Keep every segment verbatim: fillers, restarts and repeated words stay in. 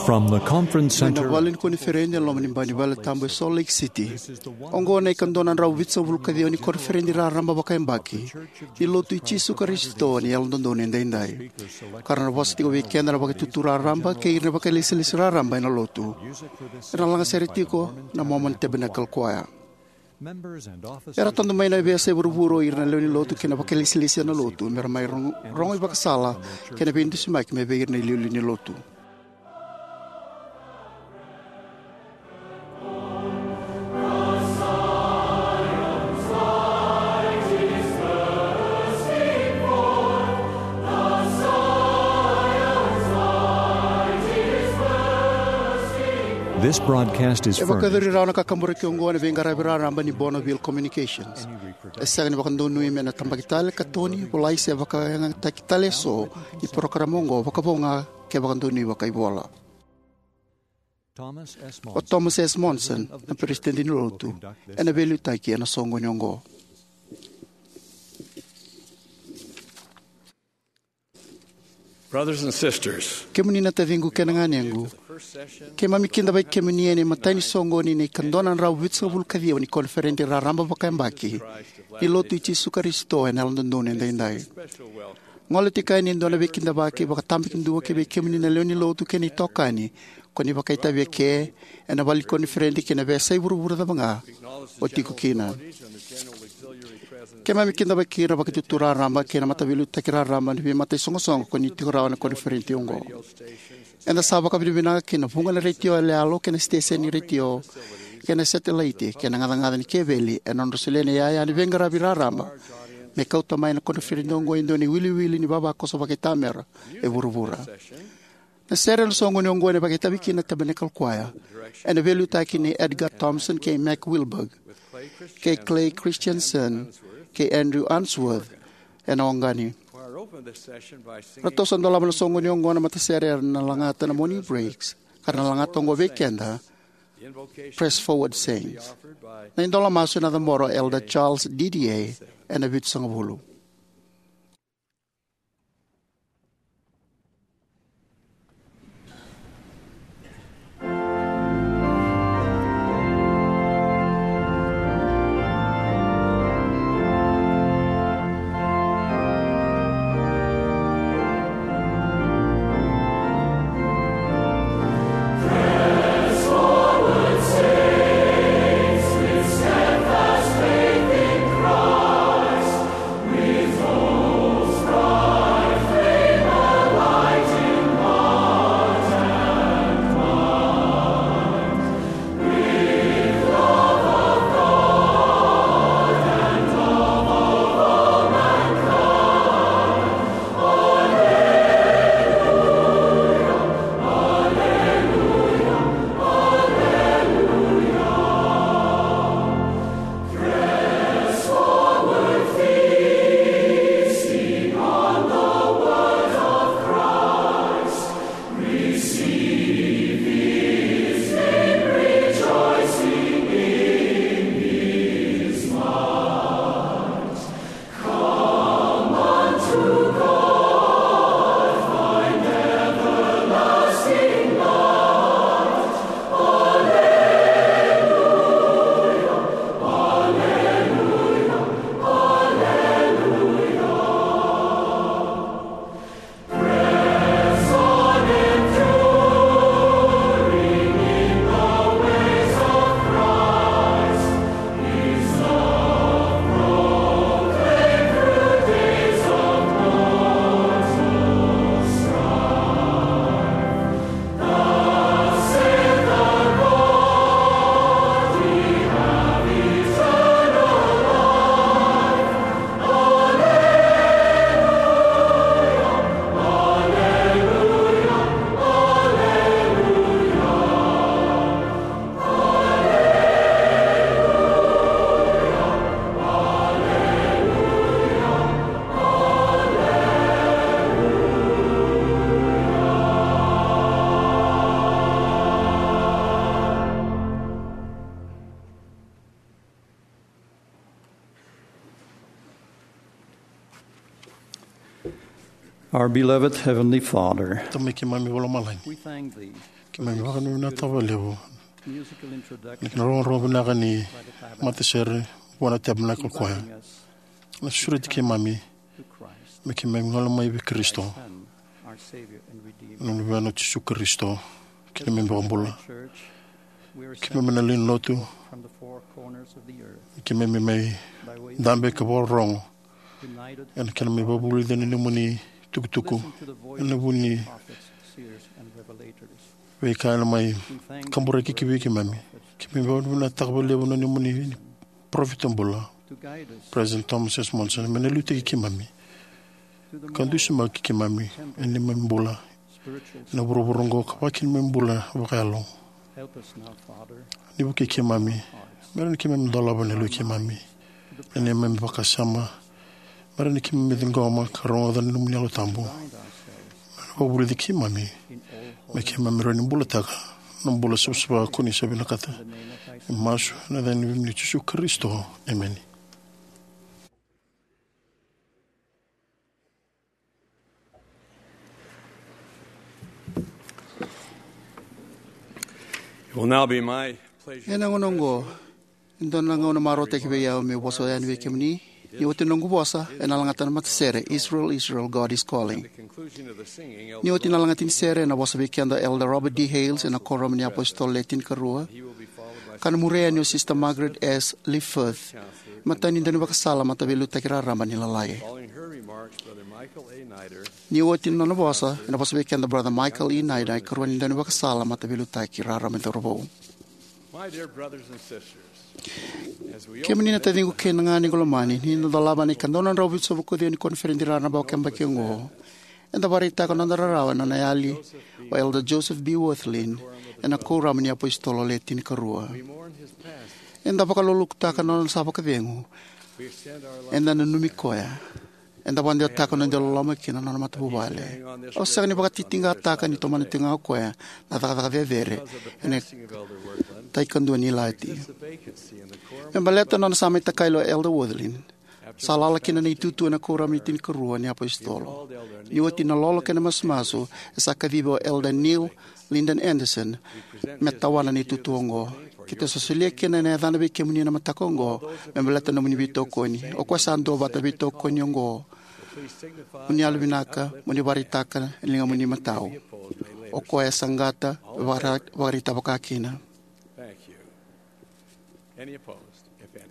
From the conference center, mai na vale ni koniferedi e loma ni bai ni vale tabu e Salt Lake City. Oqo na ikadua na drau vitusagavulu ka ciwa ni koniferedi raraba vakayabaki ni Lotu i Jisu Karisito ni Yalododonu Edaidai. Ka ra na vosa tiko vei keda na Vakaitutu Raraba kei ira na vakailesilesi raraba ena Lotu. Era na lagasere tiko na Mormon Tabernacle Choir. Era tadu mai na veiyasai vuravura o ira na lewe ni Lotu kei na vakailesilesi ena Lotu me ra mai rogo, rogo ivakasala kei na veidusimaki mai vei ira na iliuliu ni Lotu. This broadcast is E furnished vakayacori rawa na kakaburaki oqo ena veiqaravi raraba ni Bonneville Communications. E sega ni vakadonui me na tabaki tale, katoni, volai se vakayagataki tale eso ni porokaramu oqo, vakavo ga ke vakadonui vakaivola. O Thomas S. Monson, na Peresitedi ni Lotu, ena veiliutaki ena soqoni oqo. Brothers and sisters, kemuni na taciqu kei na ganequ, keimami kidavaki kemuni ena imatai ni soqoni ni ikadua na drau vitusagavulu ka ciwa ni koniferedi raraba vakayabaki ni Lotu i Jisu Karisito ena Yalododonu Edaidai. Gole tiko yani e dua na veikidavaki vakatabakidua ki vei kemuni na lewe ni Lotu kei na itokani ko ni vakaitavi eke ena vale ni koniferedi kei na veiyasai vuravura cava ga o tiko kina. Keimami kidavaki ira na Vakaitutu Raraba kei na mataveiliutaki raraba ni veimataisogosogoi ko ni tiko rawa ena koniferedi oqo. Eda sa vakavinavinaka ki na vuqa na retio yaloyalo kei na siteseni ni retio kei na setelaiti kei na gacagaca ni keveli ena nodra solia na iyaya ni veiqaravi raraba me kauta mai na koniferedi oqo e dua na iwiliwili ni vavakoso vakaitamera e vuravura. Na sere ena soqoni oqo ena vakaitavi kina na Tabernacle Choir ena veiliutaki nei Edgar Thompson kei Mac Wilberg, kei Clay Christensen kei Andrew Unsworth ena oqani. Ratou sa dolava na soqoni oqo na matasere era na lagata na Morning Breaks, ka ra na lagata oqo vei keda, Press Forward Saints. Na idola masu ena cabora o Elder Charles Didier ena vitusagavulu. Our beloved Heavenly Father, Tamai keimami vakalomalagi, we thank Thee keimami vakavinavinakataka vakalevu na kena rogorogo vinaka ni matasere vua na Tabernacle Choir. Na sureti keimami me keimami gole mai vei Karisito, na Luvena o Jisu Karisito, kei na neimami iVakabula. Keimami na lewe ni lotu, keimami mai dabe ka vakarorogo ena kena mai vakavulici na nomuni tukutuku ena vuku ni veika ena mai kaburaki ki vei keimami. Keimami vakavinavinakataka vakalevu na nomuni parofita bula, President Thomas S. Monson, me na liutaki keimami ka dusimaki keimami ena neimami bula ena vuravura oqo ka vaka kina neimami bula vakayalo. Ni vukei keimami, me rawa ni keimami dolava na yaloi keimami, na neimami vakasama, me rawa ni keimami ciqoma ka rogoca na nomuni Yalo Tabu. Me na vakavulici keimami me keimami rawa ni bulataka na bula savasava ko ni sa vinakata. Masu ena yaca ni Luvemuni o Jisu Karisito. Emeni. It will now be my pleasure. Ena gauna oqo, e dua na gauna marautaki vei au meu vosa yani vei kemuni. Ni oti na noqu vosa, ena lagata na matasere Israel, Israel, God is Calling. Ni oti na lagati ni sere, ena vosa vei keda o Elder Robert D. Hales ena Kuoramu ni iApositolo Le Tinikarua, ka na muria yani o Sister Margaret S. Leaforth, matani daunivakasala Mataveiliutaki Raraba ni Lalai. Ni oti na nona vosa, ena vosa vei keda Brother Michael E. Nida, ikarua ni daunivakasala Mataveiliutaki Raraba ni Cauravou. Kemuni na taciqu kei na ganequ lomani, ni da dolava na ikadua na drau vitusagavulu ka ciwa ni koniferedi raraba vakayabaki oqo, eda vakaraitaka na noda rarawa ena nona yali o Elder Joseph B. Wirthlin ena Kuoramu ni iApositolo Le Tinikarua. Eda vakalolokutaka na nona sa vakacegu. Eda nanumi koya. Eda vakadewataka na noda loloma kina nona matavuvale. Au sega ni vakatitiqataka ni tomana tiko ga o koya na cakacaka cecere ena tai kadua ni ilati. Me baleta na nona sa mai takali o Elder Wirthlin, sa lala kina na itutu ena Kuoramu ni Tinikarua ni iApositolo. Ni oti na lolo kei na masumasu, e sa kacivi o Elder Neil Linden Andersen me tawana na itutu oqo. Keitou sa solia kina ena yacana vei kemuni ena mataka oqo me baleta na nomuni veitokoni. O koya sa duavata na veitokoni oqo. Mo ni yalovinaka, mo ni vakaraitaka ena ligamuni imatau. O koya e saqata me vakara-, vakaraitaka vakakina.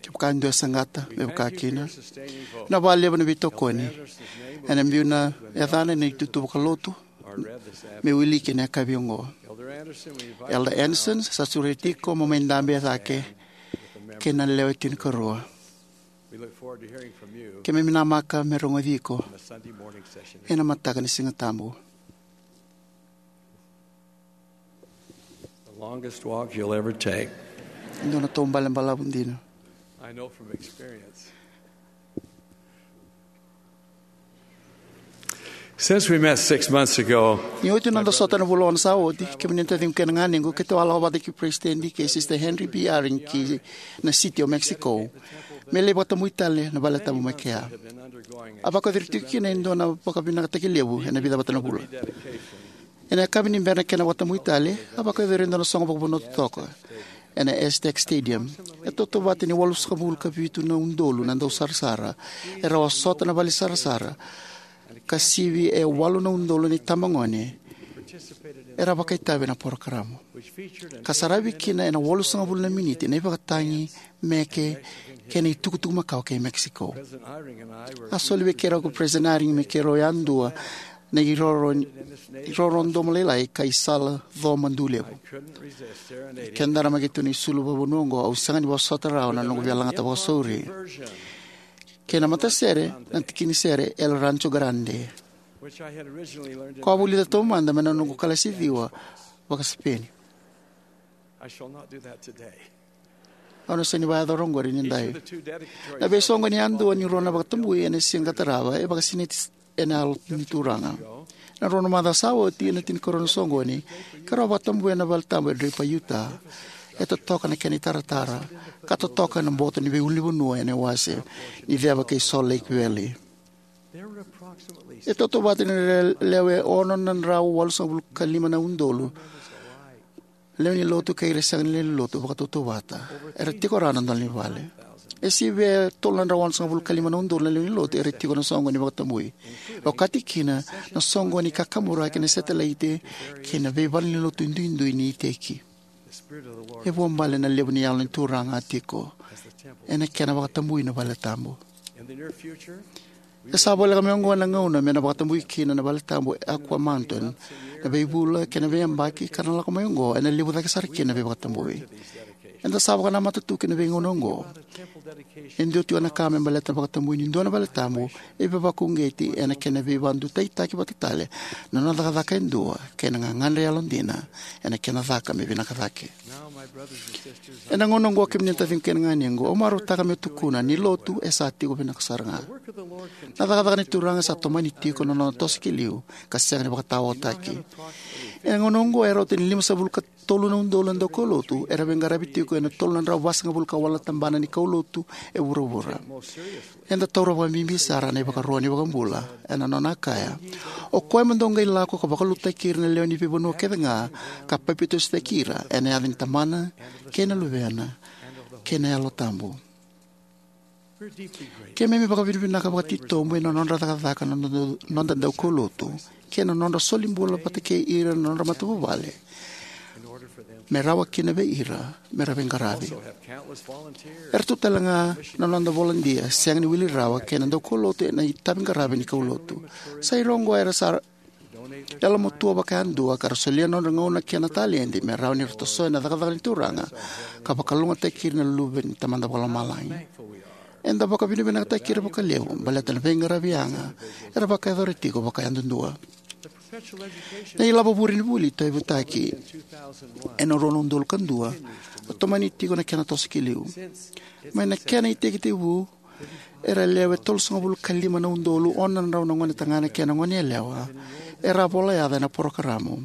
Kevaka e dua e saqata me vakakina, na vakalevu na veitokoni. Ena biu na yacana ena itutu vakalotu me wiliki ena yakavi oqo. Elder Andersen, sa sureti iko mo mai dabe e cake kei na lewe tinikarua. Keimami namaka me rogoci iko ena mataka ni Siga Tabu. The longest walk you'll ever take. E dua na taubale balavu dina. I know from experience. Since we met six months ago, ni oti na noda sota na vula ono sa oti, kemuni na taciqu kei na ganequ, keitou a lako vata kei President kei Sister Henry B. Eyring ki na City o Mexico me lai vakatabui tale na vale tabu mai kea. A vakayacori tiko kina e dua na vakavinakataki levu ena vica vata na vula. Ena yakavi ni bera na kena vakatabui tale, a vakayacori e dua na soqo vakavanua totoka ena Aztec Stadium. E tautauvata ni walusagavulu ka vitu na udolu na dausarasara era a sota na vale sarasara, ka sivi e walu na udolu na itabagone era vakaitavi ena porokaramu, ka saravi kina ena walusagavulu na miniti na ivakatagi, meke, kei na itukutuku makawa kei Mexico. A soli vei keirau ko President Eyring me keirau yadua na iroro, iroro domo lailai ka isala co madu levu. Keda na mai keitou na isulu vakavanua oqo, au sega ni vosota rawa na noqu via lagata vakasauri. Kei na matasere, na tiki ni sere El Rancho Grande, ko a vulica taumada mai na noqu kalasi ciwa vaka-Sipeni. Au na sega ni vakayacora oqori ni dai. Na veisoqoni yadua ni rua na vakatabui ena siga ka tarava e vakasinaiti ena Yalo ni Turaga. Na rua na macawa sa oti, ena tinikarua na soqoni, keirau a vakatabui ena vale tabu e Draper, Utah. E totoka na kena itaratara ka totoka na boto ni veiulunivanua ena iwase ni ceva kei Salt Lake Valley. E tautauvata ni ra lewe ono na drau walusagavulu ka lima na udolu lewe ni lotu kei ira sega ni lewe ni lotu vakatautauvata era tiko rawa na dole ni vale. E sivia e tolu na drau walusagavulu ka lima na udolu na lewe ni lotu era tiko na soqo ni vakatabui, okati kina na soqo ni kakaburaki, na setelaite, kei na veivalenilotu duidui ni iteki. E vuabale na levu ni Yalo ni Turaga a tiko ena kena vakatabui na vale tabu. E sa voleka mai oqo na gauna me na vakatabui kina na vale tabu e Aqua Mountain, na veivula kei na veiyabaki ka na lako mai oqo ena levu cake sara kina na veivakatabui. Eda sa vakanamata tu ki na veigauna oqo. E dua tiko na ka me baleta na vakatabui ni dua na vale tabu e veivakauqeti ena kena veivakadutaitaki vata tale na nona cakacaka e dua kei na gagadre yalodina ena kena caka me vinaka cake. Ena gauna oqo, kemuni na taciqu kei na ganequ, au marautaka meu tukuna ni lotu e sa tiko vinaka sara ga. Na cakacaka ni Turaga sa tomani tiko na nona toso ki liu ka sega ni vakataotaki. Ena gauna oqo e rauta ni limasagavulu ka tolu na udolu na daukaulotu era veiqaravi tiko ena tolu na drau vasagavulu ka walu na tabana ni kaulotu e vuravura. Eda taura vakabibi sara na ivakaro ni iVakabula ena nona kaya, "O koya mo dou qai lako ka vakalotutaki ira na lewe ni veivanua kece ga, ka papitaisotaki ira ena yaca ni Tamana, kei na Luvena, kei na Yalo Tabu." Keimami vakavinavinaka vakatitobu ena nodra cakacaka na noda, noda daukaulotu kei na nodra soli bula vata kei ira na nodra matavuvale me rawa kina vei ira me ra veiqaravi. Era tu tale ga na noda volodia sega ni wili rawa kei na daukaulotu ena itaviqaravi ni kaulotu. Sai ira oqo era sa yalomatua vakayadua ka ra solia na nodra gauna kei na taledi me rawa ni ra tosoya na cakacaka ni Turaga ka vakalougatataki ira na luve ni Tamada Vakalomalagi. Eda vakavinavinakataki ira vakalevu baleta na veiqaravi yaga era vakayacora tiko vakayadudua. Na ilavo vuri ni vuli tauyavutaki ena rua na udolu ka dua a tomani tiko na kena toso ki liu. Mai na kena itekitekivu, era lewe tolusagavulu ka lima na udolu ono na drau na gone tagane kei na gone yalewa era a vola yaca ena porokaramu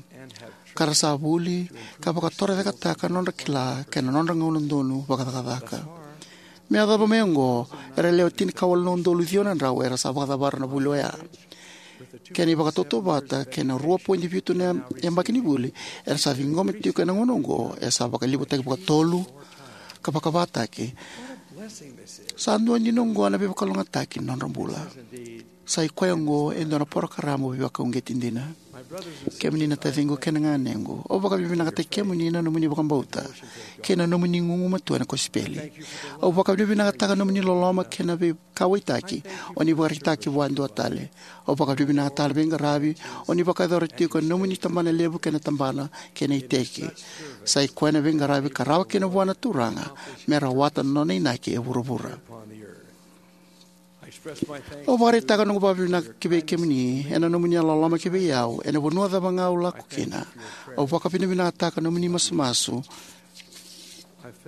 ka ra sa vuli ka vakatorocaketaka na nodra kila kei na nodra gauna donu vakacakacaka. Me yacova mai oqo, era lewe tinikawalu na udolu ciwa na drau era sa vakacavara na vuli oya. Kei na ivakatautauvata kei na rua poidi vitu na yabaki ni vuli era sa ciqoma tiko ena gauna oqo, e sa vakalevutaki vakatolu ka vakavataki. Sa dua dina oqo na veivakalougatataki ni nodra bula. Sai koya oqo e dua na porokaramu veivakauqeti dina. Kemuni na taciqu kei na ganequ, au vakavinavinakataki kemuni na nomuni vakabauta kei na nomuni gugumatua ena kosipeli. Au vakavinavinakataka na nomuni loloma kei na veikauwaitaki o ni vakaraitaka vua e dua tale. Au vakavinavinakataka na veiqaravi o ni vakayacora tiko ena nomuni tabana levu kei na tabana kei na iteki. Sai koya na veiqaravi ka rawa kina vua na Turaga me rawata na nona inaki e vuravura. Au vakaraitaka noqu vakavinavinaka ki vei kemuni ena nomuni yalololoma ki vei au ena vanua cava ga au lako kina. Au vakavinavinakataka nomuni masumasu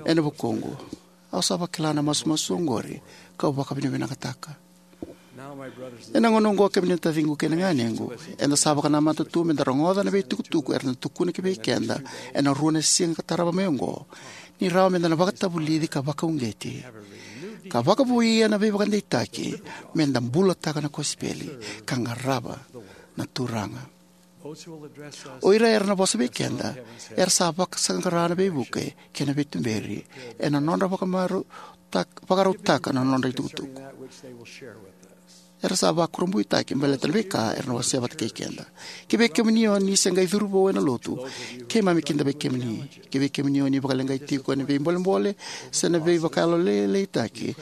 ena vukuqu. Au sa vakila na masumasu oqori kau vakavinavinakataka. Ena gauna oqo, kemuni na taciqu kei na ganequ, eda sa vakanamata tu meda rogoca na veitukutuku era na tukuna ki vei keda ena rua na siga ka tarava mai oqo, ni rawa meda na vakatavulici ka vakauqeti ka vakavouia na veivakadeitaki meda bulataka na kosipeli ka qarava na Turaga. O ira era na vosa vei keda era sa vakasaqara na veivuke kei na veituberi ena nodra vakamaru-, tak-, vakarautaka na nodra itukutuku. Era sa vakurabuitaki baleta na veika era na wasea vata kei keda. Ki vei kemuni o ni se qai curu vou ena lotu, keimami kida vei kemuni. Ki vei kemuni o ni vakaleqai tiko ena veibolebole se na veivakayalolailaitaki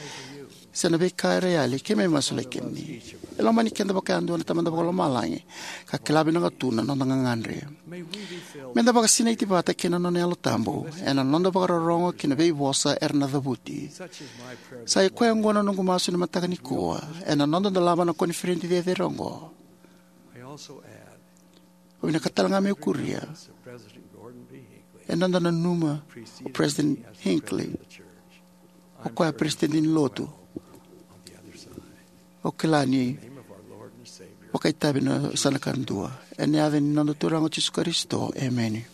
se na veika era yali, keimami masulaki kemuni. E lomani keda vakayadua na Tamada Vakalomalagi ka kila vinaka tu na noda gagadre. Meda vakasinaiti vata kei na nona Yalo Tabu ena noda vakarorogo ki na veivosa era na cavuti. Sa i koya oqo na noqu masu ena mataka nikua ena noda dolava na koniferedi cecere oqo. Au vinakata tale ga meu kuria ena noda nanuma o President Hinckley, o koya President ni Lotu. Au kila ni vakaitavi na sa na kadua. Ena yaca ni noda Turaga o Jisu Karisito, emeni.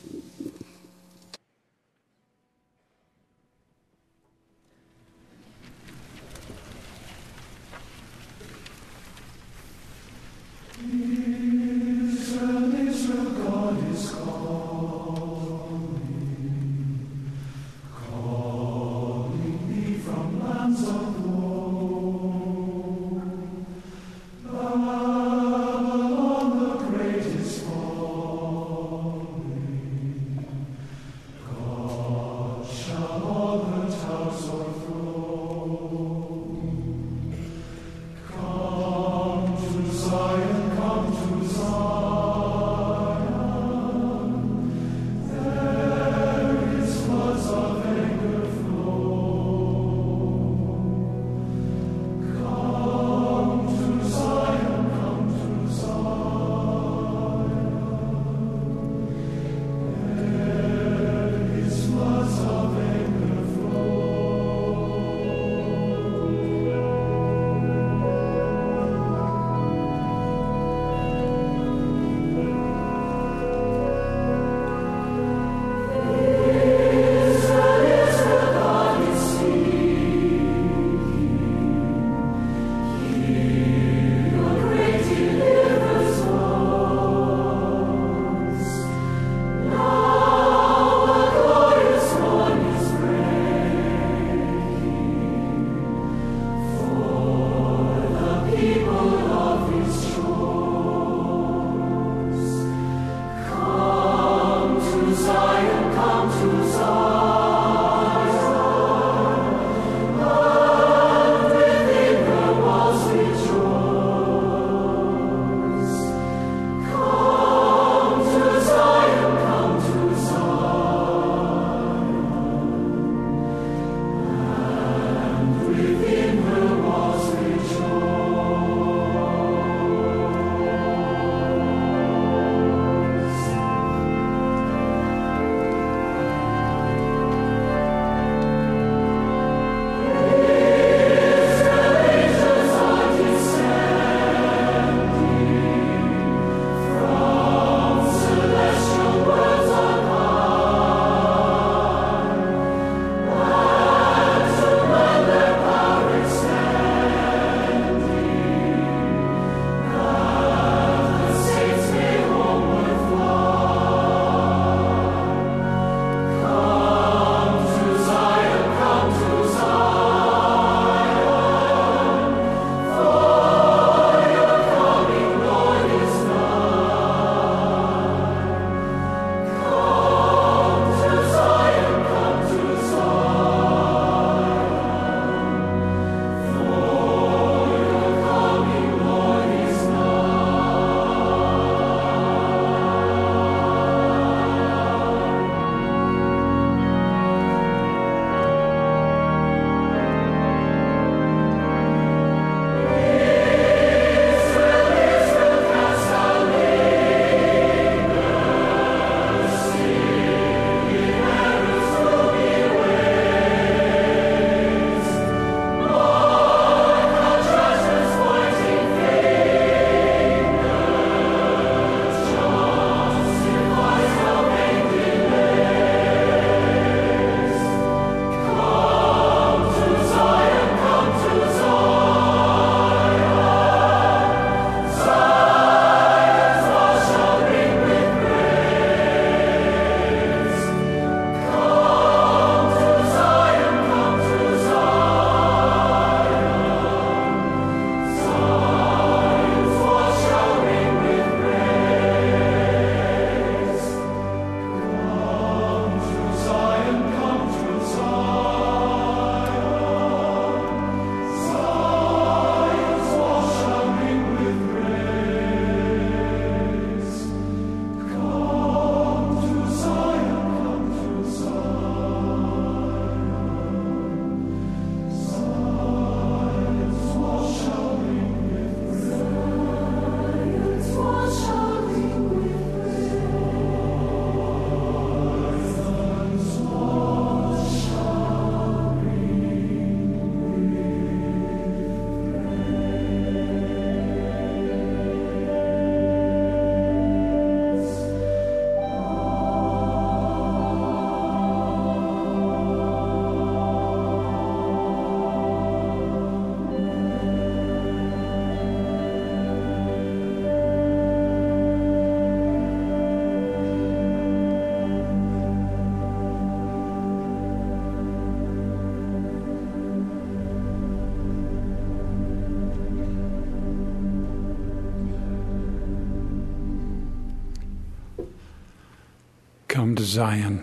Come to Zion.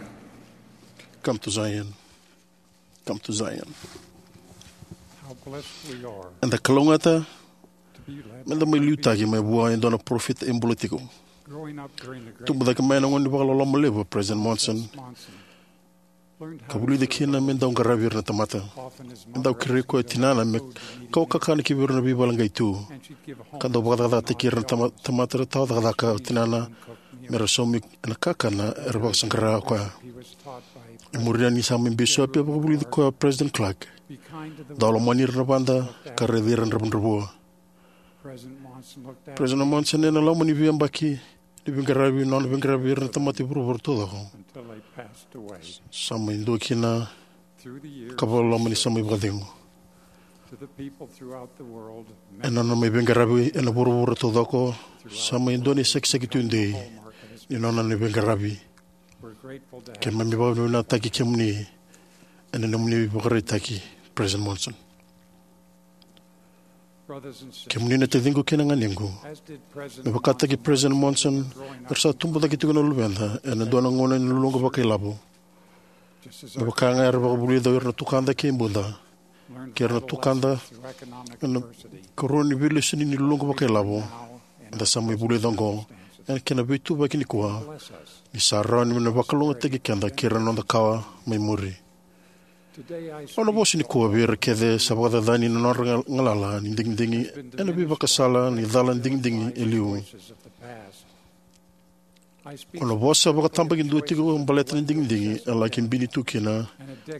Come to Zion. Come to Zion. How blessed we are. Eda kalougata to be led meda mai liutaki mai vua e dua na parofita e bula tiko. Growing up during the great Tubu cake mai na gauna ni vakaloloma levu a President Monson, Monson learned ka how vulica to kina serve me dau qaravi ira na tamata. Often his E dau mother kerei koya tinana me kau kakana ki vei ira na veivale qai tu. And she'd give a home ka dau vakacakacakataki ira na tama- tamata era tawa cakacaka o tinana me ra saumi ena kakana era vakasaqara o koya. He was taught by E muri yani sa mai bisopi e vakavulici koya o President Clark. Be kind to the Dau lomani ira na vada ka raici ira na dravudravua. President Monson looked after President Monson ena loma ni veiyabaki ni veiqaravi, nona veiqaravi ira na tamata e vuravura taucoko. Until they passed away. Sa mai dua kina Through the years, ka vakaloloma ni sa mai vakacegu. To the people throughout the world, ena nona mai veiqaravi ena vuravura taucoko, sa mai dua na isakisaki tudei ni nona na veiqaravi. We're grateful to have Keimami vakavinavinakataki kemuni ena nomuni vakaraitaki, President Monson. Brothers and sisters, Kemuni na taciqu kei na ganequ, as did me President vakataki Monson, President Monson, era sa tubu cake tiko na luveda ena dua na gauna ni luluqa vakailavo. Just as me our vaka ga era vakavulica o ira na tukada kei Buda, learned kei ira na vital tukada lessons through economic ena adversity, karua ni veilesoni ni luluqa vakailavo, now and eda sa mai vulica oqo, circumstances, ena kena veituvaki nikua, bless us ni sa rawa ni me na vakalougatataki keda kei ira na noda kawa mai muri. Today I Au na speak vosa nikua vei ira kece sa vakacacani na nodra ga- galala ni digidigi ena veivakasala ni cala digidigi e liu. Au na vosa vakatabakidua tiko baleta na digidigi e laki bini tu kina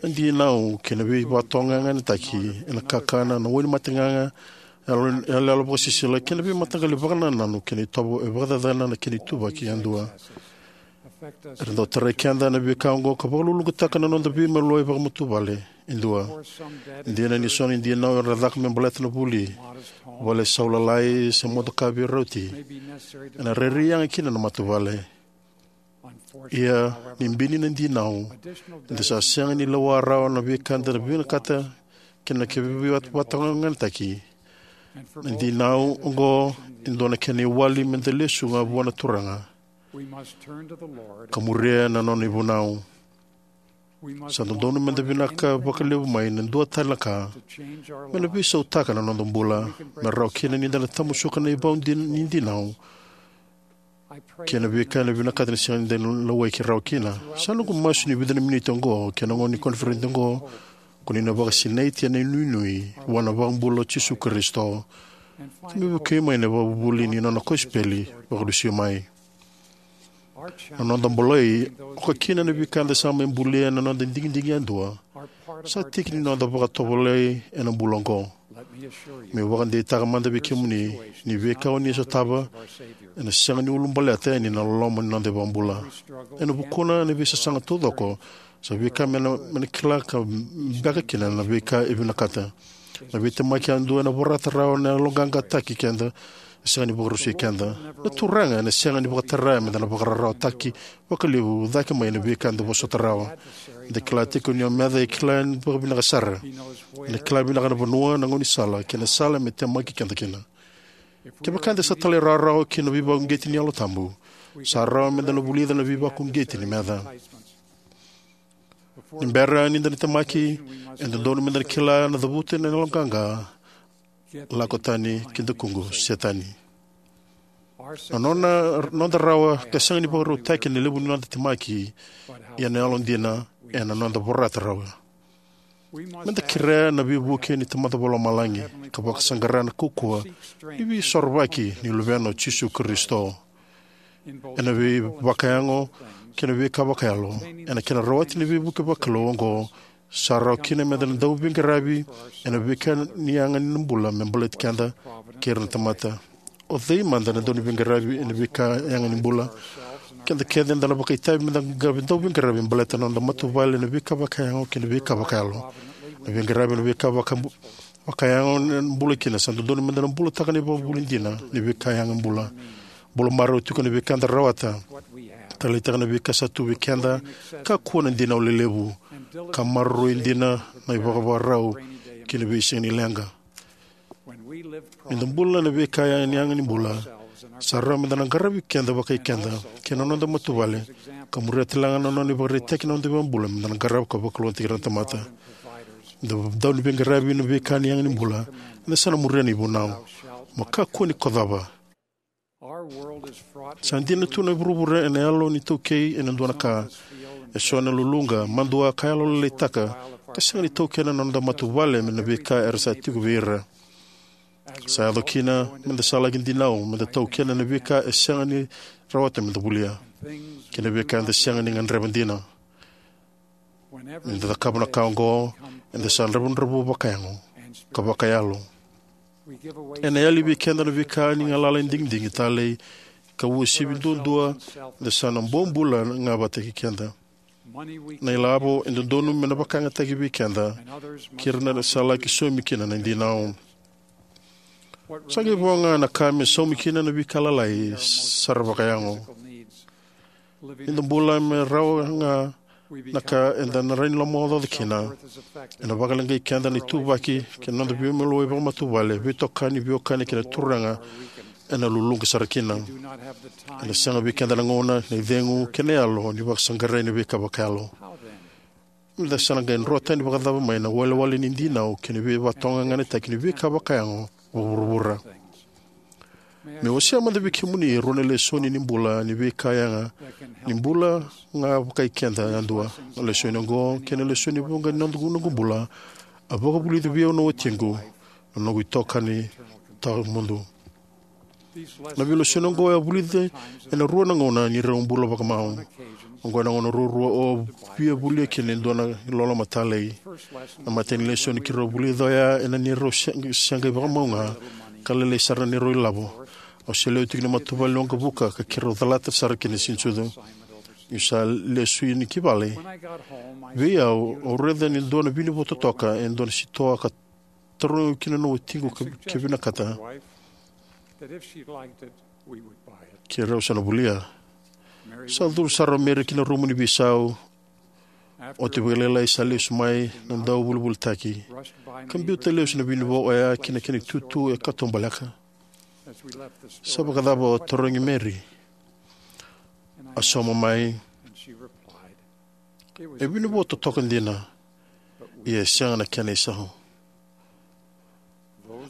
na dinau kei na veivakatogaganeataki ena kakana, na wainimate gaga, yalo- yaloyalo vakasisila kei na veimataqali vakanananu kei na itovo e vakacacana na kena ituvaki yadua. Era dau tarai keda na veika oqo ka vakaluluqataka na noda veimaliwai vakamatavuvale e dua. Dina ni so na dinau era caka me baleta na vuli, vale sau lalai se motoka veirauti, ena rairai yaga kina na matavuvale. Ia, ni bini na dinau, eda sa sega ni lewa rawa na veika eda na vinakata kei na kena veivakatogaganeataki. Na dinau oqo e dua na kena iwali meda lesu ga vua na Turaga ka muria na nona ivunau. Sa dodonu meda vinaka vakalevu mai na dua tale na ka, me na veisautaka na noda bula me rawa kina ni da na tamusuka na ivau din- ni dinau kei na veika ena vinakata ni sega ni da na lewai rawa kina. Sa noqu masu ni vica na miniti oqo kei na gauna ni koniferedi oqo, ko ni na vakasinaiti ena inuinui vua na iVakabula o Jisu Karisito, ka me vukei mai na ivakavuvuli ni nona kosipeli vakalesui mai. Na noda bolei, oka kina na veika eda sa mai bulia ena noda digidigi yadua, sa tiki ni noda vakatovolei ena bula oqo. Meu vakadeitaka mada vei kemuni ni veika o ni sotava ena sega ni ulabaleta yani na loloma ni noda iVakabula. Ena vukuna na veisasaga taucoko, sa veika me na, me na kila ka beka kina na veika e vinakata. Na veitemaki yadua ena vorata rawa na yaloqaqataki keda, e sega ni vakarusai keda. Na Turaga ena sega ni vakatara meda na vakararawataki vakalevu cake mai na veika eda vosota rawa. Eda kila tiko ni o meca e kila vakavinaka sara. Ena kila vinaka na vanua, na gaunisala kei na sala me temaki keda kina. Kevaka eda sa talairawarawa ki na veivakauqeti ni Yalo Tabu, sa rawa meda na vulica na veivakauqeti ni meca. Ni bera ni da na temaki, e dodonu meda na kila na cavuta na yaloqaqa, lako tani ki dakuqu Setani. Na nona, noda rawa ka sega ni vakarautaki na levu ni noda temaki, ia na yalodina ena noda vorata rawa. Meda kerea na veivuke ni Tamada Vakalomalagi ka vakasaqara na kaukauwa ni veisorovaki ni Luvena o Jisu Karisito. Ena veivakayago kei na veika vakayalo, ena kena rawati na veivuke vakalou oqo, sa rawa kina meda na dau veiqaravi ena veika ni yaga ni bula me baleti keda kei ira na tamata. O cei mada na dau ni veiqaravi ena veika yaga ni bula? Keda kece eda na vakaitavi meda qaravi, dau veiqaravi baleta na noda matavuvale ena veika vakayago kei na veika vakayalo. Na veiqaravi ena veika vaka- vakayago ena bula kina, sa dodonu meda na bulataka na ivakavuvuli dina ni veika yaga ni bula. Bula marau tiko na veika eda rawata, taleitaka na veika sa tu vei keda, kakua na dinau lelevu, ka maroroi dina na ivakavakarau kei na veisiga ni leqa. Ni da bula na veika yaga ni bula, sa rawa meda na qaravi keda vakai keda kei na noda matavuvale ka muria tale ga na nona ivakaraitaki na noda iVakabula me da na qarava ka vakalougatataki ira na tamata. Eda dau ni veiqaravi ena veika ni yaga ni bula, eda sa na muria na ivunau: Mo kakua ni kocava. Sa dina tu na vuravura ena yalo ni taukei ena dua na ka. Eso ena luluqa, madua, ka yalolailaitaka, ka sega ni taukena na noda matavuvale mai na veika era sa tiko vei ira. Sa yaco kina me da sa laki dinau me da taukena na veika e sega ni rawata me da volia, kei na veika eda sega ni gadreva dina. Ni da cakava na ka oqo, eda sa dravudravua vakayago ka vakayalo. Ena yali vei keda na veika ni galala e digidigi, talei, ka uasivi duadua, eda sa na bobula ga vata kei keda. Na ilavo e dodonu me na vakayagataki vei keda kei ira era sa laki saumi kina na dinau. Sa qai vo ga na ka me saumi kina na veika lalai sara vakayago. Ni da bula me rawa ga na ka eda na rawa ni lomaocaoca kina, ena vakaleqai keda na ituvaki kei na noda veimaliwai vakamatavuvale, veitokani, veiwekani kei na turaga ena luluqa sara kina. Ena sega vei keda na gauna, na icegu, kei na yalo ni vakasaqarai na veika vakayalo. Me da sa na qai drotani vakacava mai na iwalewale ni dinau kei na veivakatawaganegataki ni veika vakayago vakavuravura? Meu wasea mada vei kemuni e rua na lesoni ni bula ni veika yaga ni bula ga vakai keda yadua. Na lesoni oqo kei na lesoni vuqa ni noqu, noqu bula a vakavulica vei au na watiqu, na noqu itokani tawamudu. Na veilesoni oqo e a vulica ena rua na gauna ni rau bula vakamau. Oqo ena gauna ruarua au via volia kina e dua na iloloma talei. Na imatai ni lesoni keirau a vulica oya ena neirau se-, se qai vakamau ga ka lailai sara na neirau ilavo. Au se lewe tiko ni matavuvale ni waqavuka ka keirau calata sara kina e Siganisucu. Niu sa lesu yani ki vale, vei au, au raica e dua na vinivo totoka e dua na sitoa ka tarogi au kina na watiqu ke, ke vinakata. Keirau sa na volia. Sa curu sara o Mary ki na rumu ni veisau. Oti vakalailai sa lesu mai na dauvolivolitaki, ka biuta lesu na vinivo oya ki na kena itutu e katubaleka. Sa vakacava? A tarogi Mary. A sauma mai, e vinivo totoka dina, ia e sega na kena isau.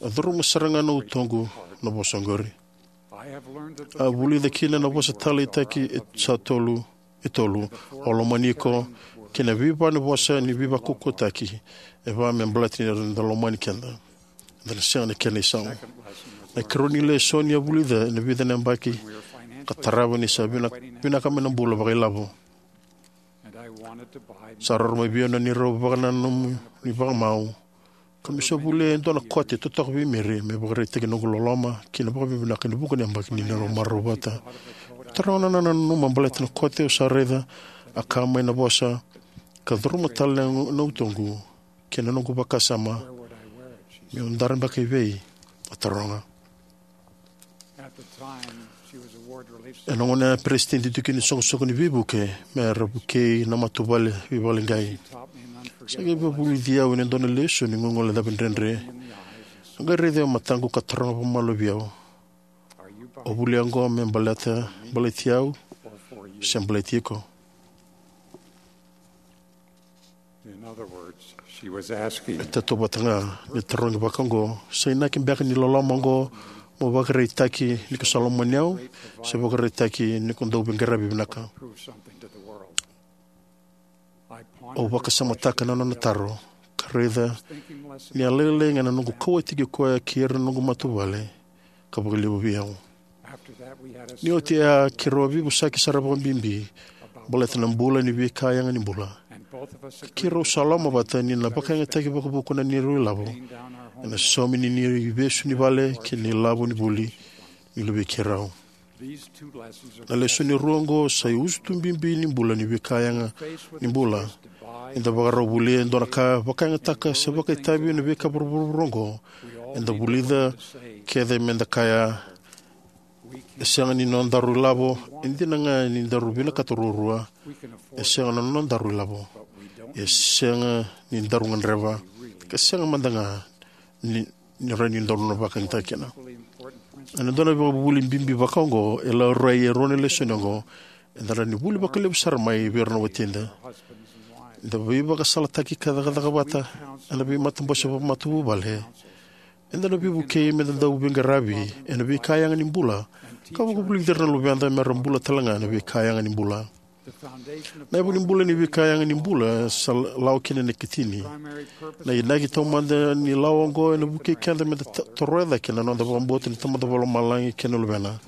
A curuma sara ga na utoqu na vosa oqori. A vulica kina na vosa taleitaki e sa tolu, e tolu: Au lomani iko, kei na veivale ni vosa ni veivakaukauwataki: E va me baleta ni da lomani keda, eda na sega na kena isau. Na ikarua ni lesoni a vulica ena vica na yabaki ka tarava ni sa vina-, vinaka mai na bula vakailavo. Sa roro mai vei au na neirau vakananumi vakamau, ka meu sa volia e dua na kote totoka vei Mary me vakaraitaki noqu loloma kei na vakavinavinaka ena vuqa na yabaki ni neirau marau vata. Taroga na nona nanuma baleta na kote, au sa raica a kaya mai na vosa, ka curuma tale na, na utoqu kei na noqu vakasama. Meu dara beka i vei? A taroga. Ena gauna ya, a peresitedi tiko ni soqosoqo ni veivuke me ra vukei na matavuvale veivakaleqai. Sa qai vakavulici au ena dua na lesoni ni gogole cavu dredre. A qai raici au e mataqu ka taroga vakamalua vei au, "O volia oqo me baleta, baleti au se baleti iko?" In other words, she was asking, e tautauvata ga ni tarogi vaka oqo, "Sa inaki beka ni loloma oqo mo vakaraitaki ni ko sa lomani au, se vakaraitaki ni ko dau veiqaravi vinaka?" Prove something to the world. I pondered, au vakasamataka na nona taro, ka raica ni a lailai ga na noqu kauwaitaki koya kei ira na noqu matavuvale, ka vakalevu vei au. Ni oti ya, keirau a veivosaki sara vakabibi baleta na bula ni veika yaga ni bula. Ka keirau sa lomavata ni na vakayagataki vakavuku na neirau ilavo ena saumi ni, ni ivesu ni vale kei na ilavo ni vuli ni luvei keirau. Na lesoni rua oqo sa iusutu bibi ni bula ni veika yaga ni bula. Eda vakarau volia e dua na ka, vakayagataka se vakaitavi na veika vuravura oqo. Eda vulica kece me da kaya, "E sega ni nodaru ilavo, e dina ga ni daru vinakata ruarua. E sega na nodaru ilavo, e sega ni daru gadreva, ka sega mada ga ni, ni rawa ni daru na vakayagataka kina." Ena dua na ivakavuvuli bibi vaka oqo, e laurai e rua na lesoni oqo. Eda rawa ni vuli vakalevu sara mai vei ira na watida. Eda veivakasalataki ka cakacaka vata ena veimatabose vakamatavuvale. Eda na veivukei meda dau veiqaravi ena veika yaga ni bula, ka vakavulici ira na luveda mera bula talega ena veika yaga ni bula. Na yavu ni bula ni veika yaga ni bula sa lawa kina na ikatini. Na inaki taumada ni lawa oqo ena vukei keda meda ta- toroya cake na noda vakabauta ni Tamada Vakalomalagi kei na Luvena.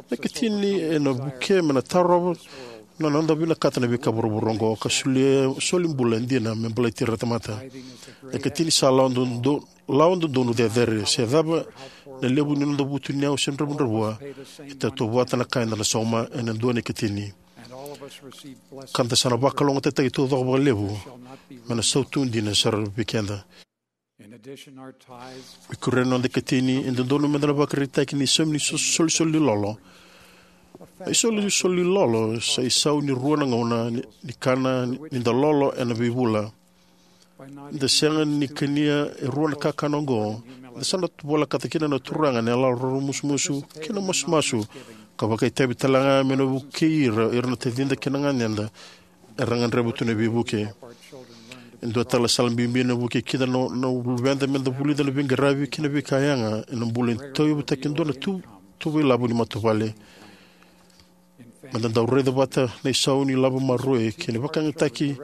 Na ikatini ena vukea meda tarova na noda vinakata na veika vuravura oqo ka solia soli bula dina me baleti ira na tamata. Na ikatini sa lawa dodonu, lawa dodonu cecere. Se cava na levu ni noda vutuniyau se dravudravua, e tautauvata na ka eda na sauma ena dua na ikatini. Ka da sa na vakalougatataki taucoko vakalevu me na sautu dina sara vei keda. Ena addition, our tithes Ena noda ikatini, e dodonu meda na vakaraitaka na isaumi ni so- solisoli ni lolo. Na isolisoli ni lolo sa isau ni rua na gauna ni, ni kana ni da lolo ena veivula. Ni da sega ni kania e rua na kakana oqo, eda sa na volekata kina na Turaga ena yalo roromusumusu kei na masumasu, ka vakaitavi talega me na vukei ira, ira na tacida kei na ganeda era gadreva tu na veivuke. E dua tale na sala bibi ena vukei keda na, na luveda meda vulica na veiqaravi kei na veika yaga ena bula e tauyavutaki e dua na tu, tuva ilavo ni matavuvale. Meda dau raica vata na isau ni lavo maroroi kei na vakayagataki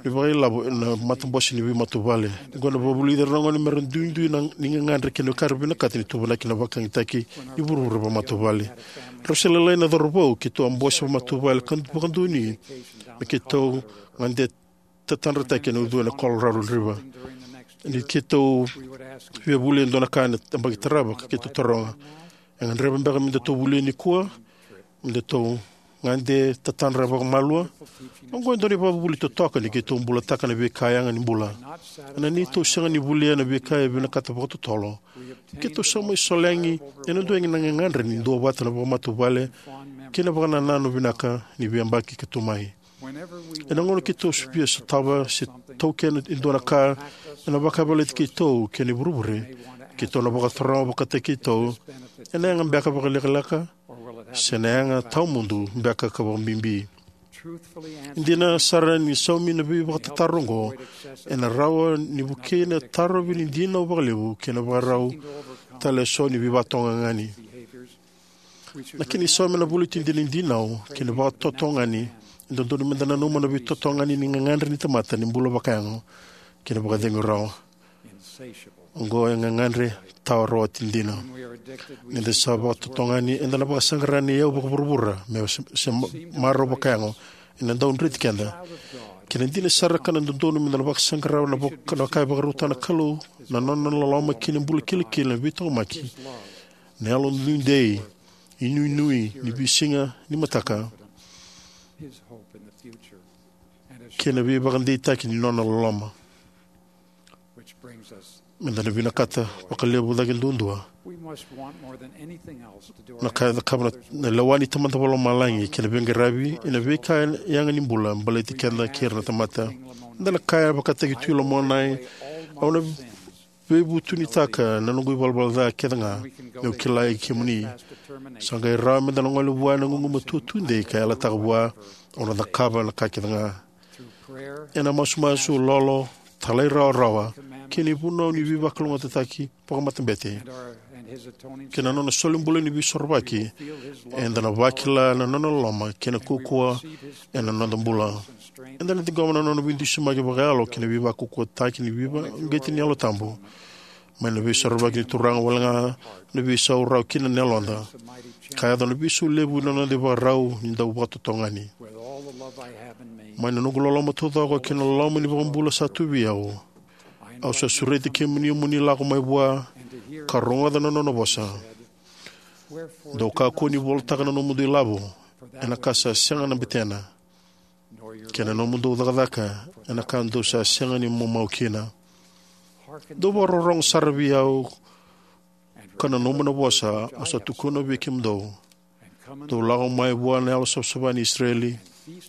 ni vakailavo ena matabose ni veimatavuvale. Oqo ena vakavulici ira na gone mera duidui na, ni gagadre kei na ka era vinakata ni tuvanaki na vakayagataki ni vuravura vakamatavuvale. Rau se lalai na cauravou, keitou a bose vakamatavuvale ka vakadonui me keitou gade tatadrataki ena ucuna e Colorado River. Ni keitou via vuli e dua na ka ena yabaki tarava, ka keitou taroga, e gadreva beka me datou vuli nikua? Me datou gade tatadra vakamalua? Oqo e dua na ivakavuvuli totoka ni keitou bulataka na veika yaga ni bula. Ena neitou sega ni volia na veika e vinakata vakatotolo, keitou sa mai solegi ena dua na gagadre ni duavata na vakamatavuvale kei na vakanananu vinaka ni veiyabaki ka tu mai. Ena gauna keitou via sotava se taukena e dua na ka ena vakayavalati keitou kei na ivurevure, keitou na vakataroga vakataki keitou, ena yaga beka vakalekaleka, se na yaga tawamudu beka ka vakabibi? E dina sara ni saumi na veivakatataro oqo, ena rawa ni vukei na tarovi ni dinau vakalevu kei na vakarau tale eso ni veivakatotogani. Na kena isau me na vulici dina na dinau kei na vakatotogani. E dodonu meda nanuma na veitotogani ni gagadre ni tamata ni bula vakayago kei na vakacegu rawa. Oqo e gagadre tawa rawati dina. Ni da sa vakatotogani, eda na vakasaqara na iyau vakavuravura me se, se ma- marau vakayago ena dau dreti keda. Kena dina sara ka na dodonu meda na vakasaqara na vaka- na ka e vakarautaka na Kalou, na nona loloma kei na bula kilikili, na veitaqomaki, na yalo nuidei, inuinui ni veisiga ni mataka, kei na veivakadeitaki ni nona loloma. Meda na vinakata vakalevu cake duadua na ka e cakava na, na lewa ni Tamada Vakalomalagi kei na veiqaravi ena veika yaga ni bula baleti keda kei ira na tamata. Eda na kaya vakataki Tui Lamoronai, au na veivutunitaka na noqu ivalavala ca kece ga meu kilai kemuni. Sa qai rawa meda na gole vua ena gugumatua tudei ka yalataka vua, au na cakava na ka kece ga. Ena masumasu, lolo, talairawarawa, kei na ivunau ni veivakalougatataki vakamatabete, kei na nona solibula ni veisorovaki, eda na vakila na nona loloma kei na kaukauwa ena noda bula. Eda na ciqoma na nona veidusimaki vakayalo kei na veivakaukauwataki ni veivakauqeti ni Yalo Tabu. Mai na veisorovaki ni Turaga wale ga na veisau rawa kina na yaloda, ka yaco na veisau levu ena noda ivakarau ni dau vakatotogani. Mai na noqu loloma taucoko kei na loloma ni iVakabula sa tu vei au, au sa sureti kemuni mo ni lako mai vua ka rogoca na nona vosa. Dou kakua ni volitaka na nomudou ilavo, ena ka sa sega na betena, kei na nomudou cakacaka, ena ka dou sa sega ni maumau kina. Dou vakarorogo sara vei au ka nanuma na vosa au sa tukuna vei kemudou. Dou lako mai vua na Yalosavasava ni Isireli,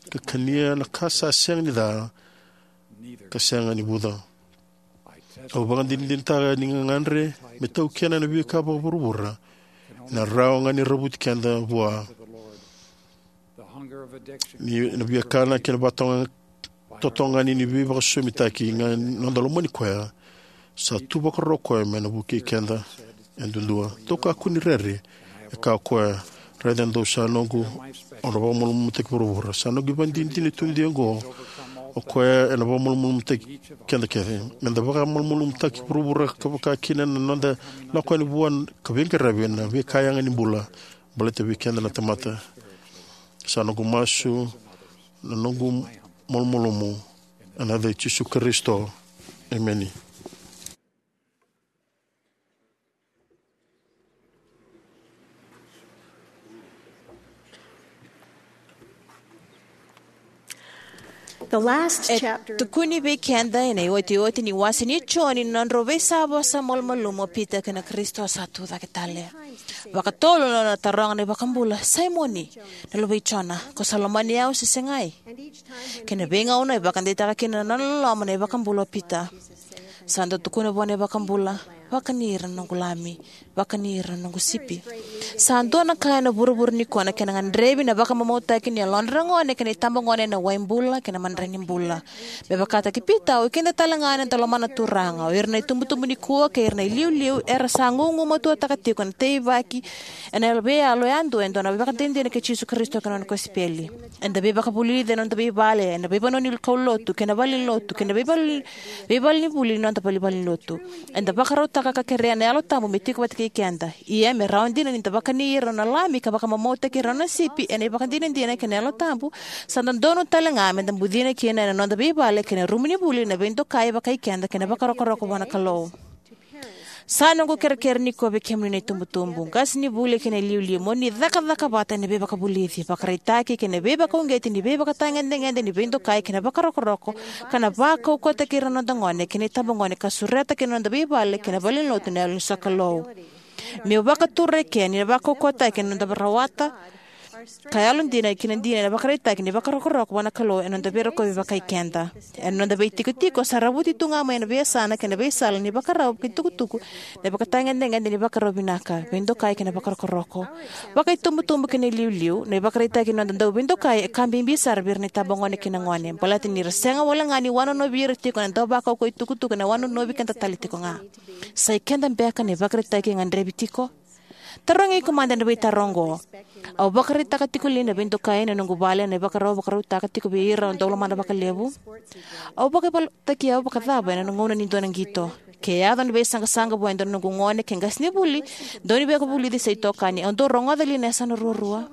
ka kania na ka sa sega ni ca ka sega ni vuca. Au vakadinadinataka ni gagadre me taukena na veika vakavuravura ena rawa ga ni ravuti keda vua. Ni na viakana kei na vakatotogani ni veivakasosomitaki ga na noda lomani koya. Sa tu vakarau koya me na vukei keda e duadua. Dou kakua ni rere, e kaya o koya, raica dou sa noqu, au na vakamalumalumutaki vuravura. Sa noqu ivakadinadina tu ni dua oqo, o koya ena vakamalumalumutaki keda kece. Meda vakamalumalumutaki vuravura ka vaka kina na noda lako yani vua ka veiqaravi ena veika yaga ni bula. Baleta vei keda na tamata, sa noqu masu, na noqu malumalumu, ena yaca i Jisu Karisito. Emeni. E tukuni vei keda ena iotioti ni wase ni Joni na nodrau veisavosa malumalumu o Pita kei na Karisito sa tu cake tale. Vakatolu na nona taroga na iVakabula, Saimoni, na luvei Jona, ko sa lomani au se segai? Kei na veigauna e vakadeitaka kina na nona loloma na iVakabula o Pita. Sa dau tukuna vua na iVakabula, vakani ira na noqu lami, vakani ira na noqu sipi. Sa dua na ka ena vuravura nikua na kena gadrevi na vakamamautaki ni yalodra na gone kei na itabagone ena wai bula kei na madrai ni bula. Me vakataki Pita, o keda talega eda lomana na Turaga. O ira na itubutubu nikua kei ira na iliuliu era sa gugumatuataka tiko na teivaki ena veiyalo yadua e dua na ivakadinadina kei Jisu Karisito kei na nona kosipeli. Eda veivakavulici ena noda veivale, ena veivanua ni kaulotu kei na valenilotu kei na veivale, veivalenivuli ni noda veivalenilotu. Eda vakarautaka ka kerea na Yalo Tabu me tiko vata kei keda. Ia me rawa dina ni da vakani ira na nona lami ka vakamamautaki ira na nona sipi ena ivakadinadina kei na Yalo Tabu, sa dodonu talega meda bucina kina ena noda veivale kei na rumu ni vuli na veidokai vakai keda kei na vakarokoroko vua na Kalou. Sa noqu kerekere nikua vei kemuni na itubutubu, qasenivuli kei na iliuliu, mo ni cakacaka vata ena veivakavulici, vakaraitaki kei na veivakauqeti ni veivakatagedegede ni veidokai kei na vakarokoroko, ka na vakaukauwataki ira na noda gone kei na itabagone ka sureta kina noda veivale kei na valenilotu na yalo ni sokalou. Meu vakatura eke ni na vakaukauwataki ena noda rawata ka yalodina kina dina ena vakaraitaki ni vakarokoroko vua na Kalou ena noda veirokovi vakai keda. Ena noda veitikotiko sa ravuti tu ga mai ena veiyasana kei na veisala ni vakarau kei tukutuku na ivakatagedegede ni vakarau vinaka, veidokai kei na vakarokoroko. Vakaitubutubu kei na iliuliu, na ivakaraitaki ni noda dau veidokai e ka bibi sara vei ira na itabagone kei na gone, baleta ni ra sega wale ga ni wanonovi ira tiko ena dau vakaukauwa itukutuku ena wanonovi keda tale tiko ga. Sa i keda beka na ivakaraitaki e gadrevi tiko? Tarogi iko mada na veitaro oqo. Au vakaraitaka tiko li na veidokai ena noqu vale ena ivakarau au vakarautaka tiko vei ira au dau lomana vakalevu? Au vakaibalebaleaki au vakacava ena gauna ni dua na qito? Ke yaco na veisaqasaqa vua e dua na noqu gone, ke qasenivuli, daunivakavulici se itokani, au dau rogoca li na yasana ruarua?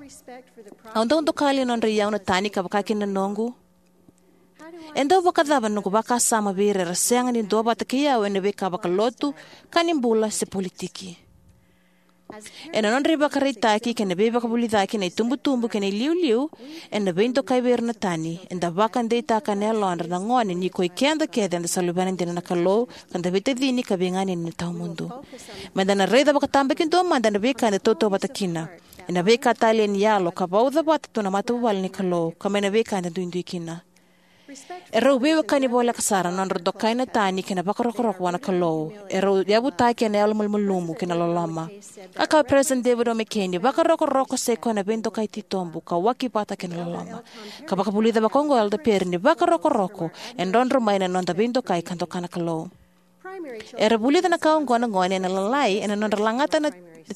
Au dau doka li na nodra iyau na tani ka vaka kina na noqu? E dau vakacava na noqu vakasama vei ira era sega ni duavata kei au ena veika vakalotu, ka ni bula se politiki? Ena nodra ivakaraitaki kei na veivakavulicaki na itubutubu kei na iliuliu, ena veidokai vei ira na tani, eda vakadeitaka ena yalodra na gone ni ko i keda kece eda sa luvena dina na Kalou, ka da veitacini ka veiganeni ena tawamudu. Meda na raica vakatabakidua mada na veika eda tautauvata kina, ena veika talei ni yalo ka vauca vata tu na matavuvale ni Kalou, ka mai na veika eda duidui kina. Erau veiwekani voleka sara na nodra dokai na tani kei na vakarokoroko vua na Kalou. Erau yavutaki ena yalo malumalumu kei na loloma. A kaya o Peresitedi David O. McKay ni vakarokoroko sa i koya na veidokai titobu ka waki vata kei na loloma. Ka vakavulica vakaoqo o Elder Perry ni vakarokoroko e drodro mai na noda veidokai ka doka na Kalou. Era vulica na ka oqo na gone ena Lalai ena nodra lagata na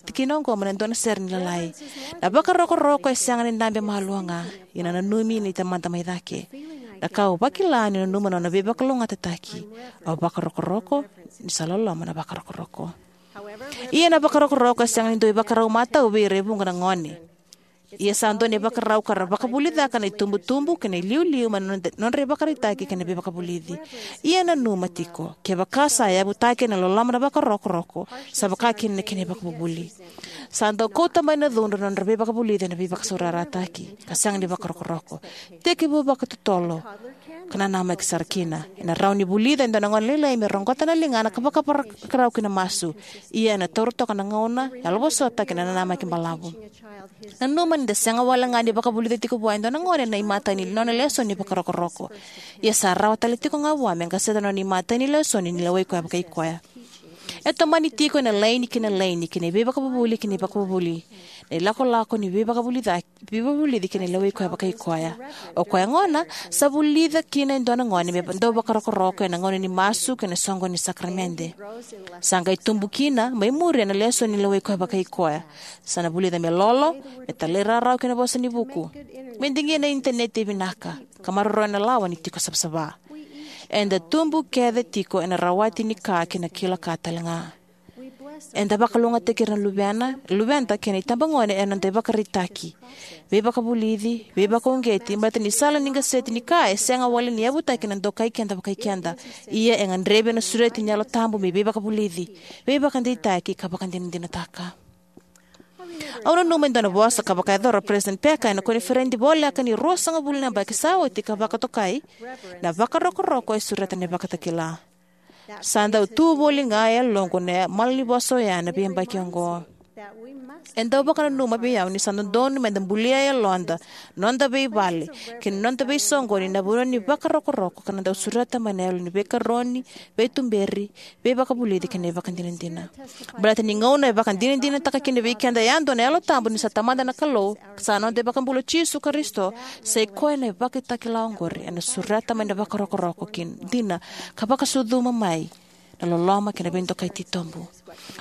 tikina oqo mai na dua na sere ni Lalai. Na vakarokoroko e sega ni dabe malua ga, ia na nanumi ni tamata mai cake. Na ka au vakila ni nanuma na nona veivakalougatataki, au vakarokoroko ni sa loloma na vakarokoroko. Ia na vakarokoroko e sega ni dua ivakarau matau vei ira e vuqa na gone. Ia sa dua na ivakarau ka ra vakavulicaka na itubutubu kei na iliuliu mai na nodra, nodra ivakaraitaki kei na veivakavulici. Ia nanuma tiko, kevaka sa yavutaki ena loloma na vakarokoroko, sa vaka kina na kena ivakavuvuli. Sa dau kauta mai na cudru na nodra veivakavulici ena veivakasaurarataki ka sega ni vakarokoroko. Tekivu vakatotolo ka nanamaki sara kina. Ena rawa ni vulica e dua na gone lailai me roqota na ligana ka vakavakarau ki na masu. Ia ena taura toka na gauna, yalovosota kei na nanamaki balavu. Nanuma ni da sega wale ga ni vakavulica tiko vua e dua na gone na imatai ni nona lesoni vakarokoroko. Ia sa rawa tale tiko ga vua me qaseta na nona imatai ni lesoni ni lewai koya vakai koya. E tomani tiko ena laini kei na laini, kei na veivakavuvuli kei na veivakavuvuli, na ilakolako ni veivakavulici, veivakavulici kei na lewai koya vakai koya. O koya gona sa vulica kina e dua na gone me dau vakarokoroko ena gauna ni masu kei na soqoni ni sakaramede. Sa qai tubu kina mai muri ena lesoni ni lewai koya vakai koya. Sa na vulica me lolo, me talairawarawa ki na vosa ni vuku, me digia na initaneti e vinaka, ka maroroya na lawa ni tiko savasava. Eda tubu kece tiko ena rawati ni ka kei na kila ka talega. Eda vakalougatataki ira na luvena, luveda kei na itabagone ena noda ivakaraitaki, veivakavulici, veivakauqeti, baleta ni sala ni qaseti ni ka e sega wale ni yavutaki na dokai keda vakai keda. Ia e gadrevi ena sureti ni Yalo Tabu me veivakavulici, veivakadeitaki, ka vakadinadinataka. Au nanuma e dua na vosa ka vakayacora o President Packer ena koniferedi voleka ni ruasagavulu na yabaki sa oti ka vakatokai, na vakarokoroko e sureta na ivakatakila. Sa dau tu voli ga e yaloqu na malanivosa oya ena veiyabaki oqo. E dau vakananuma vei au ni sa dodonu meda bulia e yaloda, noda veivale, kei na noda veisoqoni na vanua ni vakarokoroko ka na dau sureta mai na yalo ni veikaroni, veituberi, veivakavulici kei na ivakadinadina. Baleta ni gauna e vakadinadinataka kina vei keda yadua na Yalo Tabu ni sa Tamada na Kalou, sa noda iVakabula o Jisu Karisito, sa i koya na ivakatakila oqori ena sureta mai na vakarokoroko ki dina ka vakasucuma mai na loloma kei na veidokai titobu.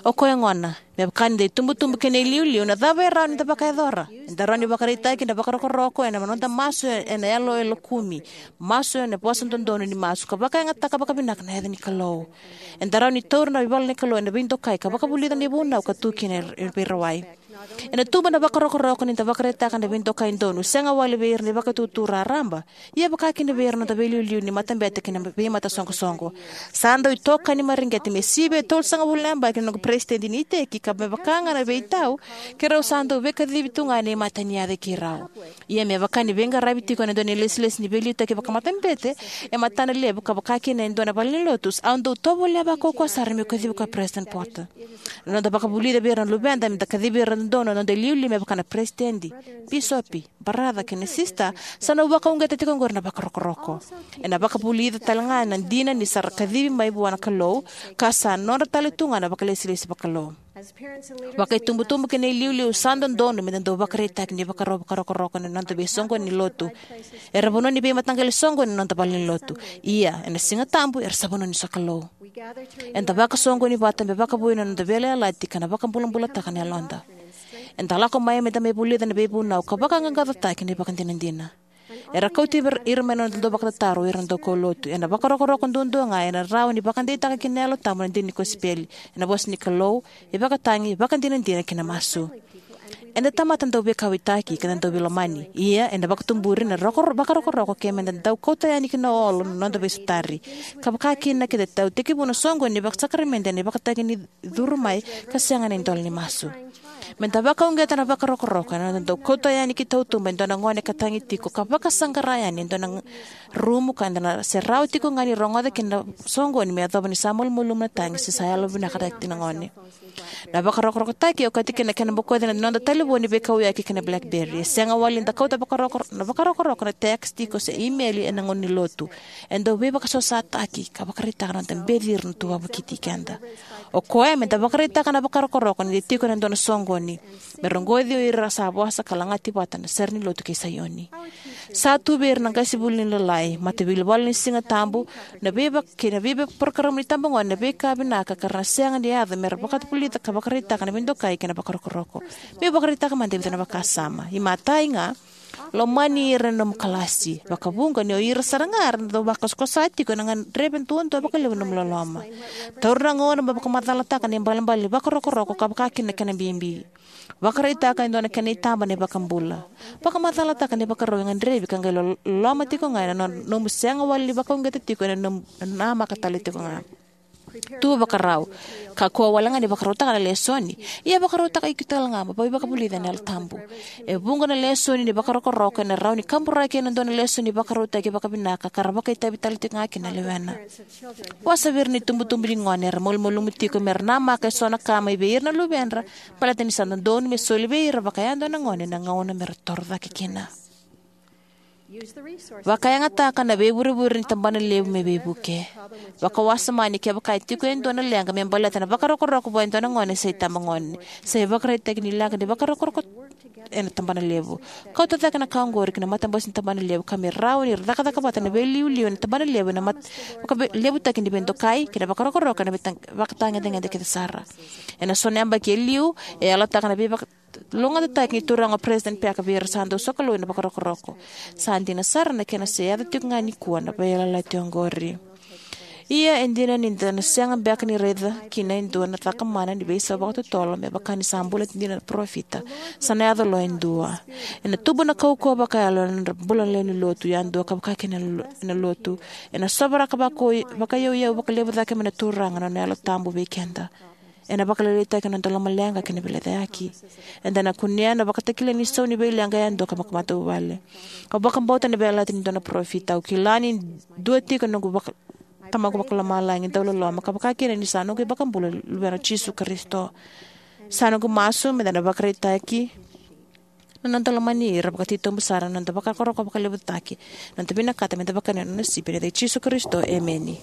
O koya gona, me vaka ni da itubutubu kei na iliuliu, na cava e rawa ni da vakayacora? Eda rawa ni vakaraitaki na vakarokoroko ena noda masu ena yalo e lokumi, masu ena vosa dodonu ni masu, ka vakayagataka vakavinaka na yaca ni Kalou. Eda rawa ni taura na ivola ni Kalou ena veidokai ka vakavulica na ivunau ka tu kina e veirawai. Ena tubu na vakarokoroko ni da vakaraitaka na veidokai donu, sega wale vei ira na ivakatutu raraba, ia vaka kina vei ira na noda veiliuliu ni matabete kei na veimatasoqosoqo. Sa dau itokani mareqeti me sivia e tolusagavulu na yabaki na noqu peresitedi ni iteki, ka me vaka ga na veitau, keirau sa dau veikacivi tu ga ena imatai ni yaca i keirau. Ia me vaka ni veiqaravi tiko ena dua na ilesilesi ni veiliutaki vakamatabete e matana levu, ka vaka kina e dua na valenilotu, au dau tovolea vakaukauwa sara meu kacivi koya President Porter. Na noda vakavulica vei ira na luveda meda kacivi ira dodonu na noda iliuliu me vaka na peresitedi, bisopi, baraca kei na sisita, sa na vakauqeta tiko oqori na vakarokoroko. Ena vakavulica talega na dina ni sa ra kacivi mai vua na Kalou, ka sa nodra tale tu ga na vakailesilesi vakalou. Vakaitubutubu kei na iliuliu, sa dodonu meda dau vakaraitaki ni vakarau vakarokoroko ena noda veisoqoni ni lotu. Era vanua ni veimataqali soqoni na noda valenilotu. Ia ena Siga Tabu era sa vanua ni sokalou. Eda vakasoqoni vata me vakavoui na noda veiyalayalati ka na vakabulabulataka na yaloda. Eda lako mai meda mai vulica na veivunau ka vakaqaqacotaki na ivakadinadina. Era kauti ira mai na noda dau vakatataro o ira na daukaulotu. Ena vakarokoroko duadua ga ena rawa ni vakadeitaka kina na Yalo Tabu na dina ni kosipeli, ena vosa ni Kalou, ivakatagi, ivakadinadina kei na masu. Eda tamata dau veikauwaitaki ka da dau veilomani. Ia eda vakatuburi na roko, vakarokoroko ke meda dau kauta yani ki na olo na noda veisotari. Ka vaka kina ke da dau tekivu na soqoni ni vakasakaramede ena ivakatagi ni curu mai ka sega na idola ni masu. Meda vakauqeta na vakarokoroko ena noda dau kauta yani ki tautuba e dua na gone ka tagi tiko, ka vakasaqara yani e dua na rumu ka da na se rawa tiko ga ni rogoca kina na soqoni me yacova ni sa malumalumu na tagi se sa yalovinakataki na gone. Na vakarokorokotaki e okati kina na kena bokoci na noda talevoni veikauyaki kei na BlackBerry. E sega wale ni da kauta vakaroko, na vakarokoroko na text tiko se imeli ena gauna ni lotu. E dau veivakasosataki ka vakaraitaka na noda beci ira na tu wavokiti keda. O koya meda vakaraitaka na vakarokoroko ni da tiko ena dua na soqoni, me rogoci o ira sa vosa ka lagati vata na sere ni lotu kei Saioni. Sa tu vei ira na qasenivuli ni Lalai, Mataveilivalu ni Siga Tabu, na veiva kei na veivaporokaramu ni tabagone na veika vinaka ka ra na sega ni yaco me ra vakavulica ka vakaraitaka na veidokai kei na vakarokoroko. Meu vakaraitaka mada e vica na vakasama. Imatai ga, lomani ira na nomu kalasi. Vakavuqa ni o ira sara ga era na dau vakakosakosa tiko ena gadreva duadua vakalevu na nomu loloma. Taura na gauna mo vakamacalataka na ibalebale ni vakarokoroko ka vaka kina na kena bibi. Vakaraitaka e dua na kena itaba na iVakabula. Vakamacalataka na ivakarau e gadrevi ka qai lo-, loloma tiko ga ena no-, nomu sega wale ni vakauqeta tiko ena nomu namaka tale tiko ga. Tu vakarau. Kakua wale ga ni vakarautaka na lesoni. Ia vakarautaka iko tale ga mo veivakavulica ena Yalo Tabu. E vuqa na lesoni ni vakarokoroko ena rawa ni kaburaki ena dua na lesoni ni vakarautaki vakavinaka ka ra vakaitavi tale tiko ga kina na lewena. Vosa vei ira na itubutubu ni gone era malumalumu tiko me ra namaka eso na ka mai vei ira na luvedra, baleta ni sa dodonu me soli vei ira vakayadua na gone na gauna me ra toro cake kina. Vakayagataka na veivurevure ni tabana levu me veivuke. Vakawasoma ni kevaka e tiko e dua na leqa me baleta na vakarokoroko vua e dua na gone se itabagone, sa ivakaraitaki ni leqa ni vakarokoroko ena tabana levu. Kauta cake na ka oqori ki na matabose ni tabana levu ka me rawa ni ra cakacaka vata na veiliuliu ena tabana levu ena mat-, vakalevutaki ni veidokai kei na vakarokoroko ena veita-, vakatagedegede kece sara. Ena so na yabaki e liu, e yalataka na veivaka-, logatataki ni Turaga o President Packer vei ira sa dau sokalou ena vakarokoroko. Sa dina sara na kena se yaco tiko ga nikua na veiyalayalati oqori. Ia e dina ni da na sega beka ni raica kina e dua na cakamana ni veisau vakatotolo me vaka ni sa bula dina na parofita, sa na yaco lo e dua. Ena tubu na kaukauwa vakayalo ena nodra bula na lewe ni lotu yadua ka vaka kina na lo-, na lotu. Ena sovaraka vaka-, vakayauyau vakalevu cake mai na Turaga na nona Yalo Tabu vei keda. Ena vakalailaitaki na noda lomaleqa kei na veilecayaki. Eda na kunea na vakatakila ni sau ni veileqa yadua ka vakamatavuvale. Au vakabauta na veiyalayalati ni dua na parofita. Au kila ni dua tiko na noqu vaka-, Tamaqu Vakalomalagi dauloloma ka vaka kina ni sa noqu iVakabula, Luvena o Jisu Karisito. Sa noqu masu me da na vakaraitaki na noda lomani ira vakatitobu sara na noda vakarokoroko vakalevutaki, na noda vinakata me da vakayagataka na nona sipi, ena yaca i Jisu Karisito, emeni.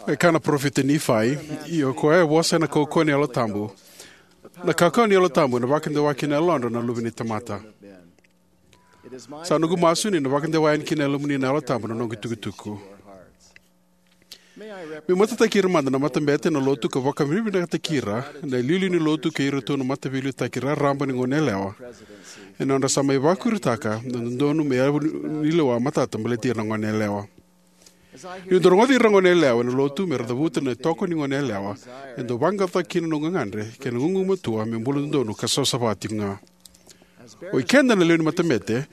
E kaya na parofita Nifai, ia o koya e vosa ena kaukauwa ni Yalo Tabu. Na kaukauwa ni Yalo Tabu ena vakadewa ki na yalodra na luve ni tamata. Sa noqu masu ni na vakadewa yani ki na yalomuni na Yalo Tabu na noqu itukutuku. Meu matataki ira mada na matabete, na lotu ka vakavinavinakataki ira na iliuliu ni lotu kei iratou na mataveiliutaki raraba ni goneyalewa ena nodra sa mai vakuritaka na dodonu me yavu ni, ni lewa matata baleti ira na goneyalewa. Niu dau rogoci ira na goneyalewa ena lotu me ra cavuta na itoko ni goneyalewa, e dau vaqaqacotaka kina na noqu gagadre kei na gugumatua me bula dodonu ka savasava tiko ga. O ikeda na lewe ni matabete,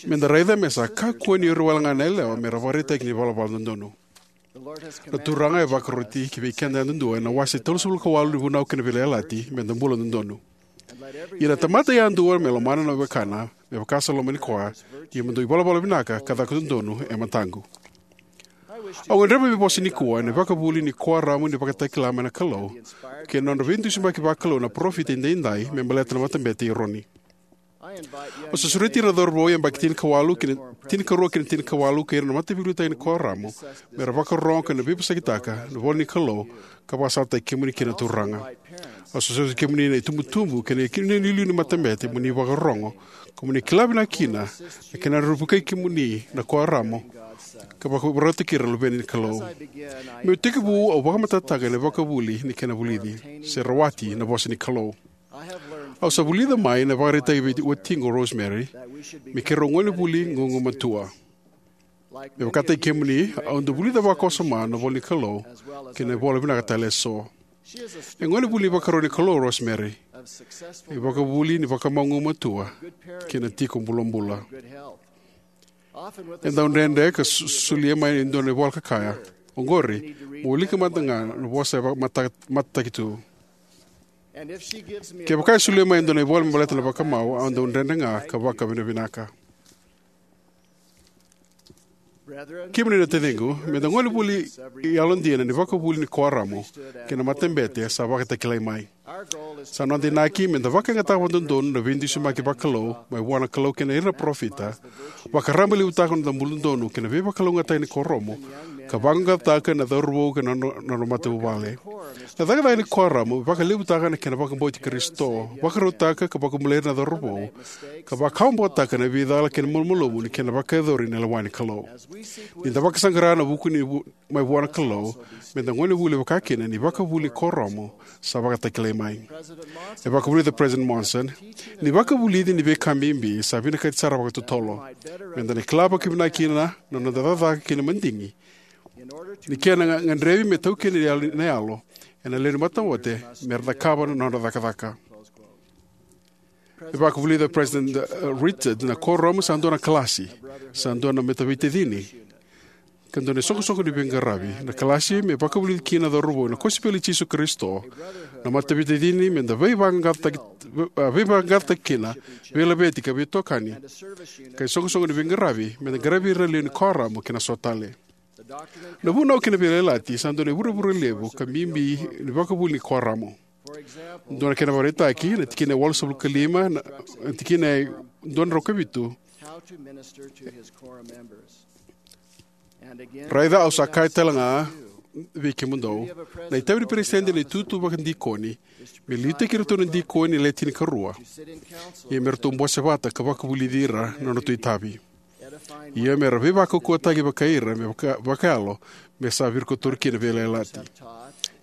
me da raica me sa kakua ni ira wale ga na yalewa me ra vakaraitaki ni valavala dodonu. Na Turaga e vakaroti ki vei keda yadudua ena wase tolusagavulu ka walu ni Vunau kei na Veiyalayalati me da bula dodonu. Ia na tamata yadua me lomana na wekana me vaka sa lomani koya, ia me dau ivalavala vinaka ka caka dodonu e mataqu. Au gadreva me vosa nikua ena ivakavuvuli ni kuoramu ni vakatakila mai na Kalou kei na nodra veidusimaki vakalou na parofita edaidai me baleta na Matabete i Eroni. Au sa sureti ira na cauravou yabaki tinikawalu kei na, tinikarua kei na tinikawalu kei ira na mataveiliutaki ni kuoramu me ra vakarorogo ka na veivosakitaka na ivola ni Kalou ka vakasalataki kemuni kina na Turaga. Au sa sureti kemuni na itubutubu kei na iliuliu ni matabete mo ni vakarorogo, ka mo ni kila vinaka kina na kena rawa ni vukei kemuni na kuoramu ka vakarautaki ira na luve ni Kalou. Meu tekivu, au vakamatatataka na ivakavuvuli ni kena vulici se rawati na vosa ni Kalou. Au sa vulica mai na ivakaraitaki vei watiqu o Rosemary me keirau gonevuli gugumatua. Me vakataki kemuni, au dau vulica vakawasoma na ivola ni Kalou kei na ivola vinaka tale eso. E gonevuli ni ivakarau ni Kalou o Rosemary. E ivakavuvuli ni vakamau gugumatua kei na tiko bulabula. E dau dredre ka so-, solia mai e dua na ivola ka kaya, "Oqori, mo wilika mada ga na vosa e va-, mata-, matataki tu." Kevaka e solia mai e dua na ivola me baleta na vakamau, au dau dredre ga ka vakavinavinaka. Kemuni na taciqu, me da gonevuli yalodina ena ivakavuvuli ni kuoramu kei na matabete sa vakatakilai mai. Sa noda inaki me da vakayagataka vakadodonu na veidusimaki vakalou mai vua na Kalou kei ira na parofita, vakarabailevutaka na noda bula dodonu kei na veivakalougatataki ni kuoramu, ka vaqaqacotaka na cauravou kei na no-, na nodra matavuvale. Na cakacaka ni kuoramu e vakalevutaka na kena vakabauti Karisito, vakarautaka ka vakabulai ira na cauravou, ka vakawabokotaka na veicala kei na malumalumu ni kena vakayacori na lewa ni Kalou. Ni da vakasaqara na vuku ni vu-, mai vua na Kalou, me da gonevuli vakakina ena ivakavuvuli ni kuoramu sa vakatakilai mai. E vakavulica o President Monson, ni vakavulici ni veika bibi sa vinakati sara vakatotolo me da na kila vakavinaka kina na noda cakacaka kei na madigi, ni kena ga-, gadrevi me taukeni na yalo, na yalo ena lewe ni matabete me ra cakava na nodra cakacaka. E vakavulica o President, uh, Richard, na kuoramu sa dua na kalasi, sa dua na mataveitacini, ka dua na isoqosoqo ni veiqaravi. Na kalasi me vakavulici kina na cauravou ena kosipeli i Jisu Karisito. Na mataveitacini me da veivaqaqacotaki, uh, veivaqaqacotaki kina, veilaveti ka veitokani. Ka isoqosoqo ni veiqaravi me da qaravi ira na lewe ni kuoramu kei na so tale. Na vunau kei na veiyalayalati sa dua na ivurevure levu ka bibi ni vakavuvuli ni kuoramu. Dua na kena ivakaraitaki, na tikina e walusagavulu ka lima, na tikina e dua na drau ka vitu. Raica au sa kaya tale ga vei kemudou, na itavi ni peresitedi ena itutu vakadikoni me liutaki iratou na dikoni e le tinikarua, ia me ratou bose vata ka vakavulici ira na nodratou itavi. Ia me ra veivakaukauwataki vakai ira me vaka, vakayalo, me sa virikotori kina na veiyalayalati.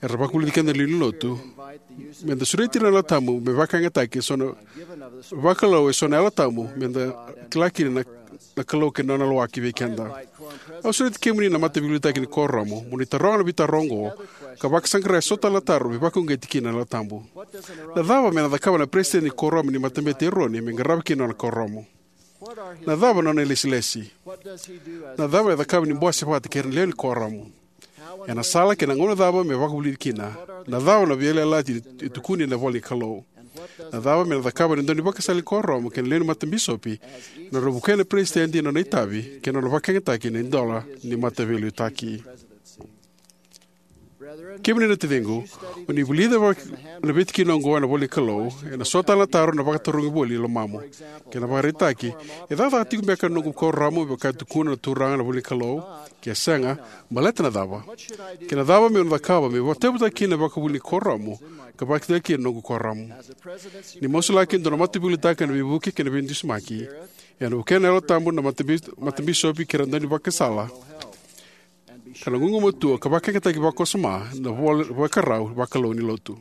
Era vakavulici keda na lewe ni lotu me da sureti ira na Yalo Tabu me vakayagataki eso na vakalou, eso na Yalo Tabu, me da kila kina na, na Kalou kei na nona lawaki vei keda. Au sureti kemuni na mataveiliutaki ni kuoramu mo ni taroga na veitaro oqo ka vakasaqara eso tale na taro me vakauqeti kina na Yalo Tabu. Na cava me na cakava na peresitedi ni kuoramu ni Matabete i Eroni me qarava kina na nona kuoramu? Na cava na nona ilesilesi? Na cava e cakava ni bose vata kei ira na lewe ni kuoramu? Ena sala kei na gauna cava me vakavulici kina? Na cava na veiyalayalati e tukuni ena ivola ni Kalou? Na cava me na cakava na daunivakasala ni kuoramu kei na lewe ni matabisopi ena nodra vukea na peresitedi ena nona itavi kei na nona vakayagataki na idola ni mataveiliutaki? Kemuni na taciqu, o ni vulica vaka na veitikina oqo ena ivola ni Kalou, ena so tale na taro ena vakatarogi voli e lomamu. Kena ivakaraitaki, e cakacaka tiko beka na noqu kuoramu me vaka e tukuna na Turaga ena ivola ni Kalou? Ke sega, baleta na cava? Kei na cava meu na cakava me vakatauvatani kina na vakavuvuli ni kuoramu ka vakatauvatani kina na noqu kuoramu? Ni masulaki e dua na mataveiliutaki ena veivuke kei na veidusimaki, ena vukea na Yalo Tabu na matabi-, matabisopi kei ira na daunivakasala, ka na gugumatua ka vakayagataki vakawasoma na vol-, vakarau vakalou ni lotu.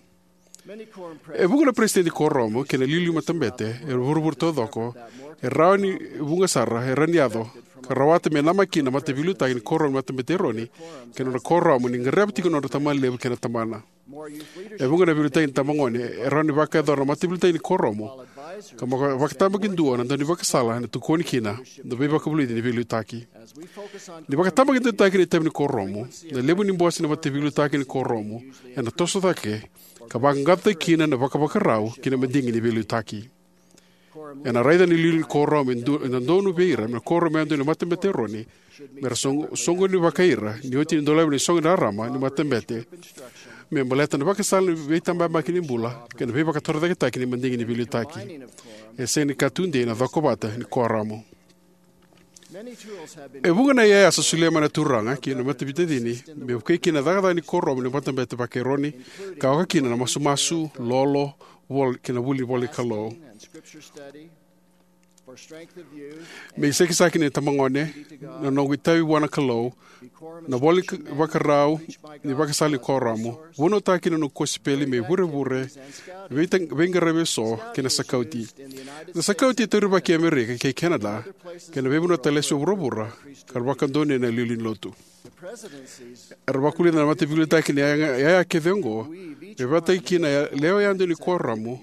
E vuqa na peresitedi ni kuoramu kei na iliuliu ni matabete e vuravura taucoko e rawa ni vuqa sara e rawa ni yaco ka rawata me namaki kina na mataveiliutaki ni kuoramu ni Matabete i Eroni kei na nona kuoramu ni gadreva tiko na nodra tamalevu kei na tabana. E vuqa na veiliutaki ni tabagone e rawa ni vakayacora na mataveiliutaki ni kuoramu ka vaka-, vakatabakidua na daunivakasala ena tokoni kina na veivakavulici ni veiliutaki. Ni vakatabakidua na itavi ni kuoramu, na levu ni bose ni mataveiliutaki ni kuoramu ena toso cake ka vaqaqacotaki kina na vakavakarau kei na madigi ni veiliutaki. Ena raica na iliuliu ni kuoramu e du-, e dodonu vei ira me na kuoramu yadua ena Matabete i Eroni me ra soqo-, soqoni vakai ira ni oti ni dolavi na isoqo ni rarama ni matabete me baleta na ivakasala ni veitabayabaki ni bula kei na veivakatorocaketaki ni madigi ni veiliutaki. E sega ni ka tudei na cokovata ni kuoramu. E vuqa na iyaya sa solia mai na Turaga ki na mataveitacini me vukei kina na cakacaka ni kuoramu ni Matabete vaka-Eroni, ka oka kina na masumasu, lolo, vol-, kei na vuli ivola ni Kalou. Me iSakisaki ni Tabagone, Na Noqu iTavi Vua na Kalou, Na iVola ni Vakarau ni iVakasala ni Kuoramu, Vunautaki na Noqu Kosipeli me iVurevure, Veita-, Veiqaravi Eso, kei na Sakauti. Na Sakauti e taurivaki e Amerika kei Canada kei na veivanua tale eso e vuravura, ka ra vakadonui ena iliuliu ni lotu. Era vakavulica na mataveiliutaki ni iyaya, iyaya kece oqo me vakataki kina na lewa yadua ni kuoramu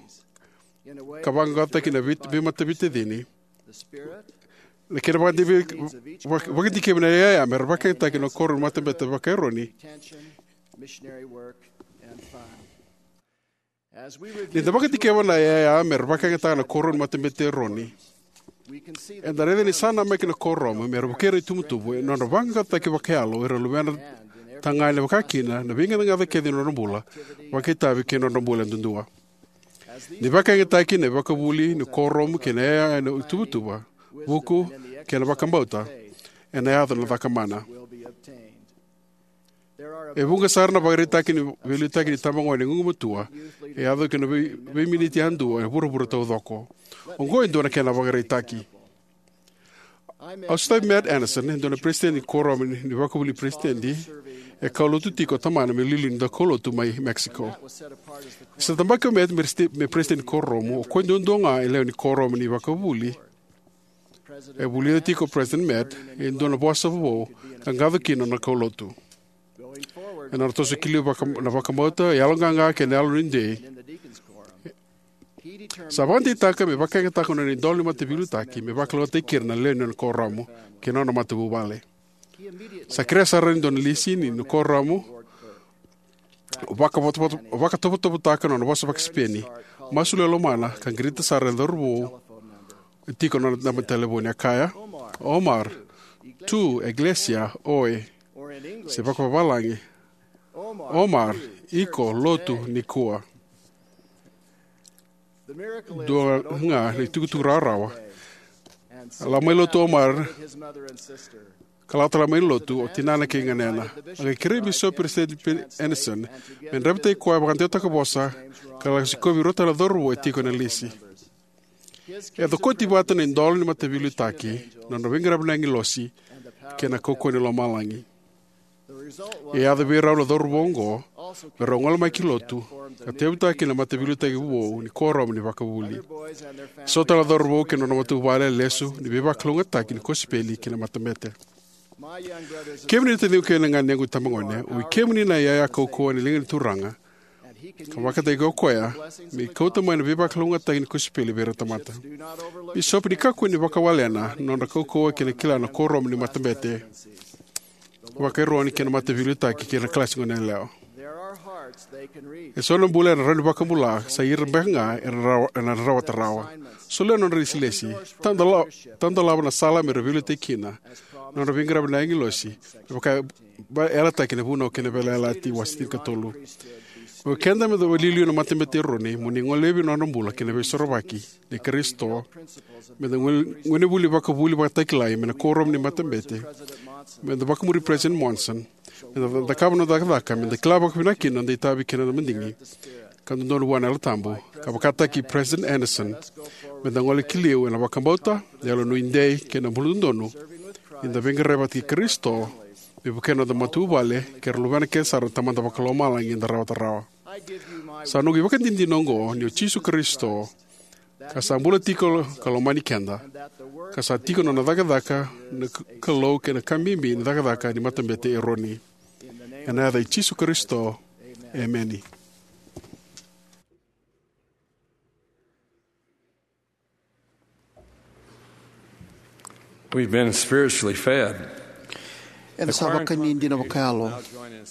ka vaqaqacotaki na vei-, veimataveitacini. Na kena vakadikevi, vaka-, vakadikevi na iyaya me ra vakayagataki na kuoramu ni Matabete vaka-Eroni. Ni da vakadikeva na iyaya me ra vakayagataka na kuoramu ni Matabete Eroni, eda raica ni sa namaki na kuoramu me ra vukea na ituvatuva ena nodra vaqaqacotaki vakayalo o ira na luvedra tagane, vaka kina na veigacaga kece ni nodra bula vakaitavi kei na nodra bula yadudua. Ni vakayagataki na ivakavuvuli ni kuoramu kei na iyaya ena ituvatuva, vuku, kei na vakabauta, ena yaco na caka mana. E vuqa sara na ivakaraitaki ni veiliutaki ni itabagone e gugumatua e yaco ki na vei-, veiminiti yadua e vuravura taucoko. Oqo e dua na kena ivakaraitaki. Au sotavi Matt Anderson, e dua na peresitedi ni kuoramu ni, ni vakavuvuli peresitedi, e kaulotu tiko o tamana me iliuliu ni daukaulotu mai Mexico. Ni sa tabaki o Matt me resite-, me peresitedi ni kuoramu, o koya duadua ga e lewe ni kuoramu ni vakavuvuli. E vulica tiko o President Matt e dua na vosa vovou ka qaco kina na kaulotu. Ena nona toso ki liu vaka-, na vakabauta, yaloqaqa kei na yalo ni dei, sa vakadeitaka me vakayagataka na nona idola ni mataveiliutaki me vakalougatataki ira na lewe ni nona kuoramu kei na nona matavuvale. Sa kerea sara e dua na lisi ni nona kuoramu, vakatovotovo-, vakatovotovotaka na nona vosa vakaSipeni, masulaka e lomana, ka qirita sara na cauravou e tiko na nona naba ni talevoni. A kaya, "Omar, tu iglesia hoy." se vakavavalagi, Omar, iko, lotu, nikua. Dua ga na itukutuku rawarawa. A lako mai lotu o Omar, ka lako tale mai lotu o tinana kei ganena. A qai kerei Bisopi Peresitedi Pe-, Anderson me draivataki koya vakadewataka vosa, ka lako sikovi rua tale na cauravou e tiko ena lisi. E cokoti vata na idola ni mataveiliutaki, na nodra veiqaravi na agilosi, kei na kaukauwa ni lomalagi. E yaco vei rau na cauravou oqo me rau gole mai ki lotu, ka tauyavutaka kina na mataveiliutaki vou ni kuoramu ni vakavuli. So tale na cauravou kei na nodra matavuvale e lesu ni veivakalougatataki ni kosipeli ki na matabete. Kemuni na taciqu kei na ganequ itabagone, o ikemuni na iyaya kaukauwa ni liga ni Turaga, ka vakataki o koya me kauta mai na veivakalougatataki ni kosipeli vei ira na tamata. Bisopi, ni kakua ni vakawalena na nodra kaukauwa kei na kila na kuoramu ni matabete vakaironi kei na mataveiliutaki kei na kalasi goneyalewa. E so na bula era rawa ni vakabula, sa ira beka ga era rawa, era rawata rawa. Solia na nodra ilesilesi. Tadolava, tadolava na sala me ra veiliutaki kina na nodra veiqaravi na agilosi, me vaka e yalataki ena Vunau kei na Veiyalayalati wase tinikatolu. O keda meda iliuliu na matabete i Eroni, mo ni golevi na nodra bula kei na Veisorovaki nei Karisito, meda gone-, gonevuli vakavuli vakatakilai mai na kuoramu ni matabete, meda vakamuri Peresitedi Monson, meda cakava na noda cakacaka, meda kila vakavinaka kina na noda itavi kei na noda madigi, ka dodonu vua na Yalo Tabu, ka vakataki Peresitedi Anderson, meda gole ki liu ena vakabauta, na yalonuidei, kei na buladodonu, ni da veiqaravi vata kei Karisito, me vukea na noda matavuvale kei ira na luvena kece sara na Tamada Vakalomalagi eda rawata rawa. Sa noqu ivakadinadina oqo ni o Jisu Karisito, ka sa bula tiko ka lomani keda, ka sa tiko na nona cakacaka na K-, Kalou kei na ka bibi ni cakacaka ni matabete i Eroni. Ena yaca i Jisu Karisito, emeni. We've been spiritually fed. Eda sa vakani dina vakayalo.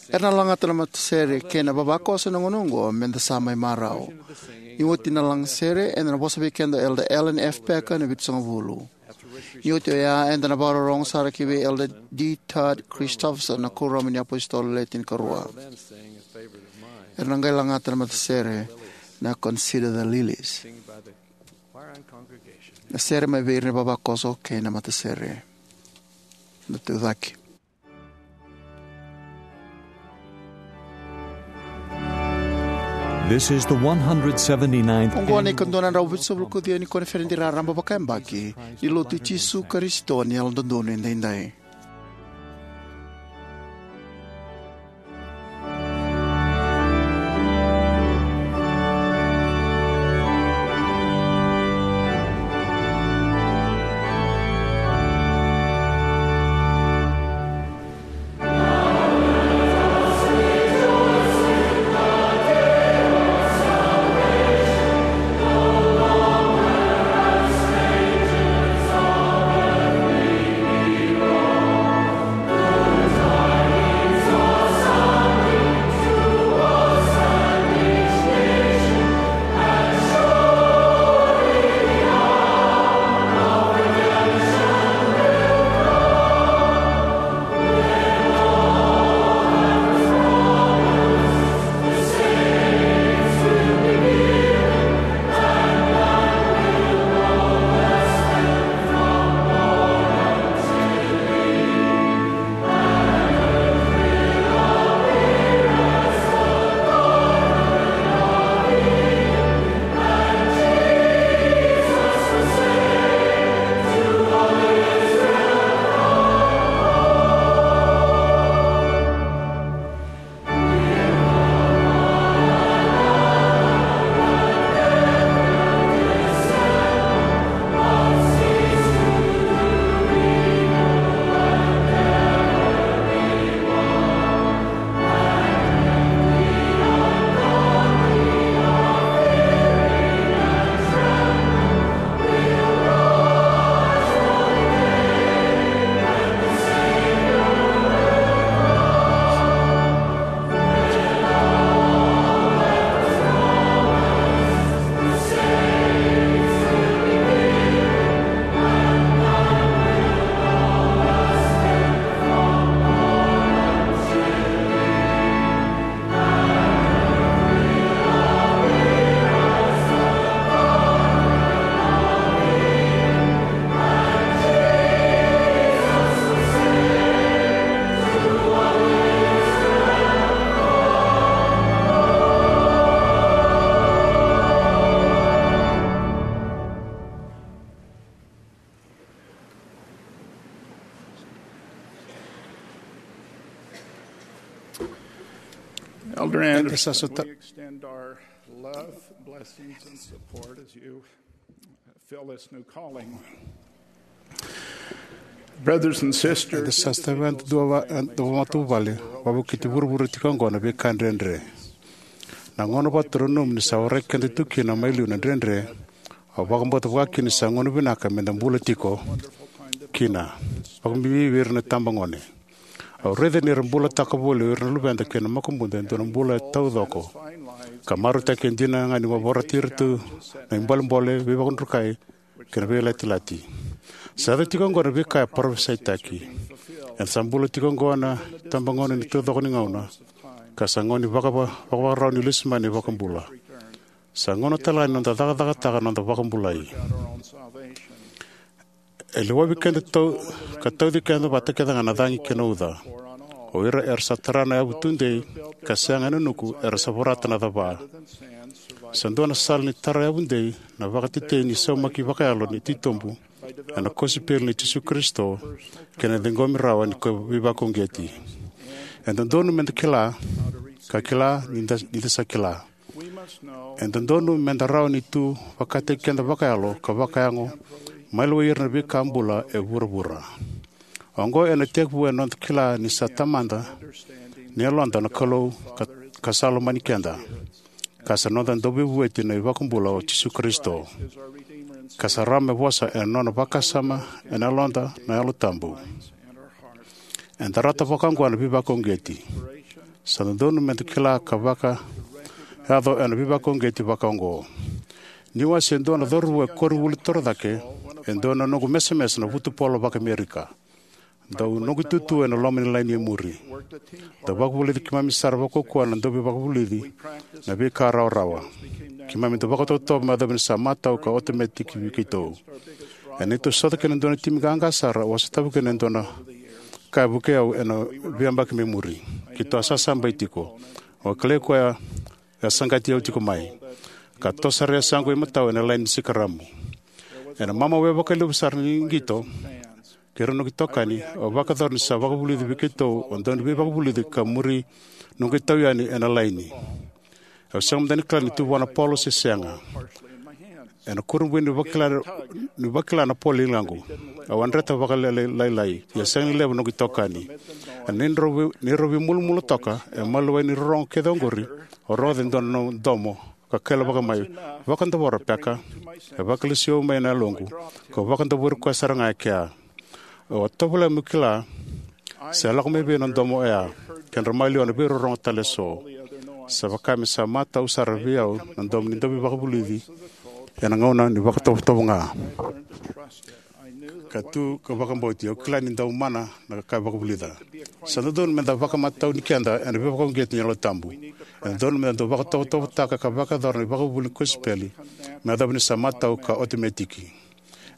Era na lagata na matasere kei na vavakoso ena gauna oqo, meda sa mai marau. Ni oti na lagasere, eda na vosa vei keda o Elder Alan F. Packer ena Vitusagavulu. Ni oti oya, eda na vakarorogo sara ki vei Elder D. Todd Christofferson, na Kuoramu ni iApositolo Le Tinikarua. Era na qai lagata na matasere na Consider the Lilies. Na sere mai vei ira na vavakoso kei na matasere. Na tucake. This is the one hundred seventy-ninth Oqo na annual ikaduanadrau vitusagavulu ka ciwa ni koniferedi raraba vakayabaki ni Lotu i Jisu Karisito ni Yalododonu Edaidai. Eda sa sota. We extend our love, blessings, and support as you fill this new calling. Brothers and sisters, eda sa sota vei eda dua va, eda matavuvale, vakavukiti vuravura tiko oqo na veika dredre. Na gauna vata nomu ni sa warai keda tu kina mai liu na dredre, au vakabauta vakakina ni sa gauna vinaka meda bula tiko kina. Vakabibi vei ira na tabagone. Au raica ni ra bulataka voli o ira na luveda kei na makubuda e dua na bula e taucoko, ka marautaki e dina ga ni vakaroti ira tu na ibolebole, veivakadrukai kei na veilatilati. Sa yaco tiko oqo na veika e parofisaitaki. Eda sa bula tiko oqo na tabagone ni taucoko ni gauna, ka sa gauna ni vakava, vakavakarau ni lesu mai na iVakabula. Sa gauna tale ga ni noda cakacakataka na noda vakabulai. E lewa vei keda tau, ka tauci keda vata kece ga na cagi kei na uca. O ira era sa tara na yavu tudei, ka sega ena nuku, era sa vorata na cava. Sa dua na sala ni tara yavu dei na vakatetei ni saumaki vakayalo ni titobu ena kosipeli ni Jisu Karisito kei na ciqomi rawa ni ko veivakauqeti. E dodonu meda kila, ka kila ni da, ni da sa kila. E dodonu meda rawa ni tu vakataki keda vakayalo ka vakayago, mai lewai ira na veika bula e vuravura. Oqo ena tekivu ena noda kila ni sa tamada ni yaloda na Kalou ka, ka sa lomani keda, ka sa noda Dauveivueti na iVakabula o Jisu Karisito, ka sa rawa me vosa ena nona vakasama ena yaloda na Yalo Tabu. Eda rata vakaoqo na veivakauqeti. Sa dodonu meda kila ka vakayaco ena veivakauqeti vakaoqo. Niu a se dua na cauravou e koronivuli torocake, e dua na noqu mesemese na vutupolo vakaAmerika. Dau noqu itutu ena loma ni laini e muri. Dau vakavulici keimami sara vakaukauwa na dauveivakavulici na veika rawarawa. Keimami dau vakatovotovo me yacova ni sa matau ka otometiki vei keitou. Ena neitou sota kei na dua na timi qaqa sara, au a sotava kina e dua na ka e vukei au ena veiyabaki mai muri. Keitou a sasabai tiko. Au a kilai koya e a saqati au tiko mai, ka toso sara e yasaqu imatau ena laini ni sikaramu. Ena mamau e vakalevu sara ni qito kei ira na noqu itokani, au vakayacora ni sa vakavulici vei keitou o dau ni veivakavulici ka muri noqu itau yani ena laini. Au sega mada ni kila ni tu vua na polo se sega. Ena kurabui ni vakila, ni vakila na polo i ligaqu, au a dreta vakalailai, ia sega ni levu noqu itokani. Ena neirau vei, neirau veimulumulu toka, e maliwai ni rorogo kece oqori, au rogoca e dua na domo ka kailavaka mai, "Vakadavora, Peka." E vakalesui au mai na yaloqu, kau vakadavori koya sara ga e kea. Au a tovolea meu kila se lako mai vei na domo oya, kedra maliwa na veirorogo tale eso. Sa vaka me sa matau sara vei au na domo ni dauveivakavulici ena gauna ni vakatovotovo ga. Ka tu ka vakabauti, au kila ni dau mana na ka e vakavulica. Sa dodonu meda vakamatau ni keda ena veivakauqeti ni Yalo Tabu. E dodonu meda dau vakatovotovotaka ka vakayacora na ivakavuvuli ni kosipeli me yacova ni sa matau ka otometiki.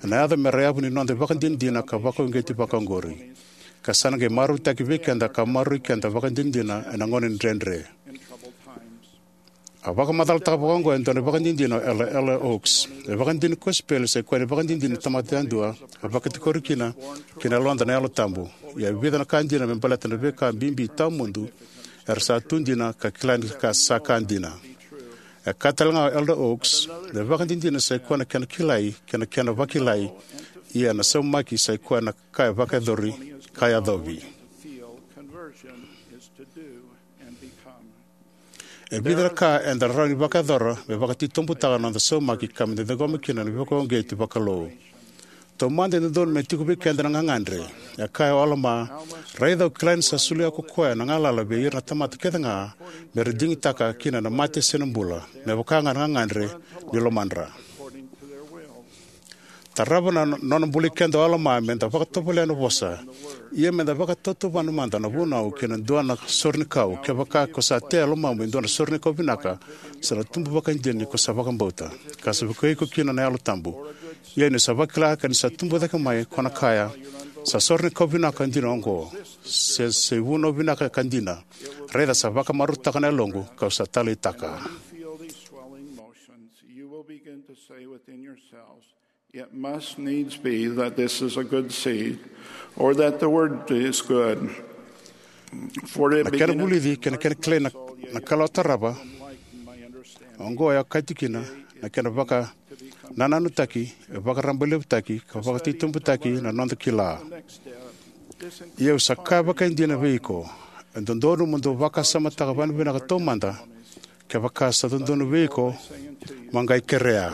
Ena yaco me ra yavu ni noda ivakadinadina ka vakauqeti vakaoqori, ka sa na qai marautaki vei keda ka maroroi keda vakadinadina ena gauna ni dredre. A vakamacalataka vakaoqo e dua na ivakadinadina o Elder, Elder Oaks. Na ivakadinadina ni kosipeli sa i koya na ivakadinadina ni tamata yadua, a vakatikori kina kei na yaloda na Yalo Tabu. Ia e vica na ka dina me baleta na veika bibi tawamudu era sa tu dina ka kila ni ka sa ka dina. E kaya tale ga o Elder Oaks, na ivakadinadina sa i koya na kena kilai kei na kena vakilai, ia na saumaki sa i koya na ka e vakayacori ka yacovi. E vica na ka eda rawa ni vakayacora me vakatitobutaka na noda saumaki ka meda ciqoma kina na veivakauqeti vakalou. Taumada, e dodonu me tiko vei keda na gagadre. E kaya o Alama, "Raica, au kila ni sa solia ko koya na galala vei ira na tamata kece ga me ra digitaka kina na mate se na bula, me vaka ga na gagadre ni lomadra." Tarava na nona bulai keda o Alama meda vakatovolea na vosa. Ia meda vakatautauvana mada na vunau kei na dua na sore ni kau, kevaka ko sa tea e lomamu e dua na sore ni kau vinaka, sa na tubu vakaidina ni ko sa vakabauta, ka sa vukei iko kina na Yalo Tabu. Ia ni sa vakila ka ni sa tubu cake mai, ko na kaya, "Sa sore ni kau vinaka dina oqo, se, se vunau vinaka ka dina. Raica sa vakamarautaka na yaloqu, kau sa taleitaka." It must needs be that this is a good seed, or that the word is good. Na kena vulici kei na kena kilai na, na kalawa tarava oqo e okati kina na kena vakanananutaki, e vakarabailevutaki, ka vakatitobutaki na noda kila. Ia au sa kaya vakaidina vei iko, e dodonu mo dou vakasamataka vakavinaka taumada, kevaka sa dodonu vei iko, mo qai kerea.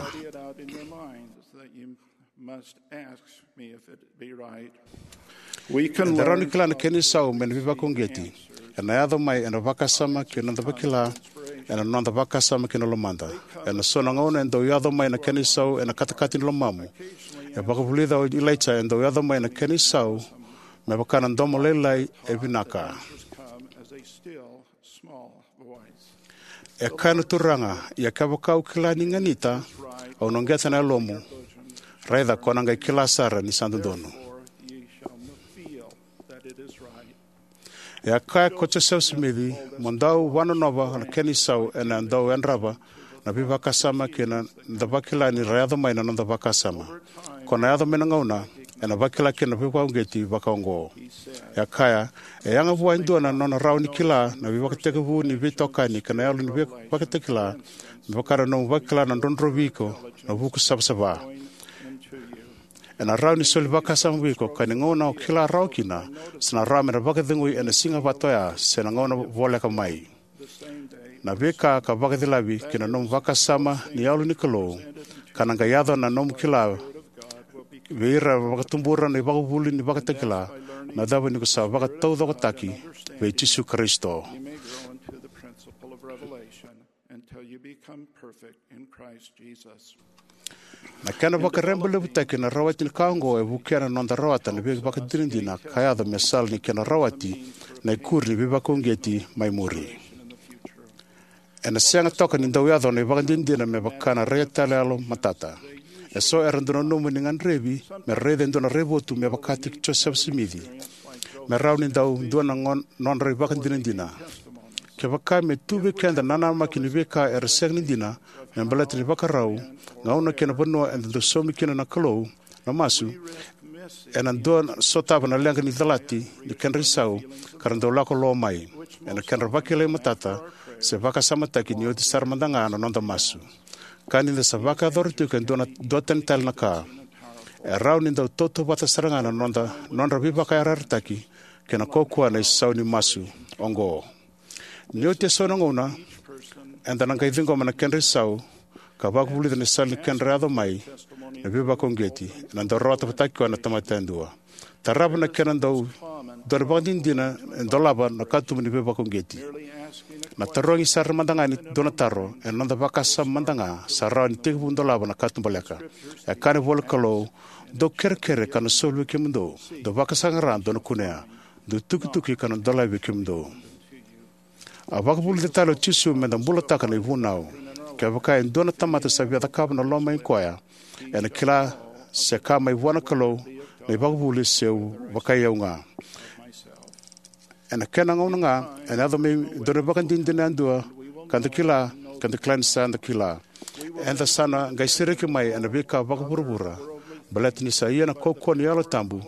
Eda rawa ni kila na kena isau mai na veivakauqeti ena yaco mai ena vakasama kei na noda vakila, ena noda vakasama kei na lomada. Ena so na gauna e dau yaco mai na kena isau ena katakata ni lomamu. E vakavulica o Ilaija e dau yaco mai na kena isau me vaka na domo lailai e vinaka. E kaya na Turaga, ia kevaka au kila ni ganita, au na uqeta na yalomu. Raica ko na qai kila sara ni sa dodonu. E a kaya ko Josefa Simici, mo dau vanonova na kena isau ena dau yadrava na veivakasama kei na noda vakila ni ra yaco mai na noda vakasama. Ko na yaco mai na gauna ena vakila kina na veivakauqeti vakaoqo. E a kaya, e yaga vua e dua na nona rawa ni kila na veivakatekivu ni veitokani kei na yalo ni veivakatakila, me vaka na nomu vakila na drodrovi iko na vuku savasava. Ena rawa ni soli vakasama vei iko ka ni gauna o kila rawa kina, sa na rawa me na vakacegui ena siga vata oya se na gauna voleka mai. Na veika ka vakacilavi ki na nomu vakasama ni Yalo ni Kalou, ka na qai yaco na nomu kila vei ira vakatubura na ivakavuvuli ni vakatakila, na cava ni ko sa vakataucokotaki vei Jisu Karisito. Until you become perfect in Christ Jesus. Na kena vakarabailevutaki na rawati ni ka oqo e vukea na noda rawata na veivakadinadina ka yaco me sala ni kena rawati na ikuri ni veivakauqeti mai muri. Ena sega toka ni dau yaco na ivakadinadina me vaka na rai tale yalo matata. E so era dau nanuma ni gadrevi me ra raica e dua na raivotu me vakataki Josefa Simici, me rawa ni dau dua na gon- nodra ivakadinadina. Kevaka me tu vei keda na nanamaki ni veika era sega ni dina me baleta ni vakarau, gauna kei na vanua eda dau saumi kina na Kalou na masu, ena dau sotava na leqa ni calati ni kedra isau ka ra dau lako lo mai ena kedra vakilai matata se vakasamataki ni oti sara mada ga na noda masu. Ka ni da sa vakayacora tiko e dua na duatani tale na ka, e rawa ni dau tautauvata sara ga na noda, nodra veivakayarayarataki kei na kaukaua na isau ni masu oqo. Ni oti eso na gauna eda na qai ciqoma na kedra isau ka vakavulica na sala ni kedra yaco mai na veivakauqeti, ena dau rawata vata kei koya na tamata yadua. Tarava na kena dau dua na ivakadinadina e dolava na katuba ni veivakauqeti. Na tarogi sara mada ga ni dua na taro ena noda vakasama mada ga sa rawa ni tekivu dolava na katubaleka. E kaya na ivola ni Kalou, dou kerekere ka na soli vei kemudou, dou vakasaqara dou na kunea, dou tukituki ka na dolavi vei kemudou. A vakavulica tale o Jisu me da bulataka na ivunau. Kevaka e dua na tamata sa via cakava na loma i koya, ena kila se ka mai vua na Kalou na ivakavuvuli se au vakai au ga. Ena kena gauna ga ena yaco mai e dua na ivakadinadina yadua ka da kila, ka da kila ni sa da kila. Eda sa na qai sereki mai ena veika vakavuravura baleta ni sa ia na kaukaua ni Yalo Tabu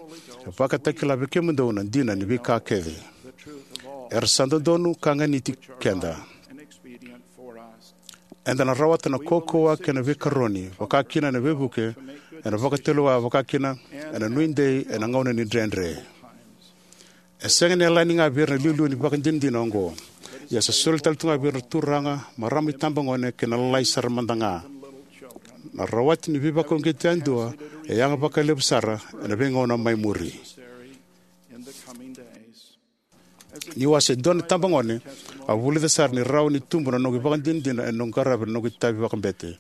e vakatakila vei kemudou na dina ni veika kece era sa dodonu ka ganiti keda. Eda na rawata na kaukaua kei na veikaroni, vaka kina ena veivuke, ena vakatulewa, vaka kina ena nuidei ena gauna ni dredre. E sega ni yalani ga vei ira na iliuliu ni vakadinadina oqo, ia sa soli tale tu ga vei ira na turaga, marama, itabagone kei na lalai sara mada ga. Na rawati ni veivakauqeti yadua e yaga vakalevu sara ena veigauna mai muri. Niu a se dua na itabagone, au vulica sara ni rawa ni tubu na noqu ivakadinadina ena noqu qaravi na noqu itavi vakabete.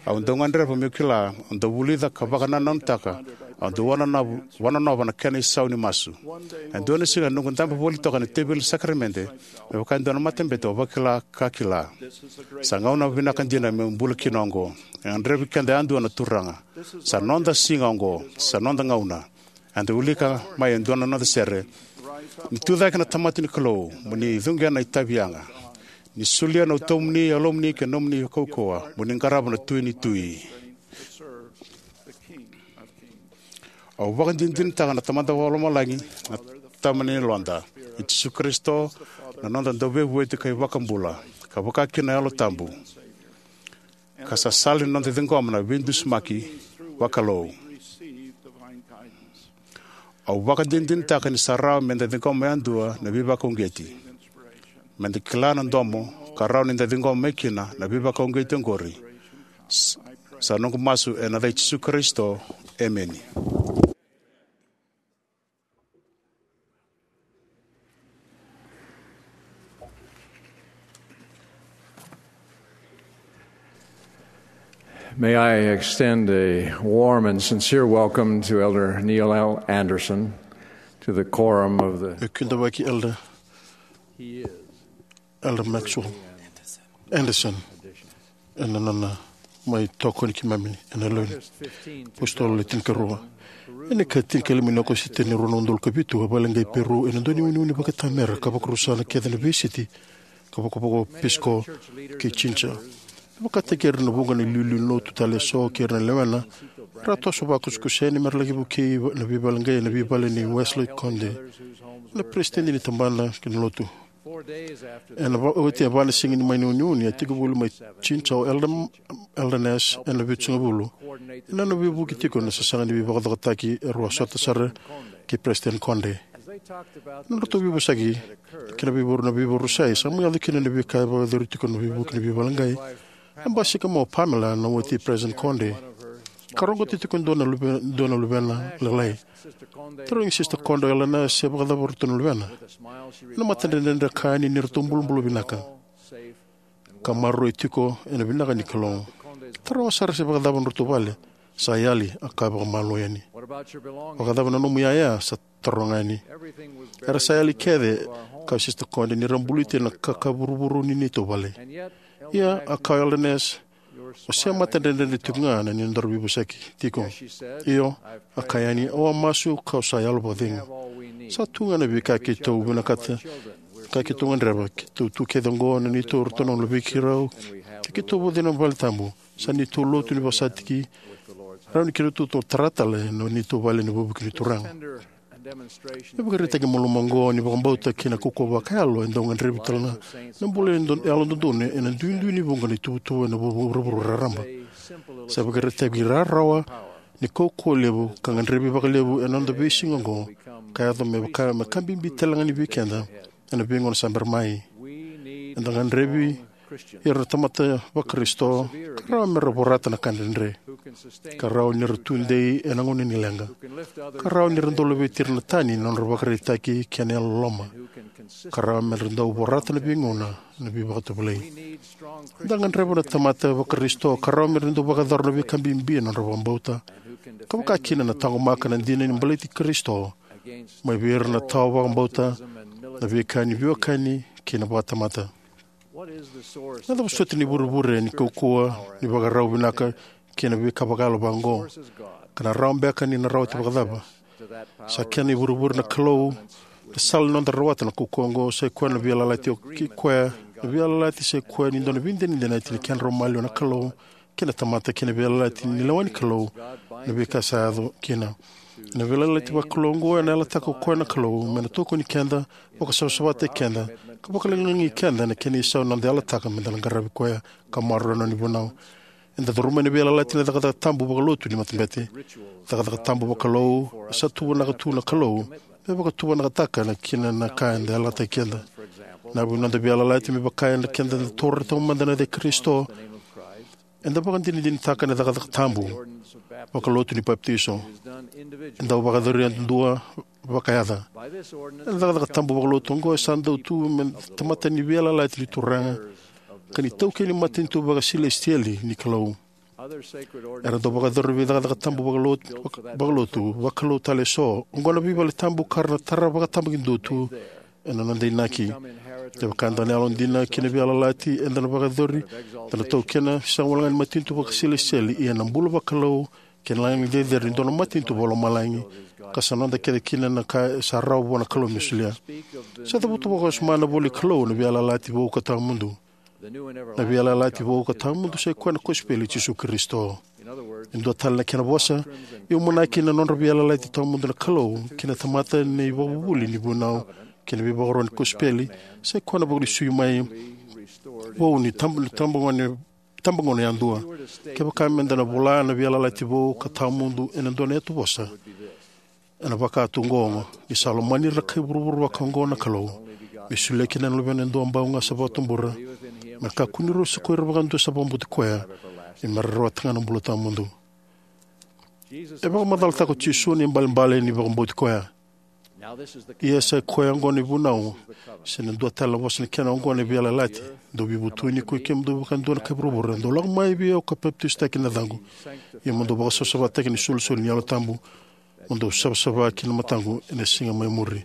Au dau gadreva meu kila, au dau vulica ka vakanananutaka, au dau vanonova, vanonova na kena isau ni masu. E dua na siga ena noqu dabe voli toka ena teveli ni sakaramede me vaka e dua na matabete, au vakila ka kila, sa gauna vinaka dina meu bula kina oqo. E gadrevi keda yadua na Turaga. Sa noda siga oqo, sa noda gauna. Eda wilika mai e dua na noda sere: Ni tucake na tamata ni Kalou, mo ni cuqena na itavi yaga. Ni solia na utomuni, yalomuni kei na nomuni kaukauwa, mo ni qarava na Tui ni tui. Au vakadinadinataka na Tamada Vakalomalagi, na Tama ni yaloda, i Jisu Karisito, na noda Dauveivueti ka iVakabula, ka vaka kina na Yalo Tabu, ka sa sala ni noda ciqoma na veidusimaki vakalou. Au vakadinadinataka ni sa rawa meda ciqoma yadua na veivakauqeti, meda kila na domo, ka rawa ni da ciqoma mai kina na veivakauqeti oqori. S-, sa noqu masu ena yaca i Jisu Karisito. Emeni. May I extend a warm and sincere welcome to Elder Neil L. Andersen to the quorum of the E kidavaki Elder, Elder Maxwell Andersen ena nona mai tokoni keimami ena yalo ni apositolo le tinikarua. Ena ika tinikalima ni Okosita ni rua na udolu ka vitu, a vakaleqai Peru ena dua na uneune vakaitamera ka vakarusa na kece na veisiti ka vakavaka o Pisco kei Chincha. E vakataki ira na vuqa na iliuliu ni lotu tale eso kei ira na lewena, era a toso vakusakusa yani mera laki vukei na veivakaleqai ena veivale nei Wesley Conde, na peresitedi ni tabana kei na lotu. Ena va-, oti e va na siga ni mai uneune, a tiko voli mai Chincha o Elder, Elder Ness ena vitusagavulu. Ena nona veivuke tiko na sasaga ni veivakacokotaki, e rau a sota sara kei Peresitedi Conde. Na nodratou veivosaki kei na veivakaro-, na veivakarusai, sa mai yaco kina na veika e vakayacori tiko na veivuke ni veivakaleqai. A basika mai o Pamela, na wati i Peresitedi Conde, ka roqota tiko e dua na luve-, dua na luvena lailai. Tarogi Sister Conde o Elder Ness se vakacava o ratou na luvena. Ena matadredredre e kaya ni ratou bulabula vinaka ka maroroi tiko ena vinaka ni Kalou. Taroga sara se vakacava na nodratou vale. Sa yali, a kaya vakamalua yani. Vakacava na nomu iyaya? Sa taroga yani. Era sa yali kece, kaya Sister Conde, ni ra buluti ena kaka vuravura ni neitou vale. Ia, a kaya o Elder Ness, o se matadredredre tiko ga na nodaru veivosaki tiko. Io, a kaya yani, au a masu kau sa yalo vakacegu. Sa tu ga na veika keitou vinakata, ka keitou gadreva, keitou tu kece oqo na neitou ratou na luvei keirau, ka keitou vakacegu ena vale tabu. Sa neitou lotu ni vakasataki, rawa ni keitou tara tale na neitou vale ena vuku ni Turaga. Na ivakaraitaki malumu oqo ni vakabauta kei na kaukauwa vakayalo e dau gadrevi tale ga na bula yalododonu ena duidui ni vuqa na ituvatuva ena vu-, vuravura raraba. Sa ivakaraitaki rarawa ni kaukauwa levu ka gadrevi vakalevu ena noda veisiga oqo, ka yaco me vaka me ka bibi tale ga ni vei keda ena veigauna sa bera mai. Eda gadrevi ira na tamata vaKarisito ka rawa mera vorata na ka dredre, ka rawa nira tudei ena gauna ni leqa, ka rawa nira dau laveti ira na tani na nodra ivakaraitaki kei na yalololoma, ka rawa mera dau vorata na veigauna na veivakatovolei. Eda gadreva na tamata vaKarisito ka rawa mera dau vakayacora na veika bibi ena nodra vakabauta, ka vaka kina na taqomaka na dina ni baleti Karisito mai vei ira na tawa vakabauta, na veika ni veiwekani kei na vakatamata. Na cava soti na ivurevure ni kaukauwa ni vakarau vinaka kei na veika vakayalo vaqo, ka na rawa beka ni na rawati vakacava? Sa kena ivurevure na Kalou. Na sala ni noda rawata na kaukauwa oqo sa i koya na veiyalayalati, o kei koya na veiyalayalati sa i koya ni dua na veidenadinati ni kedrau maliwa na Kalou kei na tamata kei na veiyalayalati ni lewa ni Kalou, na veika sa yaco kina. Ena veiyalayalati vakalou oqo ena yalataka o koya na Kalou me na tokoni keda, vakasavasavataki keda, ka vakalagilagi keda ena kena isau na noda yalataka meda na qaravi koya ka maroroya na nona ivunau. Eda curuma na veiyalayalati na cakacaka tabu vakalotu ni matabete. Cakacaka tabu vakalou, sa tuvanaka tu na Kalou me vakatuvanakataka na kina na ka eda yalataki keda. Na vu ni noda veiyalayalati me vaka eda keda eda taura taumada na yaca i Karisito, eda vakadinadinataka na cakacaka tabu vakalotu ni papitaiso. Eda vakayacori yadudua vakayaca. Ena cakacaka tabu vakalotu oqo e sa dau tu me tamata ni veiyalayalati ni Turaga ka ni taukei ni matanitu vakasilesitieli ni Kalou. Era dau vakayacori vei cakacaka tabu vakalotu, vaka-, vakalotu, vakalou tale eso. Oqo na veivale tabu ka ra na tara vakatabakidua tu ena noda inaki. Kevaka eda na yalodina ki na veiyalayalati eda na vakayacori, eda na taukena sega walega ni matanitu vakasilesitieli, ia na bula vakalou kei na lagilagi cecere ni dua na matanitu vakalomalagi, ka sa noda kece kina na ka e sa rawa vua na Kalou me solia. Sa cavuta vakawasoma na ivola ni Kalou na veiyalayalati vou ka tawamudu. Na veiyalayalati vou ka tawamudu sa i koya na kosipeli i Jisu Karisito. E dua tale na kena vosa, e umanaki na nodra veiyalayalati tawamudu na Kalou kei na tamata na ivakavuvuli ni vunau kei na veivakaro ni kosipeli, sai koya na vakalesui mai vou ni tab- ni tabagone tabagone yadua. Kevaka meda na vola na veiyalayalati vou ka tawamudu ena dua na yatu vosa, ena vaka tu oqo: Ni sa lomani ira na kai vuravura vakaoqo na Kalou, me solia kina na Luvena e duabau ga sa vakatubura, me kakua ni rau sa ko ira vakadua sa vakabauti koya, ia me ra rawata ga na bula tawamudu. E vakamacalataka o Jisu na ibalebale ni vakabauti koya. Ia sa i koya oqo na ivunau, se na dua tale na vosa ni kena oqo na veiyalayalati: Dou veivutuni, koi kemudou vakadua na kai vuravura, dou lako mai vei au ka papitaisotaki ena yacaqu, ia mo dou vakasavasavataki ena isolisoli ni Yalo Tabu, mo dou savasava ki na mataqu ena siga mai muri.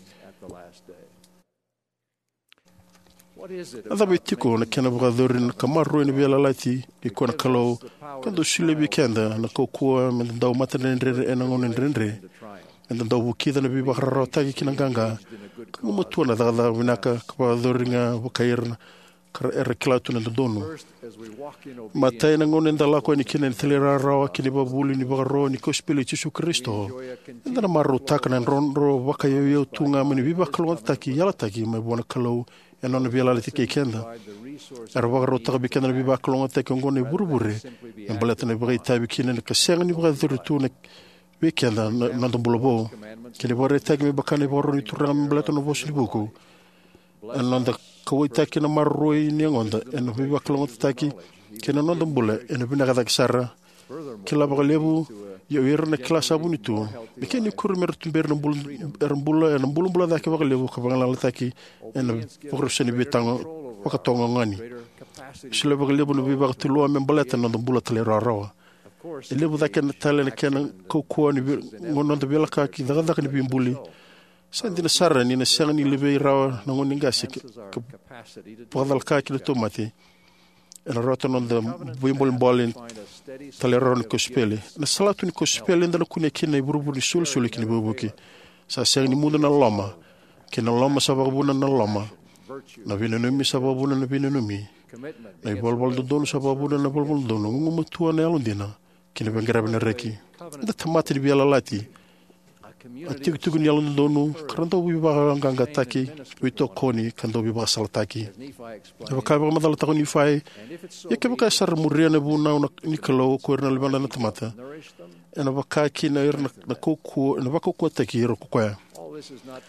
A cava e tiko na kena vakayacori ka maroroi na veiyalayalati kei koya na Kalou, ka dau solia vei keda na kaukauwa meda dau matadredredre ena gauna dredre, meda dau vukica na veivakararawataki kei na qaqa, ka gumatua na cakacaka vinaka, ka vakayacori ga vakai ira na ka ra- era kila tu na dodonu? Matai, ena gauna eda lako yani kina ena talairawarawa kei na ivakavuvuli ni vakaro ni kosipeli i Jisu Karisito, eda na marautaka na drodro vakayauyau tu ga mai na veivakalougatataki yalataki mai vua na Kalou ena nona veiyalayalati kei keda. Era vakarautaka vei keda na veivakalougatataki oqo na ivurevure me baleta na vakaitavi kina ka sega ni vakayacori tu na vei keda na noda bula vou. Kei na ivakaraitaki me vaka na ivakaro ni Turaga me baleta na nona vosa ni vuku, ena noda kauwaitaki na maroroi ni yagoda ena veivakalougatataki kei na noda bula ena vinaka cake sara. Kila vakalevu, ia o ira na kila sa vuni tu, me kena ikuri mera tuberi na bula, era bula ena bulabula cake vakalevu ka vagalalataki ena vakarusai ni veitago vakatogogani. Solia vakalevu na veivakatulewa me baleta na noda bula talairawarawa. E levu cake na tale na kena kaukauwa ni vei- noda veilakoyaki cakacaka ni veibuli. Sa dina sara ni na sega ni levei rawa na gauna ni qase ka, ka vakacalaka kina na tauvimate. Ena rawata na noda veibolebole talairawarawa ni kosipeli. Ena salatu ni kosipeli eda na kunea kina na ivurevure ni solisoli kei na veivuke. Sa sega ni mudu na loloma, kei na loloma sa vakavuna na loloma. Na veinanumi sa vakavuna na veinanumi. Na ivalavala dodonu sa vakavuna na ivalavala dodonu. Gugumatua, na yalodina, kei na veiqaravi ena reki. Eda tamata ni veiyalayalati, a tikotiko ni yalododonu, ka ra dau veivakayaloqaqataki, veitokoni, ka dau veivakasalataki. E vaka e vakamacalataka o Nifai, ia kevaka era sa muria na vunau na- ni Kalou, ko ira na luvena na tamata, ena vaka kina ira na, na kaukauwa, ena vakaukauwataki ira ko koya.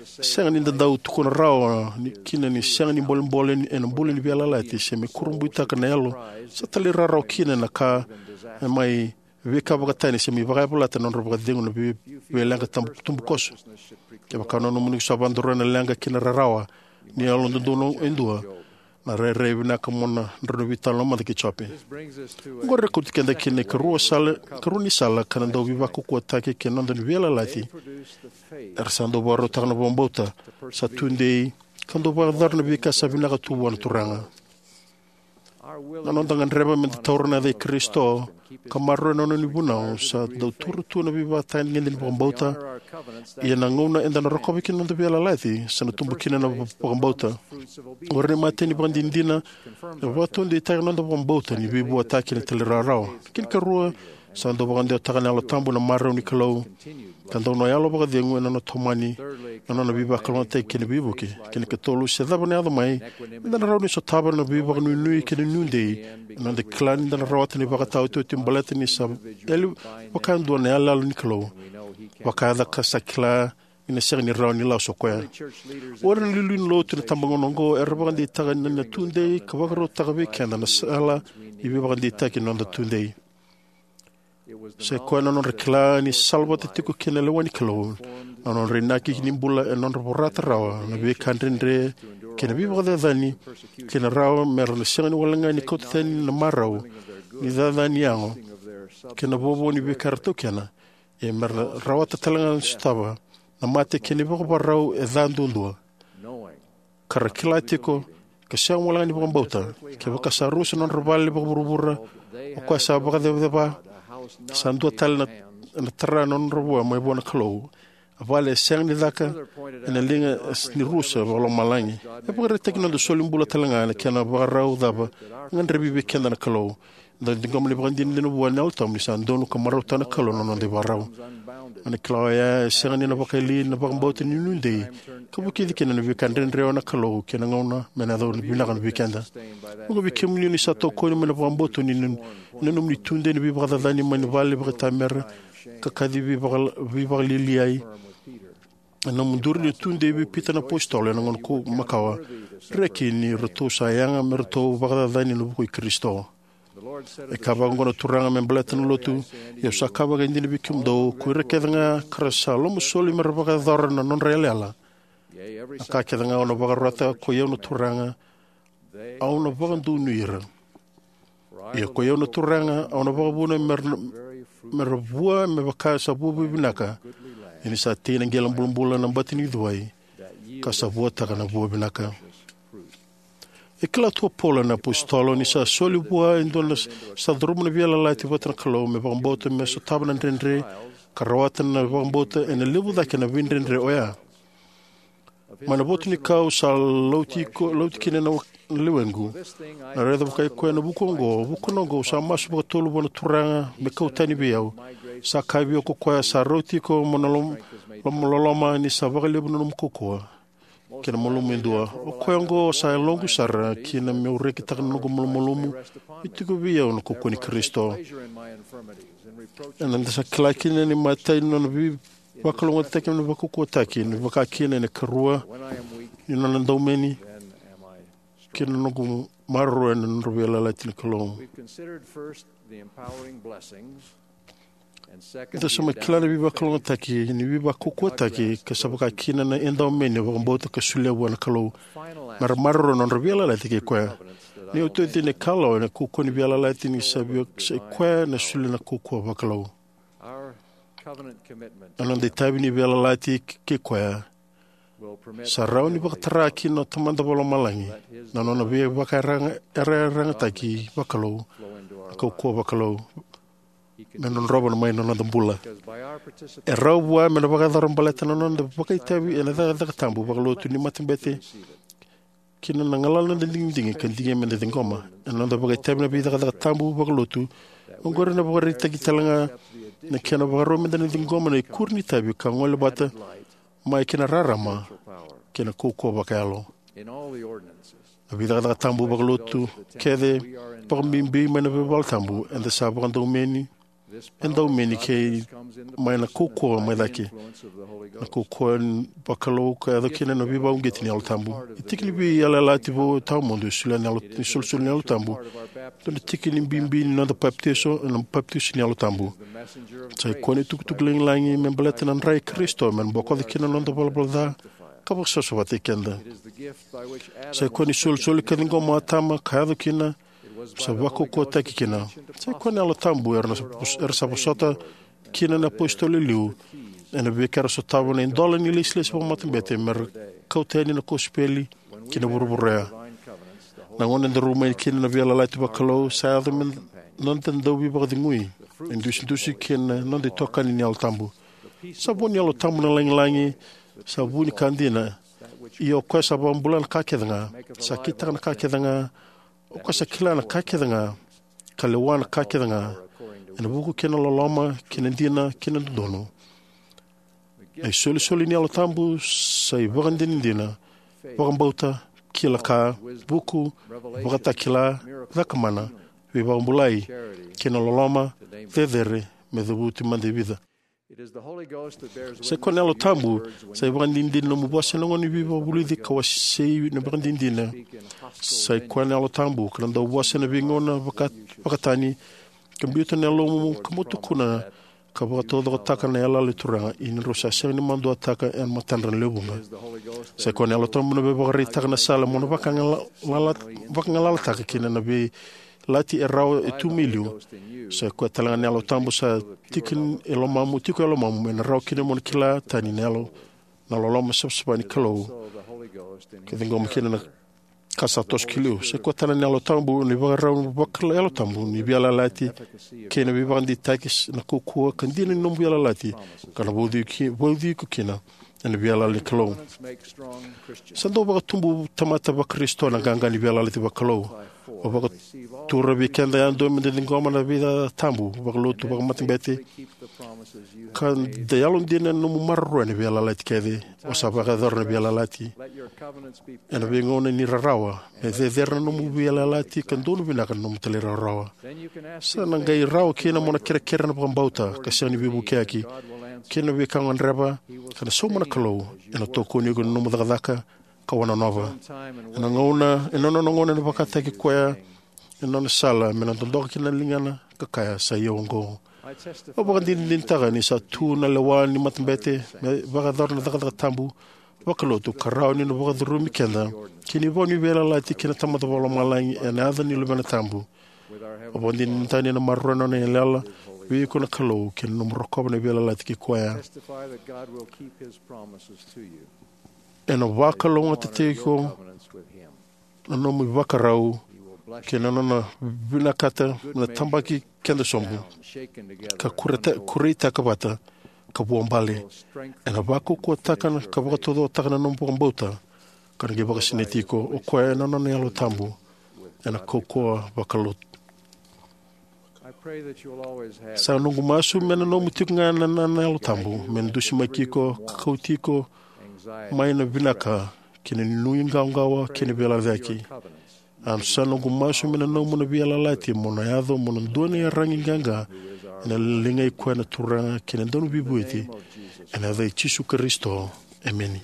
Sega ni da dau tukuna rawa ni kina ni sega ni bolebole ni- ena bula ni veiyalayalati se me kurabuitaka na yalo sa talairawarawa kina na ka e mai veika vakatani se me vakayavalata na nodra vakacegu na vei- veileqa tabu- tubukoso. Kevaka na nomuni sa vakadroya na leqa kei na rarawa ni yalododonu e dua, na rairai vinaka mo na drau ni veitalanoa mada kei Jope. Oqori e kauti keda kina ikarua sala, ikarua ni sala ka na dau veivakaukauwataki kei na noda ni veiyalayalati. Era sa dau vakarautaka na vakabauta sa tudei ka dau vakayacora na veika sa vinaka tu vua na Turaga. Na noda gadreva meda taura na yaca i Karisito ka maroroya na nona ni vunau sa dau taura tu na veivakatagedegede ni vakabauta. Ia na gauna eda na rokova kina na noda veiyalayalati, sa na tubu kina na va- vakabauta. Oqori na imatai ni vakadinadina e vakataudeitaka na noda vakabauta ni veivuataki ena talairawarawa. Kena ikarua, sa dau vakadewataka na Yalo Tabu na marau ni Kalou, ka dau na yalo vakacegu ena nona tomani na nona veivakalougatataki kei na veivuke. Kena ikatolu, se cava ena yaco mai, eda na rawa ni sotava na veivakanuinui kei na nuidei ena noda kila ni da na rawata na ivakataotioti baleta ni sa yali vakadua na iyaloyalo ni Kalou. Vakayaca ka sa kila ni na sega ni rawa ni lasu o koya. O ira na iliuliu ni lotu ena itabagauna oqo era vakadeitaka na, na tudei ka vakarautaka vei keda na sala ni veivakadeitaki ni noda tudei. Sa i koya na nodra kila ni salavata tiko kei na lewa ni Kalou na nodra inaki ni bula, ena nodra vorata rawa na veika dredre kei na veivakacacani, kei na rawa mera na sega ni wale ga ni kauta tani na marau ni cacani yago kei na vovo ni veika era taukena, ia mera na rawata tale ga ni sotava na mate kei na vakavakarau e ca duadua. Ka ra kila tiko, ke sega wale ga ni vakabauta, kevaka sa rusa na nodra vale vakavuravura, o koya sa vakacevaceva, sa dua tale na, na tara na nodra vua mai vua na Kalou, A vale e sega ni caka ena liga ni rusa vakalomalagi. E vakaraitaki na noda soli bula tale ga na kena vakarau cava e gadrevi vei keda na Kalou. Eda ciqoma na ivakadinadina vua na Yalo Tabu ni sa donu ka marautaka na Kalou na noda ivakarau. Ena kila oya e sega ni na vakayali na vakabauta ni nuidei ka vukici kina na veika dredre na Kalou kei na gauna me na yaco vinaka vei keda. Vuqa vei kemuni ni sa tokoni mai na vakabauta ni na nomuni tudei na veivakacacani mai na vale vakaitamera ka kaci veivakal- veivakaliliai. Ena nomu duri ni tudei vei Pita na apositolo ena gauna ko makawa, reki ni ratou sa yaga me ratou vakacacani ena vuku i Karisito. E kaya vaka oqo na Turaga me baleta na lotu: Ia au sa kaya vakaidina vei kemudou, ko ira kece ga ka ra sa lomasoli me ra vakayacora na nodra yalayala, na ka kece ga au na vakarota, koi au na Turaga, au na vakadonui ira. Ia koi au na Turaga, au na vakavuna me ra, me ra vua me vaka sa vua vakavinaka, ni sa tei na qele bulabula na bati ni cuai, ka sa vuataka na vua vinaka. E kila tu o Paula na apositolo ni sa soli vua e dua na sa curuma na veiyalayalati vata na Kalou me vakabauta me sotava na dredre ka rawata na vakabauta ena levu cake na veidredre oya. Mai na votu ni kau sa lauti, ko, lauti kina na lewequ, na raica vakai koya na vuku oqo, vukuna oqo au sa masu vakatolu vua na Turaga me kau tani vei au. Sa kaya vei au ko koya sa rauti iko mo na lom, lom, loloma ni sa vakalevu na nomu kaukauwa kei na malumu e dua. O koya oqo sa yaloqu sara kina meu rekitaka na noqu malumalumu. E tiko vei au na kaukauwa ni Karisito. Eda sa kila kina ni matai ni nona veivakalougatataki, ni vakaukauwataki, ni vakakina ena ikarua ni nona daumeni kei na noqu maroroya na nodra veiyalayalati na Kalou. Eda sa mai kila na veivakalougatataki, ni veivakaukauwataki, ka sa vakakina na edaumeni vakabauta ka solia vua na Kalou me ra maroroya na nodra veiyalayalati kei koya. Ni oti oti ni kalawa ena kaukauwa ni veiyalayalati ni sa via sa i koya na solia na kaukauwa vakalou. Ena noda itavi ni veiyalayalati kei koya, sa rawa ni vakatara kina o Tamada Vakalomalagi na nona veivakayarayarataki vakalou, na kaukauwa vakalou, me drodrova mai na noda bula. E rawa vua me na vakayacora baleta na noda vakaitavi ena cakacaka tabu vakalotu ni matabete kina na galala ni noda digidigi ka digia me da ciqoma. Ena noda vakaitavi ena veicakacaka tabu vakalotu, oqori ena vakaraitaki tale ga na kena vakarau me da na ciqoma na ikuri ni itavi ka gole vata mai kei na rarama kei na kaukauwa vakayalo. Na veicakacaka tabu vakalotu kece, vakabibi mai na veivala tabu, eda sa vakadaumeni, edaumeni kei mai na kaukauwa mai cake. Na kaukauwa vakalou ka yaco kina na veivakauqeti ni Yalo Tabu. E tiki ni veiyalayalati vou tawamudu e solia na Yalo, ni solisoli ni Yalo Tabu. Dua na tiki ni bibi ni noda papitaiso ena papitaiso ni Yalo Tabu. Sa i koya na itukutuku lagilagi me baleta na dra i Karisito me na bokoca kina na noda valavala ca ka vakasavasavataki keda. Sa i koya na isolisoli ka ciqoma o Atama ka yaco kina, sa vakaukauwataki kina. Sa i koya na Yalo Tabu era sa, era sa vosota kina na apositolo e liu ena veika era sotava na idola ni lesilesi vakamatabete me ra kauta yani na kosipeli ki na vuravura oya. Na gauna e daru mai kina na veiyalayalati vakalou, sa yaco me noda dau veivakacegui, idusidusi kei na noda itokani ni Yalo Tabu. Sa vu ni Yalo Tabu na lagilagi, sa vu ni ka dina. Ia o koya sa vakabula na ka kece ga, sa kitaka na ka kece ga, o koya sa kila na ka kece ga, ka lewa na ka kece ga, ena vuku kei na loloma, kei na dina, kei na dodonu. Na isolisoli ni Yalo Tabu sa ivakadinadina, vakabauta, kila ka, vuku, vakatakila, cakamana, veivakabulai, kei na loloma, cecere, me cavuti mada e vica. Sa i koya na Yalo Tabu sa ivakadinadina ni nomu vosa ena gauna ni veivakavulici ka wasei na ivakadinadina. Sa i koya na Yalo Tabu ka na dau vosa ena veigauna vaka, vakatani, ka biuta na yalomu ka mo tukuna ka vakataucokotaka na yalayala ni Turaga, ia ni drau sa sega ni maduataka ena matadra na lewe vuqa. Sa i koya na Yalo Tabu na veivakaraitaka na sala mo na vakagala-, lala-, vakagalalataka kina na vei lati e rawa e tu mai liu. Sa i koya tale ga na Yalo Tabu sa tiki e lomamu, tiko e lomamu, ena rawa kina mo na kila tani na yalo, na loloma savasava ni Kalou. Ka ciqoma kina na, ka sa toso ki liu. Sa koya tale na Yalo Tabu, na ivakarau vaka-Yalo Tabu ni veiyalayalati kei na veivakadeitaki, na kaukauwa ka dina ni nomu veiyalayalati, ka na vauci ki, vauci iko kina ena veiyalayalati ni Kalou. Sa dau vakatubu tamata vaKarisito na qaqa ni veiyalayalati vakalou. O vakatura vei keda yadua me da ciqoma na veiyalayalati tabu vakalotu, vakamatabete, ka da yalodina ena nomu maroroya na veiyalayalati kece. O sa vakayacora na veiyalayalati ena veigauna ni rarawa, me cecere na nomu veiyalayalati ka donu vinaka na nomu talairawarawa. Sa na qai rawa kina mo na kerekere na vakabauta ka sega ni veivukiyaki kei na veika o gadreva, ka na sauma na Kalou ena tokoni iko ena nomu cakacaka ka wanonova. Ena gauna, ena nona gauna ena vakataki koya ena nona sala me na dodoka kina na ligana ka kaya, "Sa i au oqo." Au vakadinadinataka ni sa tu na lewa ni matabete me vakayacora na cakacaka tabu vakalotu ka rawa ni na vakacurumi keda ki na ivau ni veiyalayalati kei na Tamada Vakalomalagi ena yaca ni Luvena Tabu. Au vakadinadinataka ni na maroroya na nona yalayala vei iko na Kalou kei na nomu rokova na veiyalayalati kei koya. Ena vakalougatataki iko na nomu ivakarau kei na nona vinakata me na tabaki keda sobu ka kureta-, kureitaka vata ka vuabale. Ena vakaukauwataka na, ka vakataucokotaka na nomu vakabauta ka na qai vakasinaiti iko o koya ena nona Yalo Tabu ena kaukauwa vakalotu. Sa noqu masu me na nomu tiko ga na, na, na Yalo Tabu me na dusimaki iko ka kauti iko mai na vinaka kei na nuiqawaqawa kei na veiyalayalati. A sa noqu masu me na nomu na veiyalayalati mo na yaco mo na dua na iyaragi qaqa ena ligai koya na Turaga kei na Dauniveivueti. Ena yaca i Jisu Karisito. Emeni.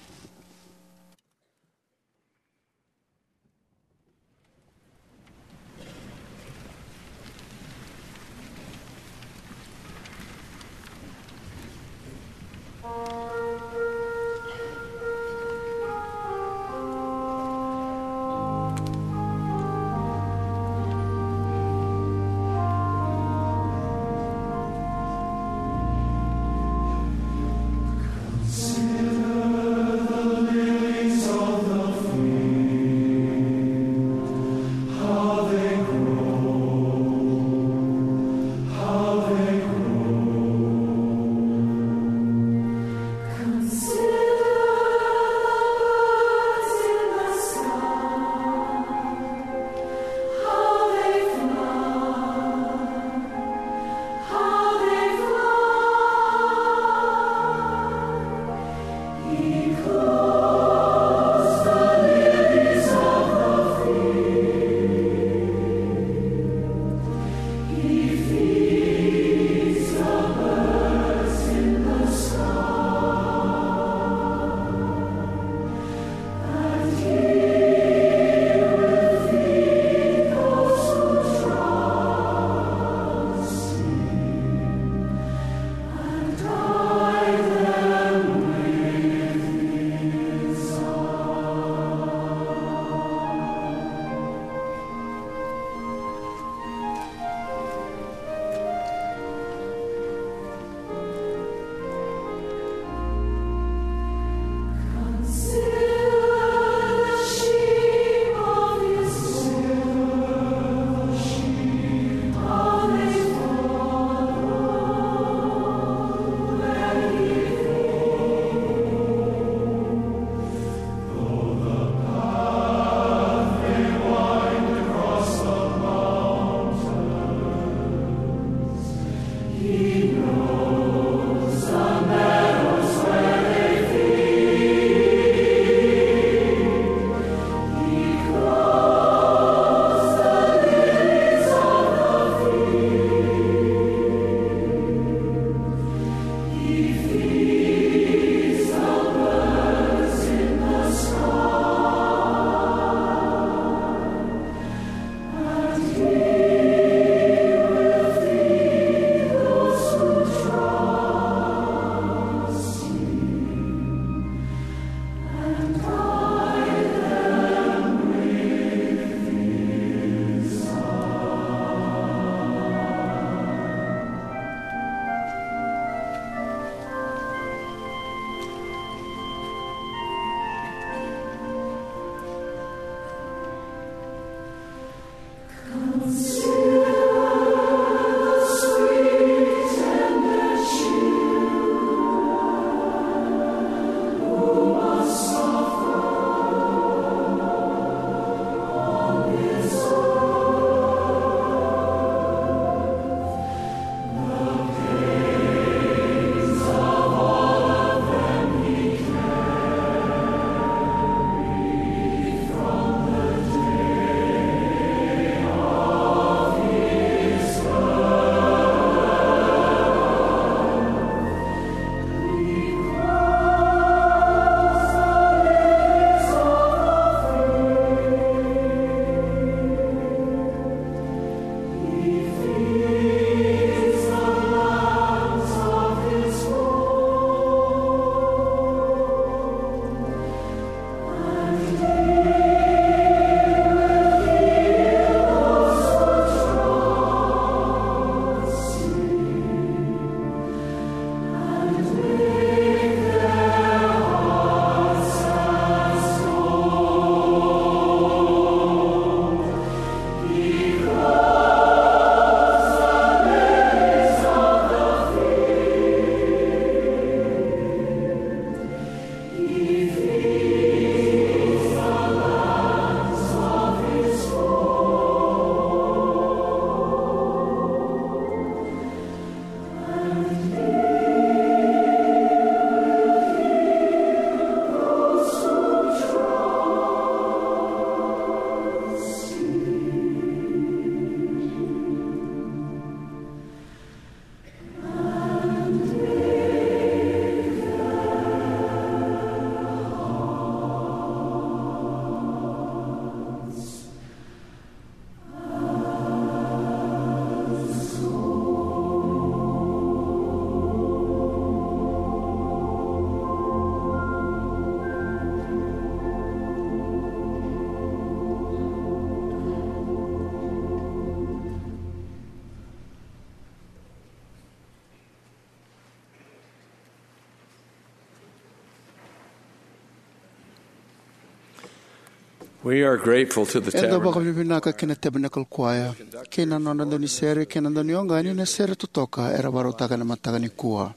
We are grateful to the Eda Tabernacle. Vakavinavinaka kei na Tabernacle Choir kei na nodra daunisere kei na daunioqani na sere totoka era vakarautaka ena mataka nikua.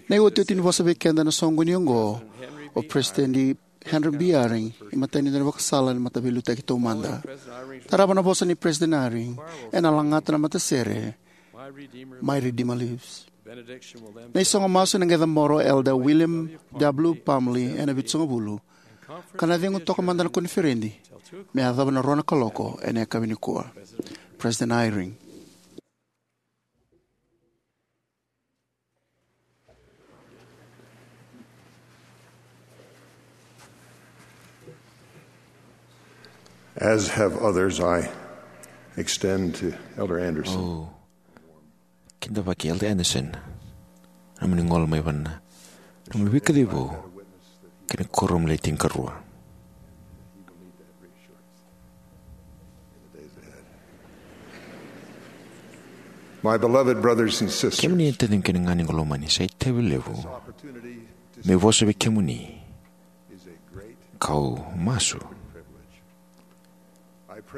Na iotioti ni vosa vei keda na soqoni oqo o President Henry B. Eyring, imatai ni dau ni vakasala ni mataveiliutaki taumada. Tarava na vosa nei President Eyring ena lagata na matasere My Redeemer Lives. Na isogo masu ena qai cabora o Elder William W. Parmalee ena Vitusagavulu, ka na cegu toka mada na koniferedi me yacova na rua na kaloko ena yakavi nikua. President Eyring. As have others, I extend to Elder Anderson. Au kidavaki Elder Anderson, na nomuni gole mai vana, na nomuni veikacivi vou kei na kuoramu le tinikarua. My beloved brothers and sisters, kemuni na taciqu kei na ganequ lomani, sa itavi levu meu vosa vei kemuni, kau masu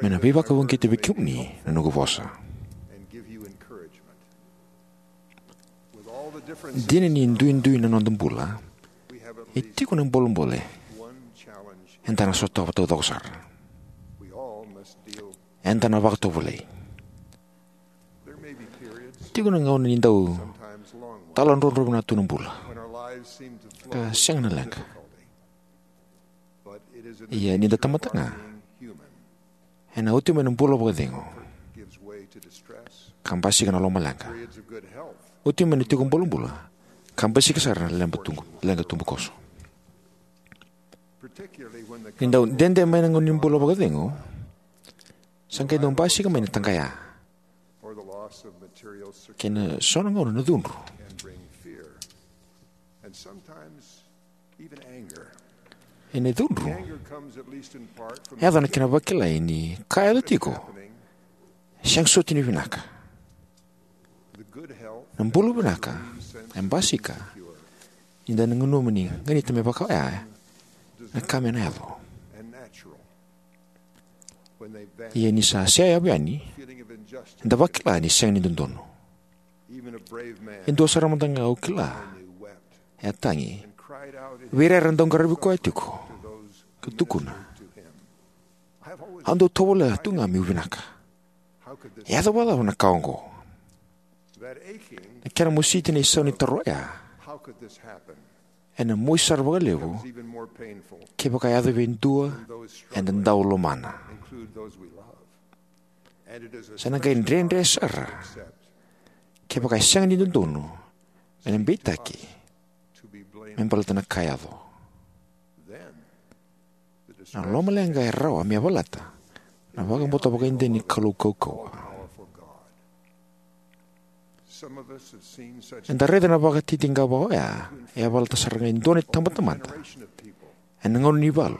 me na veivakauqeti vei kemuni na noqu vosa. Dina ni duidui na noda bula, e tiko na bolebole eda na sotava taucoko sara. Eda na vakatovolei. Tiko na gauna ni dau taladrodro vinaka tu na bula ka sega na leqa. Ia ni da tamata ga, ena oti mai na bula vakacegu ka basika na lomaleqa. Oti mai na tiko bolebula ka basika sara na leqa tubu, leqa tubukoso. Ni dau dede mai na gauna ni bula vakacegu, sa qai dau basika mai na taqaya kei na so na gauna na cudru. Ena cudru e yaco na kena vakilai ni ka e yaco tiko e sega soti ni vinaka. Na bula vinaka e basika ni da na nanuma ni ganita me vaka oya na ka me na yaco. Ia ni sa seyavu yani, eda vakila ni sega ni dodonu. E dua sara mada ga au kila e a tagi vei ira era dau qaravi koya tiko ka tukuna, "Au dau tovolea tu ga meu vinaka. E yaco vakacava na ka oqo?" Na kena mositi na isau ni taro oya ena mosi sara vakalevu kevaka e yaco vei dua eda dau lomana. Sa na qai dredre sara kevaka e sega ni dodonu me na beitaki me baleta na ka e yaco. Na lomaleqa e rawa me yavalata na vakabauta vakaidina ni Kalou kaukauwa. Eda raica na vakatitiqa vaka oya e yavalata sara ga e dua na itabatamata ena gauna ni valu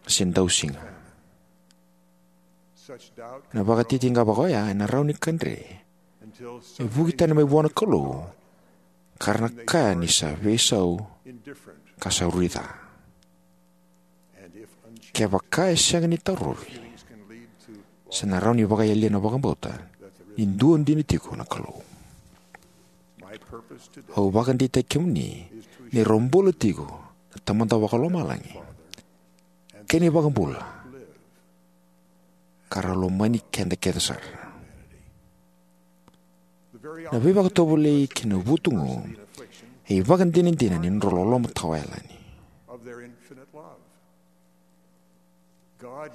se dausiga. Na vakatitiqa vaka oya ena rawa ni kadre me vuki tani mai vua na Kalou ka ra na kaya ni sa veisau ka sa rui ca. Kevaka e sega ni tarovi, sa na rawa ni vakayalia na vakabauta ni dua dina tiko na Kalou. Au vakadeitaki kemuni ni rau bula tiko na Tamada Vakalomalagi kei na iVakabula, ka ra lomani keda kece sara. Na veivakatovolei kei na vutugu e ivakadinadina ni nodrau loloma tawayalani.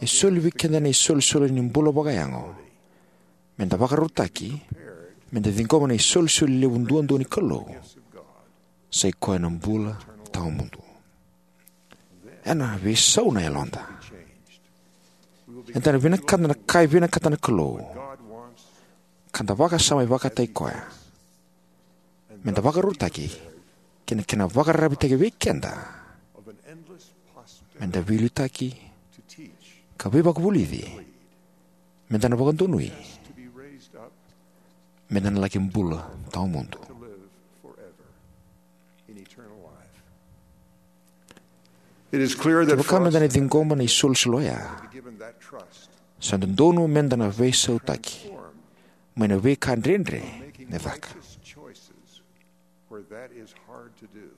E soli vei keda na isolisoli ni bula vakayago me da vakarautaki me da ciqoma na isolisoli levu duadua ni Kalou, sa i koya na bula tawamudu. Ena veisau na yaloda. Eda na vinakata na ka e vinakata na Kalou, ka da vakasama e vakataki koya, me da vakarautaki kei na kena vakararavitaki vei keda me da veiliutaki ka veivakavulici, me da na vakadonui, me da na laki bula tawamudu. It is clear that Kevaka for meda us na ciqoma na isolisoli oya, given that trust, sa dodonu meda na veisautaki mai na veika dredre na caka. Choices where that is hard to do.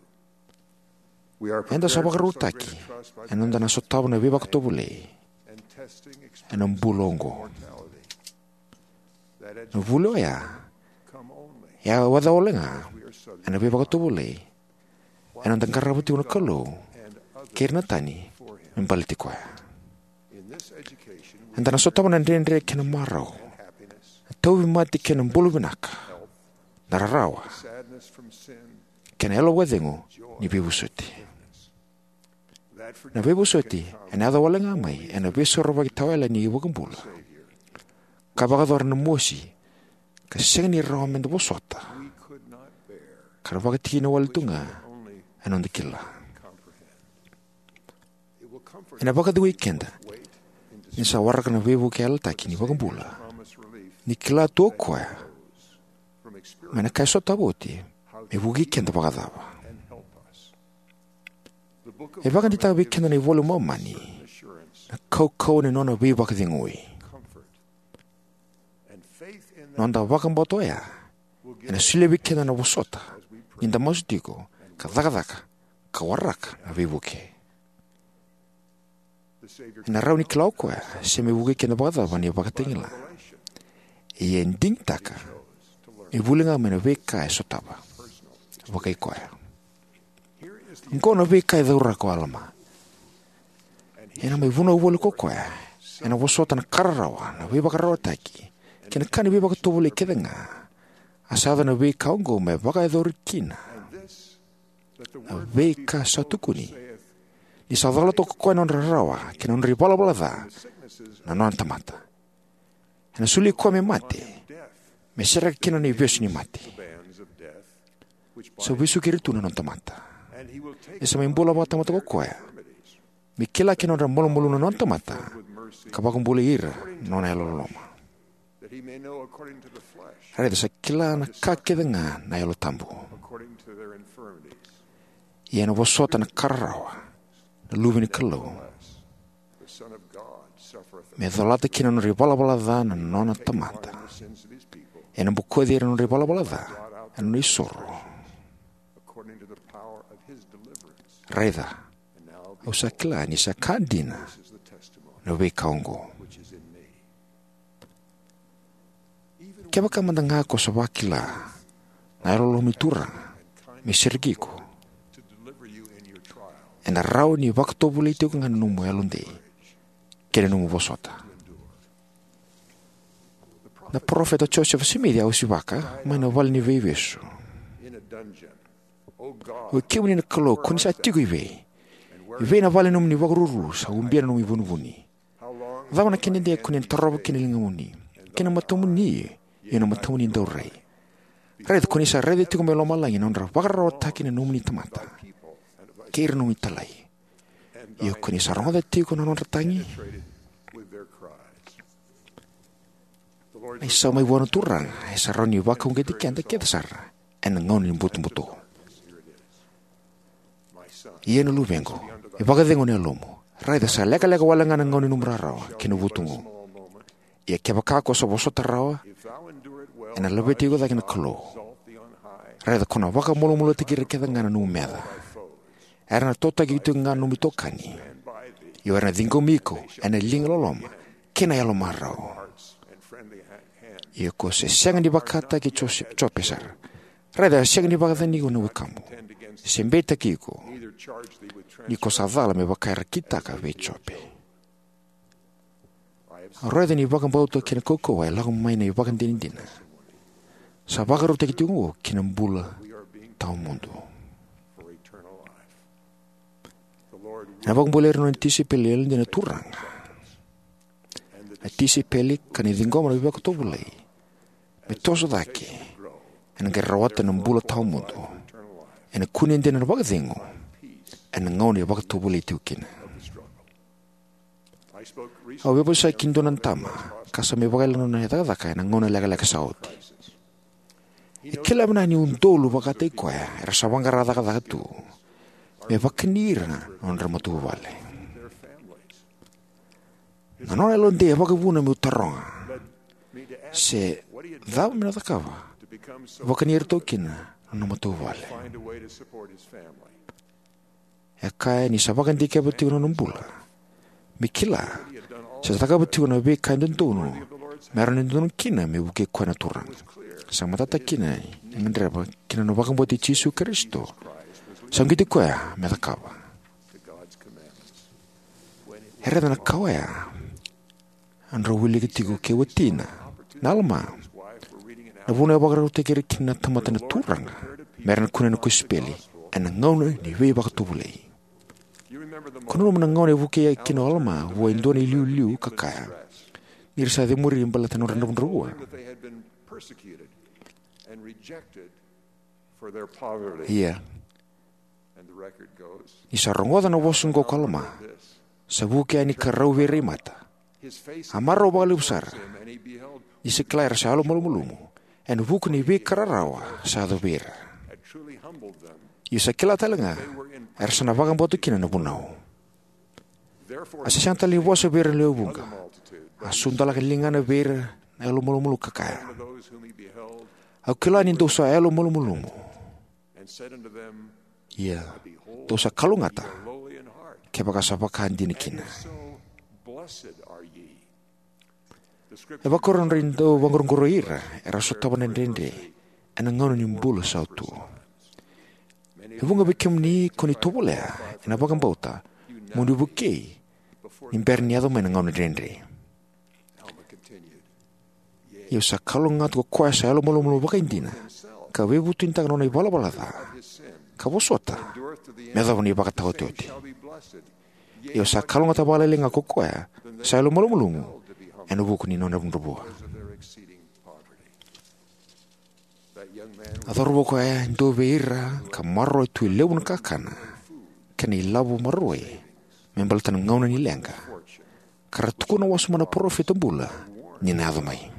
We are Eda sa prepared to vakarautaki suffer trust by ena noda na sotava na veivakatovolei and testing ena bula oqo. Mortality. That Na vuli oya, come only e a waca wale ga ena veivakatovolei ena noda qarava tiko na Kalou kei ira na tani me baleti koya. Eda na sotava na dredre kei na marau, na tauvimate kei na bula vinaka, na rarawa, kei na yalo vakacegu ni veivosoti. Na veivosoti ena yaco wale ga mai ena veisorovaki tawayalani ni iVakabula, ka vakayacora na mosi ka sega ni rawa meda vosota, ka ra vakatikina wale tu ga ena noda kila. Ena vakacegui keda ni sa waraka na veivuke yalataki ni iVakabula, ni kila tu o koya mai na ka e sotava oti me vukei keda vakacava. E vakadeitaka vei keda na iVola i Momani na kaukauwa ni nona veivakacegui. Noda vakabauta oya ena solia vei keda na vosota ni da masu tiko ka cakacaka ka waraka na veivuke. Ena rawa ni kila o koya se me vukei keda vakacava na ivakatagila. Ia e digitaka me vuli ga mai na veika e sotava vakai koya. Oqo na veika e cauraka o Alama. Ena mai vunau voli ko koya ena vosota na ka rarawa, na veivakararawataki kei na ka ni veivakatovolei kece ga. A sa yaco na veika oqo me vakayacori kina na veika sa tukuni ni sa cola toka ko koya na nodra rarawa kei na nodra ivalavala ca na nona tamata. Ena soli koya me mate, me sereka kina na ivesu ni mate. Sa vesuki ira tu na nona tamata. E sa mai bula vakatamata ko koya me kila kina na nodra malumalumu na nona tamata, ka vakabulai ira na nona yalololoma. Raica sa kila na ka kece ga na Yalo Tabu. Ia ena vosota na ka rarawa, na Luve ni Kalou, me colata kina na nodra ivalavala ca na nona tamata. Ena bokoci ira na nodra ivalavala ca ena nona isoro. Raica, au sa kila ni sa ka dina na veika oqo. Kevaka mada ga ko sa vakila na yalololoma ni Turaga me sereki iko, ena rawa ni vakatovolei tiko ga na nomu yalodei kei na nomu vosota. Na parofita Josefa Simici a osivaka mai na vale ni veivesu. Oi kemuni na Kalou, ko ni sa tiko i vei? I vei na vale ni nomuni vakaruru sa ubia na nomu ivunivuni? Cava na kena dede ko ni na tarova kina na ligamuni kei na matamuni, io na matamuni daurai? Raica ko ni sa raica tiko mai lomalagi na nodra vakararawataki na nomuni tamata kei ira na nomuni italai. Io ko ni sa rogoca tiko na nodra tagi. Na isau mai vua na Turaga e sa rawa ni vakauqeti keda kece sara ena gauna ni butobuto. Ia na luvequ, e vakacegu na yalomu. Raica sa lekaleka wale ga na gauna ni nomu rarawa kei na vutugu. Ia kevaka ko sa vosota rawa, ena laveti iko cake na Kalou. Raica ko na vakamalumalumutaki ira kece ga na nomu meca. Era na totaki tiko ga na nomu itokani. Io era na ciqomi iko ena liga loloma kei na yalo marau. Ia ko se sega ni vakataki Jose-, Jope sara. Raica e sega ni vakacacani iko na wekamu, se beitaki iko, ni ko sa cala me vaka era kitaka vei Jope. Au raica ni vakabauta kei na kaukauwa e lako mai na ivakadinadina sa vakarautaki tiko oqo ki na bula tawamudu. Ena vakabulai ira na nona tisaipeli yalodina na Turaga. Na tisaipeli ka na ciqoma na veivakatovolei me toso cake ena qai rawata na bula tawamudu. Ena kune dina na vakacegu ena gauna e vakatovolei tiko kina. Au veivosaki dua na tama ka sa mai vakaila na nona cakacaka ena gauna lekaleka sa oti. E kila vinaka ni udolu vakataki koya era sa vaqara cakacaka tu me vakani ira na nodra matavuvale. Na nona yalodei e vakavuna meu taroga se cava me na cakava me vakani iratou kina na nona matavuvale. E kaya ni sa vakadikeva tiko na nona bula me kila se sa cakava tiko na veika e dodonu me rawa ni dodonu kina me vukei koya na Turaga. Sa matata kina ni gadreva kina na vakabauti Jisu Karisito, sa uqeti koya me cakava. E raica na ka oya, a drau wilika tiko kei watina na Alama na vuna e vakarautaki ira kina na tamata na Turaga me ra na kunea na kosipeli ena gauna ni veivakatovolei. Ko nanuma na gauna e vukei kina o Alama vua e dua na iliuliu ka kaya ni ra sa cemuri baleta na nodra dravudravua. Ia, ni sa rogoca na vosa oqo ko Alama, sa vuki yani ka rau vei ira i mata. A marau vakalevu sara ni sa kila era sa yalomalumalumu ena vuku ni veika rarawa sa yaco vei ira. Ia sa kila tale ga era sa na vakabauta kina na vunau. A sa sega tale ni vosa vei ira na lewe vuqa. A sudalaka na ligana vei ira na yalomalumalumu ka kaya, "Au kila ni dou sa yalomalumalumu. Ia, dou sa kalougata kevaka sa vaka dina kina." E vakaoqo na nodra dau vaqoroqoroi ira era sotava na dredre ena gauna ni bula sa oti. E vuqa vei kemuni ko ni tovolea ena vakabauta mo ni vukei ni bera ni yaco mai na gauna dredre. Ia sa kalougata ko koya sa yalomalumalumu vakaidina ka veivutunitaka na nona ivalavala ca ka vosota me yacova na ivakataotioti. Ia sa kalougata vakalailai ga ko koya sa yalomalumalumu ena vuku ni nona dravudravua. A cauravou koya e dua vei ira ka maroroya tu e levu na kakana kei na ilavo maroroi me baleta na gauna ni leqa, ka ra tukuna wasoma na parofita bula ni na yaco mai.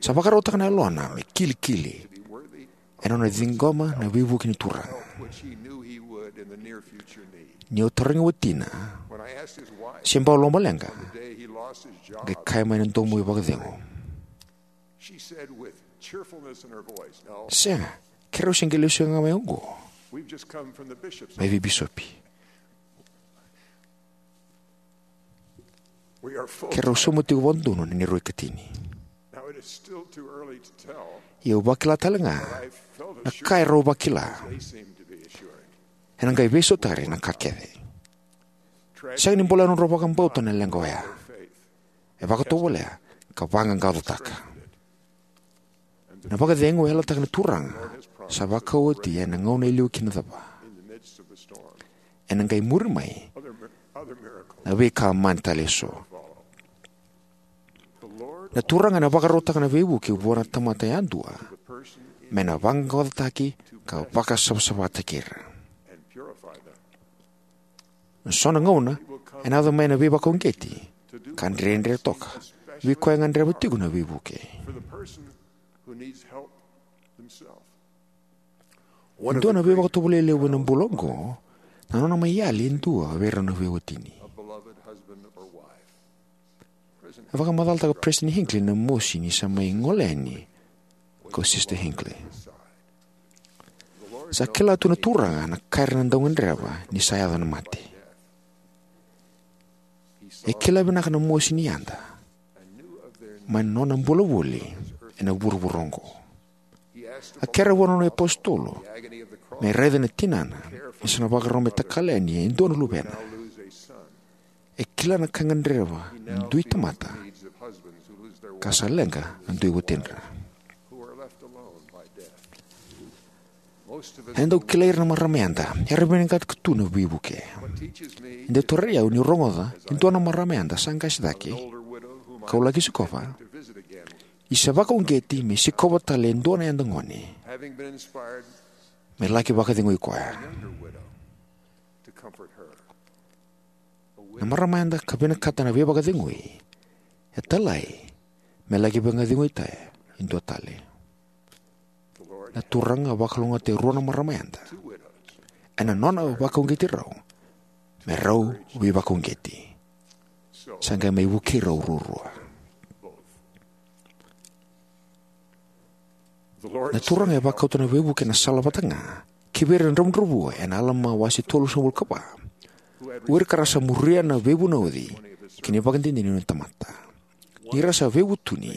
Sa vakarautaka na yalona me kilikili ena nona ciqoma na veivuke ni Turaga. Ni au tarogi watina se bau lomaleqa, qai kaya mai na domo ivakacegu, "Sega, keirau se qai lesu ga mai oqo mai vei bisopi. Keirau sauma tiko vakadodonu na neirau ikatini." Ia au vakila tale ga na ka erau vakila. Ena qai veisautari na ka kece. Sega ni bolea na nodrau vakabauta na leqa oya. E vakatovolea ka vaqaqacotaka. Na vakacegu e yalataka na Turaga sa vakaoti ena gauna e liu kina cava. Ena qai muri mai na veika mani tale eso. Na Turaga ena vakarautaka na veivuke vua na tamata yadua me na vaqaqacotaki ka vakasavasavataki ira. Na so na gauna ena yaco mai na veivakauqeti ka dredre toka vei koya e gadreva tiko na veivuke. E dua na veivakatovolei levu ena bula oqo na nona mai yali e dua vei ira na veiwatini. E vakamacalataka o President Hinckley na mosi ni sa mai gole yani ko Sister Hinckley. Sa kila tu na Turaga na ka era na dau gadreva ni sa yaco na mate. E kila vinaka na mosi ni yada mai na nona bula voli ena vuravura oqo. A kerea vua na nona iapositolo me raica na tinana ni sa na vakarau me takali yani e dua na luvena. E kila na ka e gadreva na dui tamata ka sa leqa na dui watidra. E dau kilai ira na marama yada era vinakata tu na veivuke. E dau tarai au niu rogoca e dua na marama yada sa qase cake kau laki sikova ni sa vakauqeti me sikova tale e dua na yada gone me laki vakacegui koya. Na marama yada ka vinakata na veivakacegui e talai me laki vakacegui tale e dua tale. Na Turaga a vakalougatataka e rua na marama yada ena nona vakauqeti rau me rau veivakauqeti. Sa qai mai vukei rau ruarua. Na Turaga e vakauta na veivuke ena sala vata ga kivei ira na dravudravua ena Alama wase tolusagavulu ka va, o ira ka ra sa muria na veivunauci kei na ivakadinadina ni nona tamata. Ni ra sa veivutuni,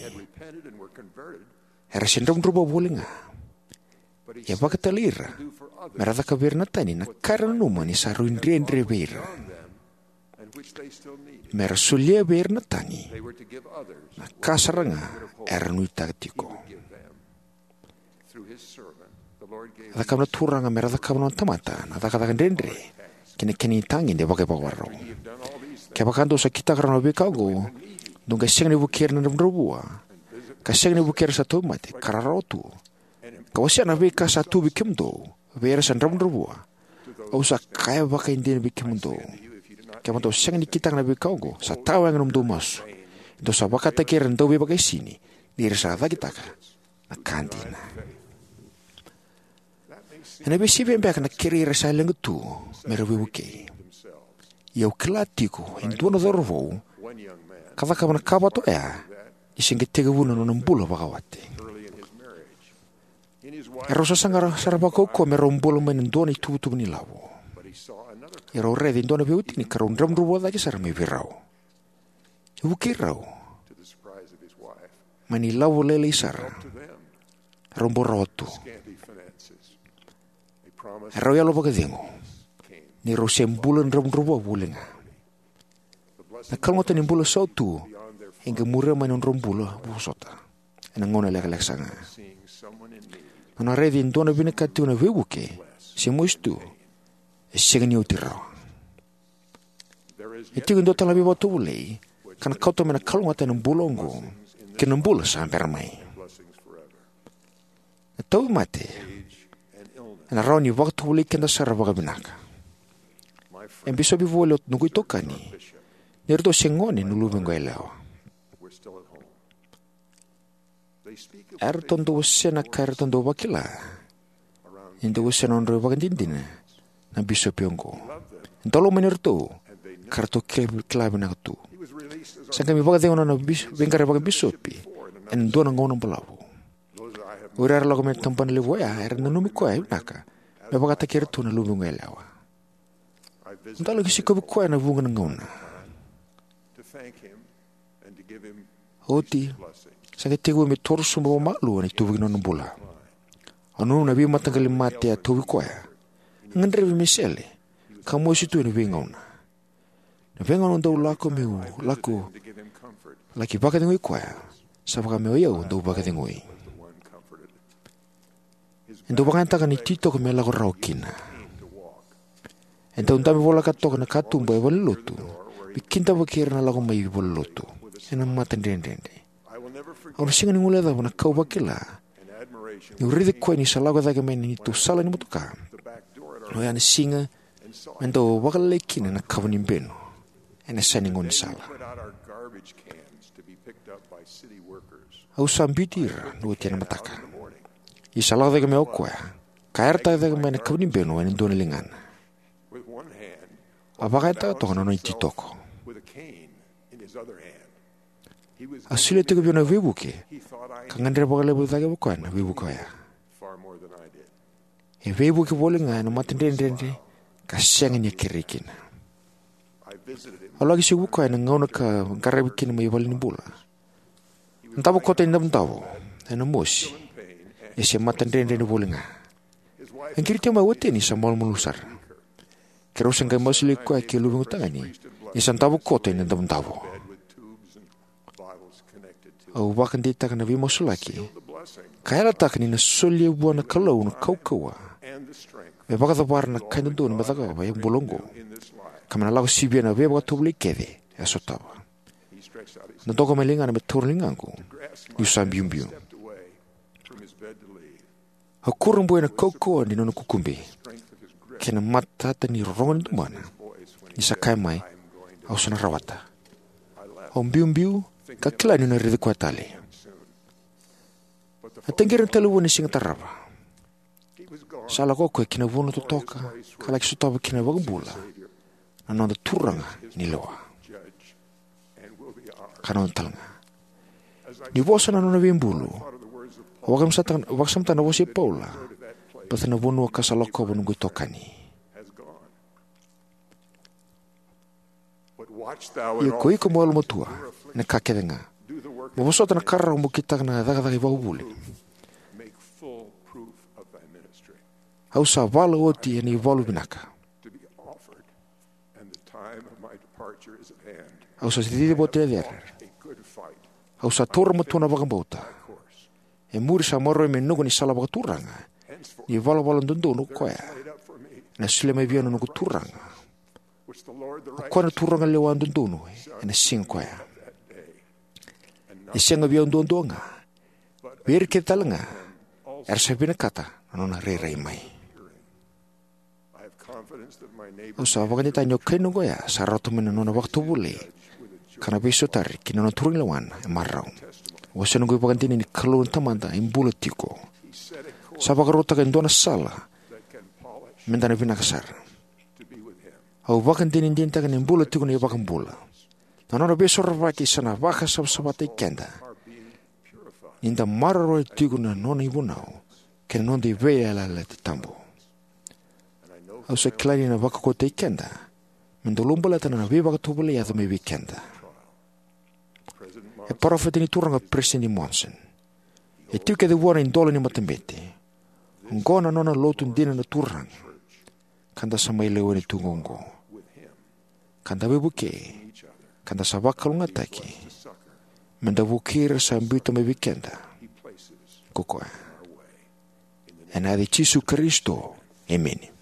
era se dravudravua voli ga. E vakatalai ira me ra caka vei ira na tani na ka era nanuma ni sa rui dredre vei ira, me ra solia vei ira na tani na ka sara ga era nuitaka tiko. A cakava na Turaga me ra cakava na nona tamata na cakacaka dredre kei na kena itagede vakaivakavakarau. Kevaka dou sa kitaka rawa na veika oqo, dou qai sega ni vukei ira na dravudravua, ka sega ni vukei ira sa tauvimate ka rarawa tu, ka wasea na veika sa tu vei kemudou vei ira sa dravudravua, au sa kaya vakaidina vei kemudou, kevaka dou sega ni kitaka na veika oqo, sa tawayaga na nomudou masu. Dou sa vakataki ira na dauveivakaisini, ni ra sa cakitaka na ka dina. Ena veisivia beka na kerei ira sa leqa tu me ra veivukei. Ia au kila tiko e dua na cauravou ka cakava na ka vata oya ni se qai tekivu na nona bula vakawati. Erau sasaga sara vakaukauwa me rau bula mai na dua na ituvatuva ni lavo. Ia rau raica e dua na veiwatini ka rau dravudravua cake sara mai vei rau. E vukei rau mai na ilavo lailai sara. Rau bau rawa tu. Erau yalo vakacegu ni rau se bula dravudravua voli ga. Na kalougata ni bula sautu e qai muria mai na nodrau bula vosota ena gauna lekaleka sara ga. Nona raici e dua na vinakati tiko na veivuke, se mosi tu, e sega ni oti rawa. E tiko e dua tale na veivakatovolei ka na kauta mai na kalougata ena bula oqo kei na bula sa bera mai. Na tauvimate ena rawa ni vakatovolei keda sara vakavinaka. E bisopi voli o noqu itokani ni ratou se gone na luvequ yalewa. Eratou dau wasea na ka eratou dau vakila ni dau wasea na nodrau ivakadinadina na bisopi oqo. E dau lomani iratou ka ratou kila, kila vinaka tu. Sa qai mai vakacegu na nona bis-, veiqaravi vakabisopi ena dua na gauna balavu. O ira era lako mai na tabana levu oya era nanumi koya vinaka me vakataki iratou na luvequ yalewa. Au dau laki sikovi koya ena vuqa na gauna. Oti, sa qai tekivu me toro sobu vakamalua na ituvaki ni nona bula. Au nanuma na veimataqali mate a tauvi koya. A gadrevi me sele ka mosi tu ena veigauna. Na veigauna au dau lako meu lako laki vakacegui koya, sa vaka me o yau dau vakacegui. E dau vakayagataka na ititoko me lako rawa kina. E dau dabe voleka toka na katuba e valenilotu me kidavaki ira na lako mai valenilotu ena matadredredre. Au na sega ni guilecava na ka au vakila niu raici koya ni sa lako cake mai na neitou sala ni motoka, oya na siga me dau vakalailai kina na kava ni benu ena yasa ni gaunisala. Au sa biuti ira na oti ena mataka. Ia sa lako cake mai o koya ka yarataka cake mai na kava ni benu ena dua na ligana. A vakayagataka toka na nona ititoko. A solia tiko vei au na veivuke ka gadreva vakalevu cake vei koya na veivuke oya. E veivuke voli ga ena matadredredre ka sega ni a kerei kina. Au laki sivi koya ena gauna ka qaravi kina mai valenibula. Na davo koto ni davodavo ena mosi, e se matadredredre voli ga. E qiri tiko mai o watini sa malumalumu sara. Keirau sa qai masulaki koya kei luvequ tagane ni sa davo koto ena davodavo. Au vakadeitaka na veimasulaki ka yalataka ni na solia vua na Kalou na kaukauwa me vakacavara na ka e dodonu me cakava e bula oqo, ka me na lako sivia na veivakatovolei kece e a sotava. Na doka mai ligana me taura na ligaqu niu sa biubiu. Au kurabui ena kaukauwa ni nona kukube kei na matata ni rorogo ni dumana ni sa kaya mai, "Au sa na rawata." Au biubiu ka kila niu na raici koya tale. A taqiri na talevoni ena siga tarava. Sa lako o koya ki na vanua totoka ka laki sotava kina na iVakabula, na noda Turaga ni lewa ka noda talega. Ni vosa na nona veibulu, au vakasamataka, vakasamataka na vosa i Paula: Baleta na vanua ka sa lakova noqu itokani. Ia ko iko mo yalomatua ena ka kece ga. Mo vosota na ka rawa mo kitaka na cakacaka ivakavuvuli. Au sa vala oti ena ivalu vinaka. Au sa cici vata e cere. Au sa taura matua na vakabauta. E muri sa maroroi me noqu na isala vakaturaga, ni valavala dodonu o koya ena solia mai vei au na noqu Turaga, o koya na Turaga lewa dodonu ena siga koya. E sega vei au duadua ga, vei ira kece talega era sa vinakata na nona rairai mai. Au sa vakadeitaka ni o kainaqu oya sa rawata mai na nona vakatovolei ka na veisotari ki na nona turaganilewa e marau. Au wasea noqu ivakadinadina ni Kalou na Tamada e bula tiko. Sa vakarautaka e dua na sala meda na vinaka sara. Au vakadinadinataka ni bula tiko na iVakabula. Na nona veisorovaki sa na vakasavasavataki keda ni da maroroya tiko na nona ivunau kei na noda veiyalayalati tabu. Au sa kila ni na vakaukauwataki keda meda ulabaleta na veivakatovolei e yaco mai vei keda. E parofita ni Turaga o Peresitedi Monson. E tiko kece vua na idola ni matabete. Oqo na nona lotu dina na Turaga, ka da sa mai lewena tiko oqo. Ka da veivukei, ka da sa vakalougatataki meda vukei ira sa biuta mai vei keda ko koya. Ena yaca i Jisu Karisito, emeni.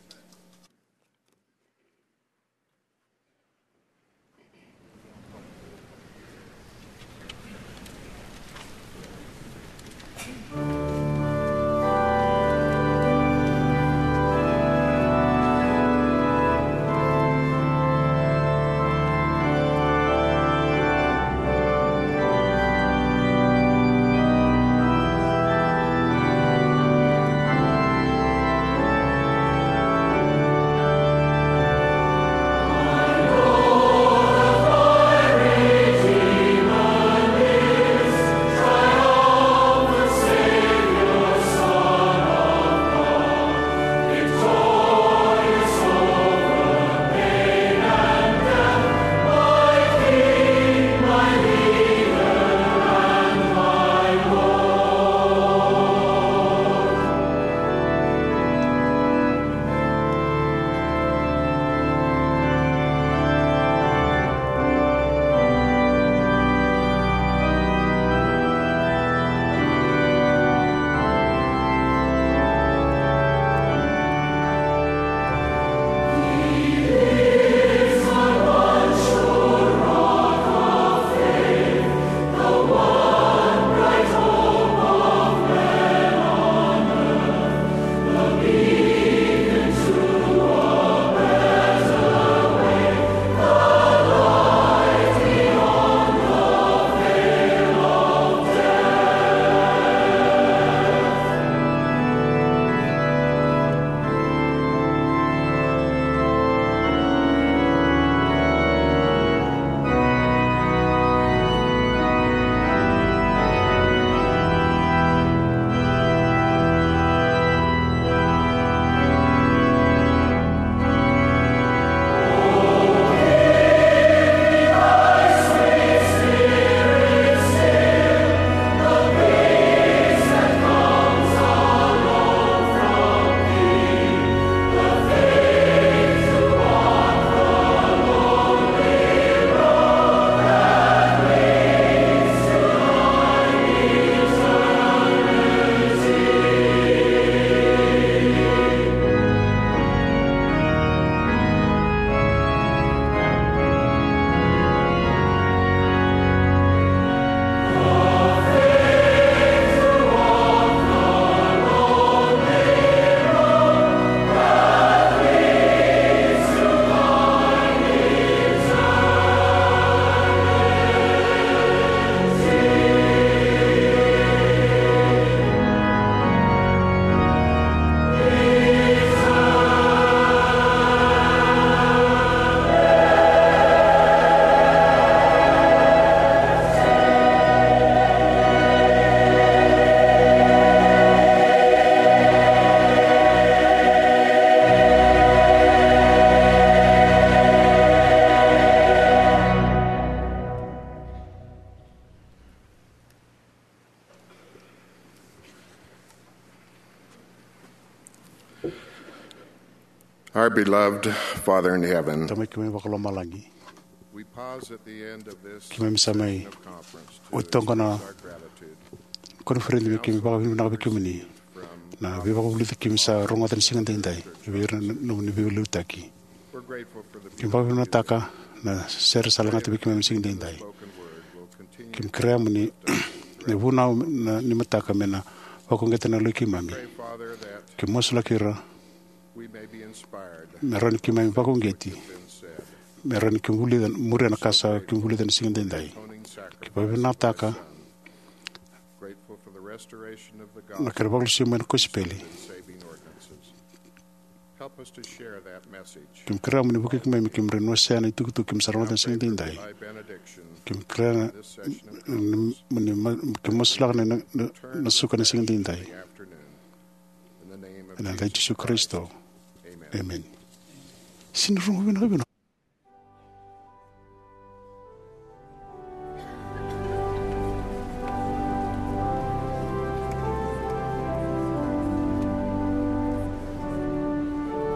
Our beloved Father in heaven, Tamai keimami vakalomalagi, we pause at the end of this keimami sa mai session of conference to oti toka na express our gratitude. Koniferedi me keimami vakavinavinaka vei kemuni na veivakavulici keimami sa rogoca na siga daidai, vei ira na nomuni veiliutaki. We're grateful for the keimami vakavinavinakataka na sere sa lagata vei keimami na siga daidai. Spoken word will continue keimami kerea muni na vunau na nimataka me na vakauqeta na loi keimami. Pray, Father, that keimami masulaki ira we may be inspired me rawa ni keimami vakauqeti, been said. Me rawa ni keimami vulica, muria na ka sa keimami vulica na siga daidai. Atoning sacrifice. Keimami vakavinavinakataka. Grateful for the restoration of the na kena gospel vakalesui mai na kosipeli. And saving ordinances. Help us to share that message. Keimami kerea muni vukei keimami, keimami rawa ni wasea na itukutuku keimami sa rogoca na siga daidai. Pray that thy benediction keimami kerea na, this session of conference ni, ni, ma-, keimami masulaka na, na, na, na suka na siga daidai. Afternoon. In the name of ena yaca i Jesus Jisu Karisito. Amen. Amen. Sini rogo vinaka vinaka.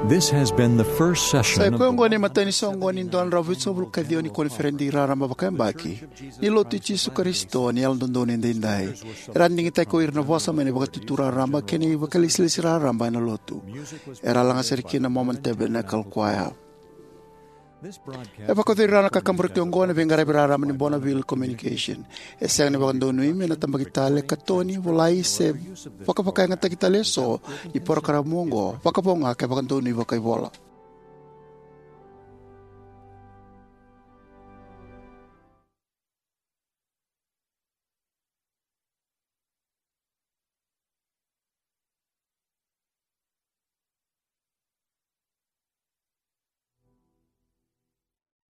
This has been the first session. Sa i koya oqo na imatai ni soqoni ni dua na drau vitusagavulu ka ciwa ni koniferedi raraba vakayabaki ni Lotu i Jisu Karisito ni Yalododonu Edaidai. Era a digitaki ko ira na vosa mai na Vakaitutu Raraba kei na ivakalesilesi raraba ena Lotu. Era a laga sere kina na Mormon Tabernacle Choir. E vakayacori rawa na kakaburaki oqo ena veiqaravi raraba ni Bonneville Communication. E sega ni vakadonui me na tabaki tale, katoni, volai se vakavakayagataki tale eso ni porokaramu oqo, vakavo ga ke vakadonui vakaivola.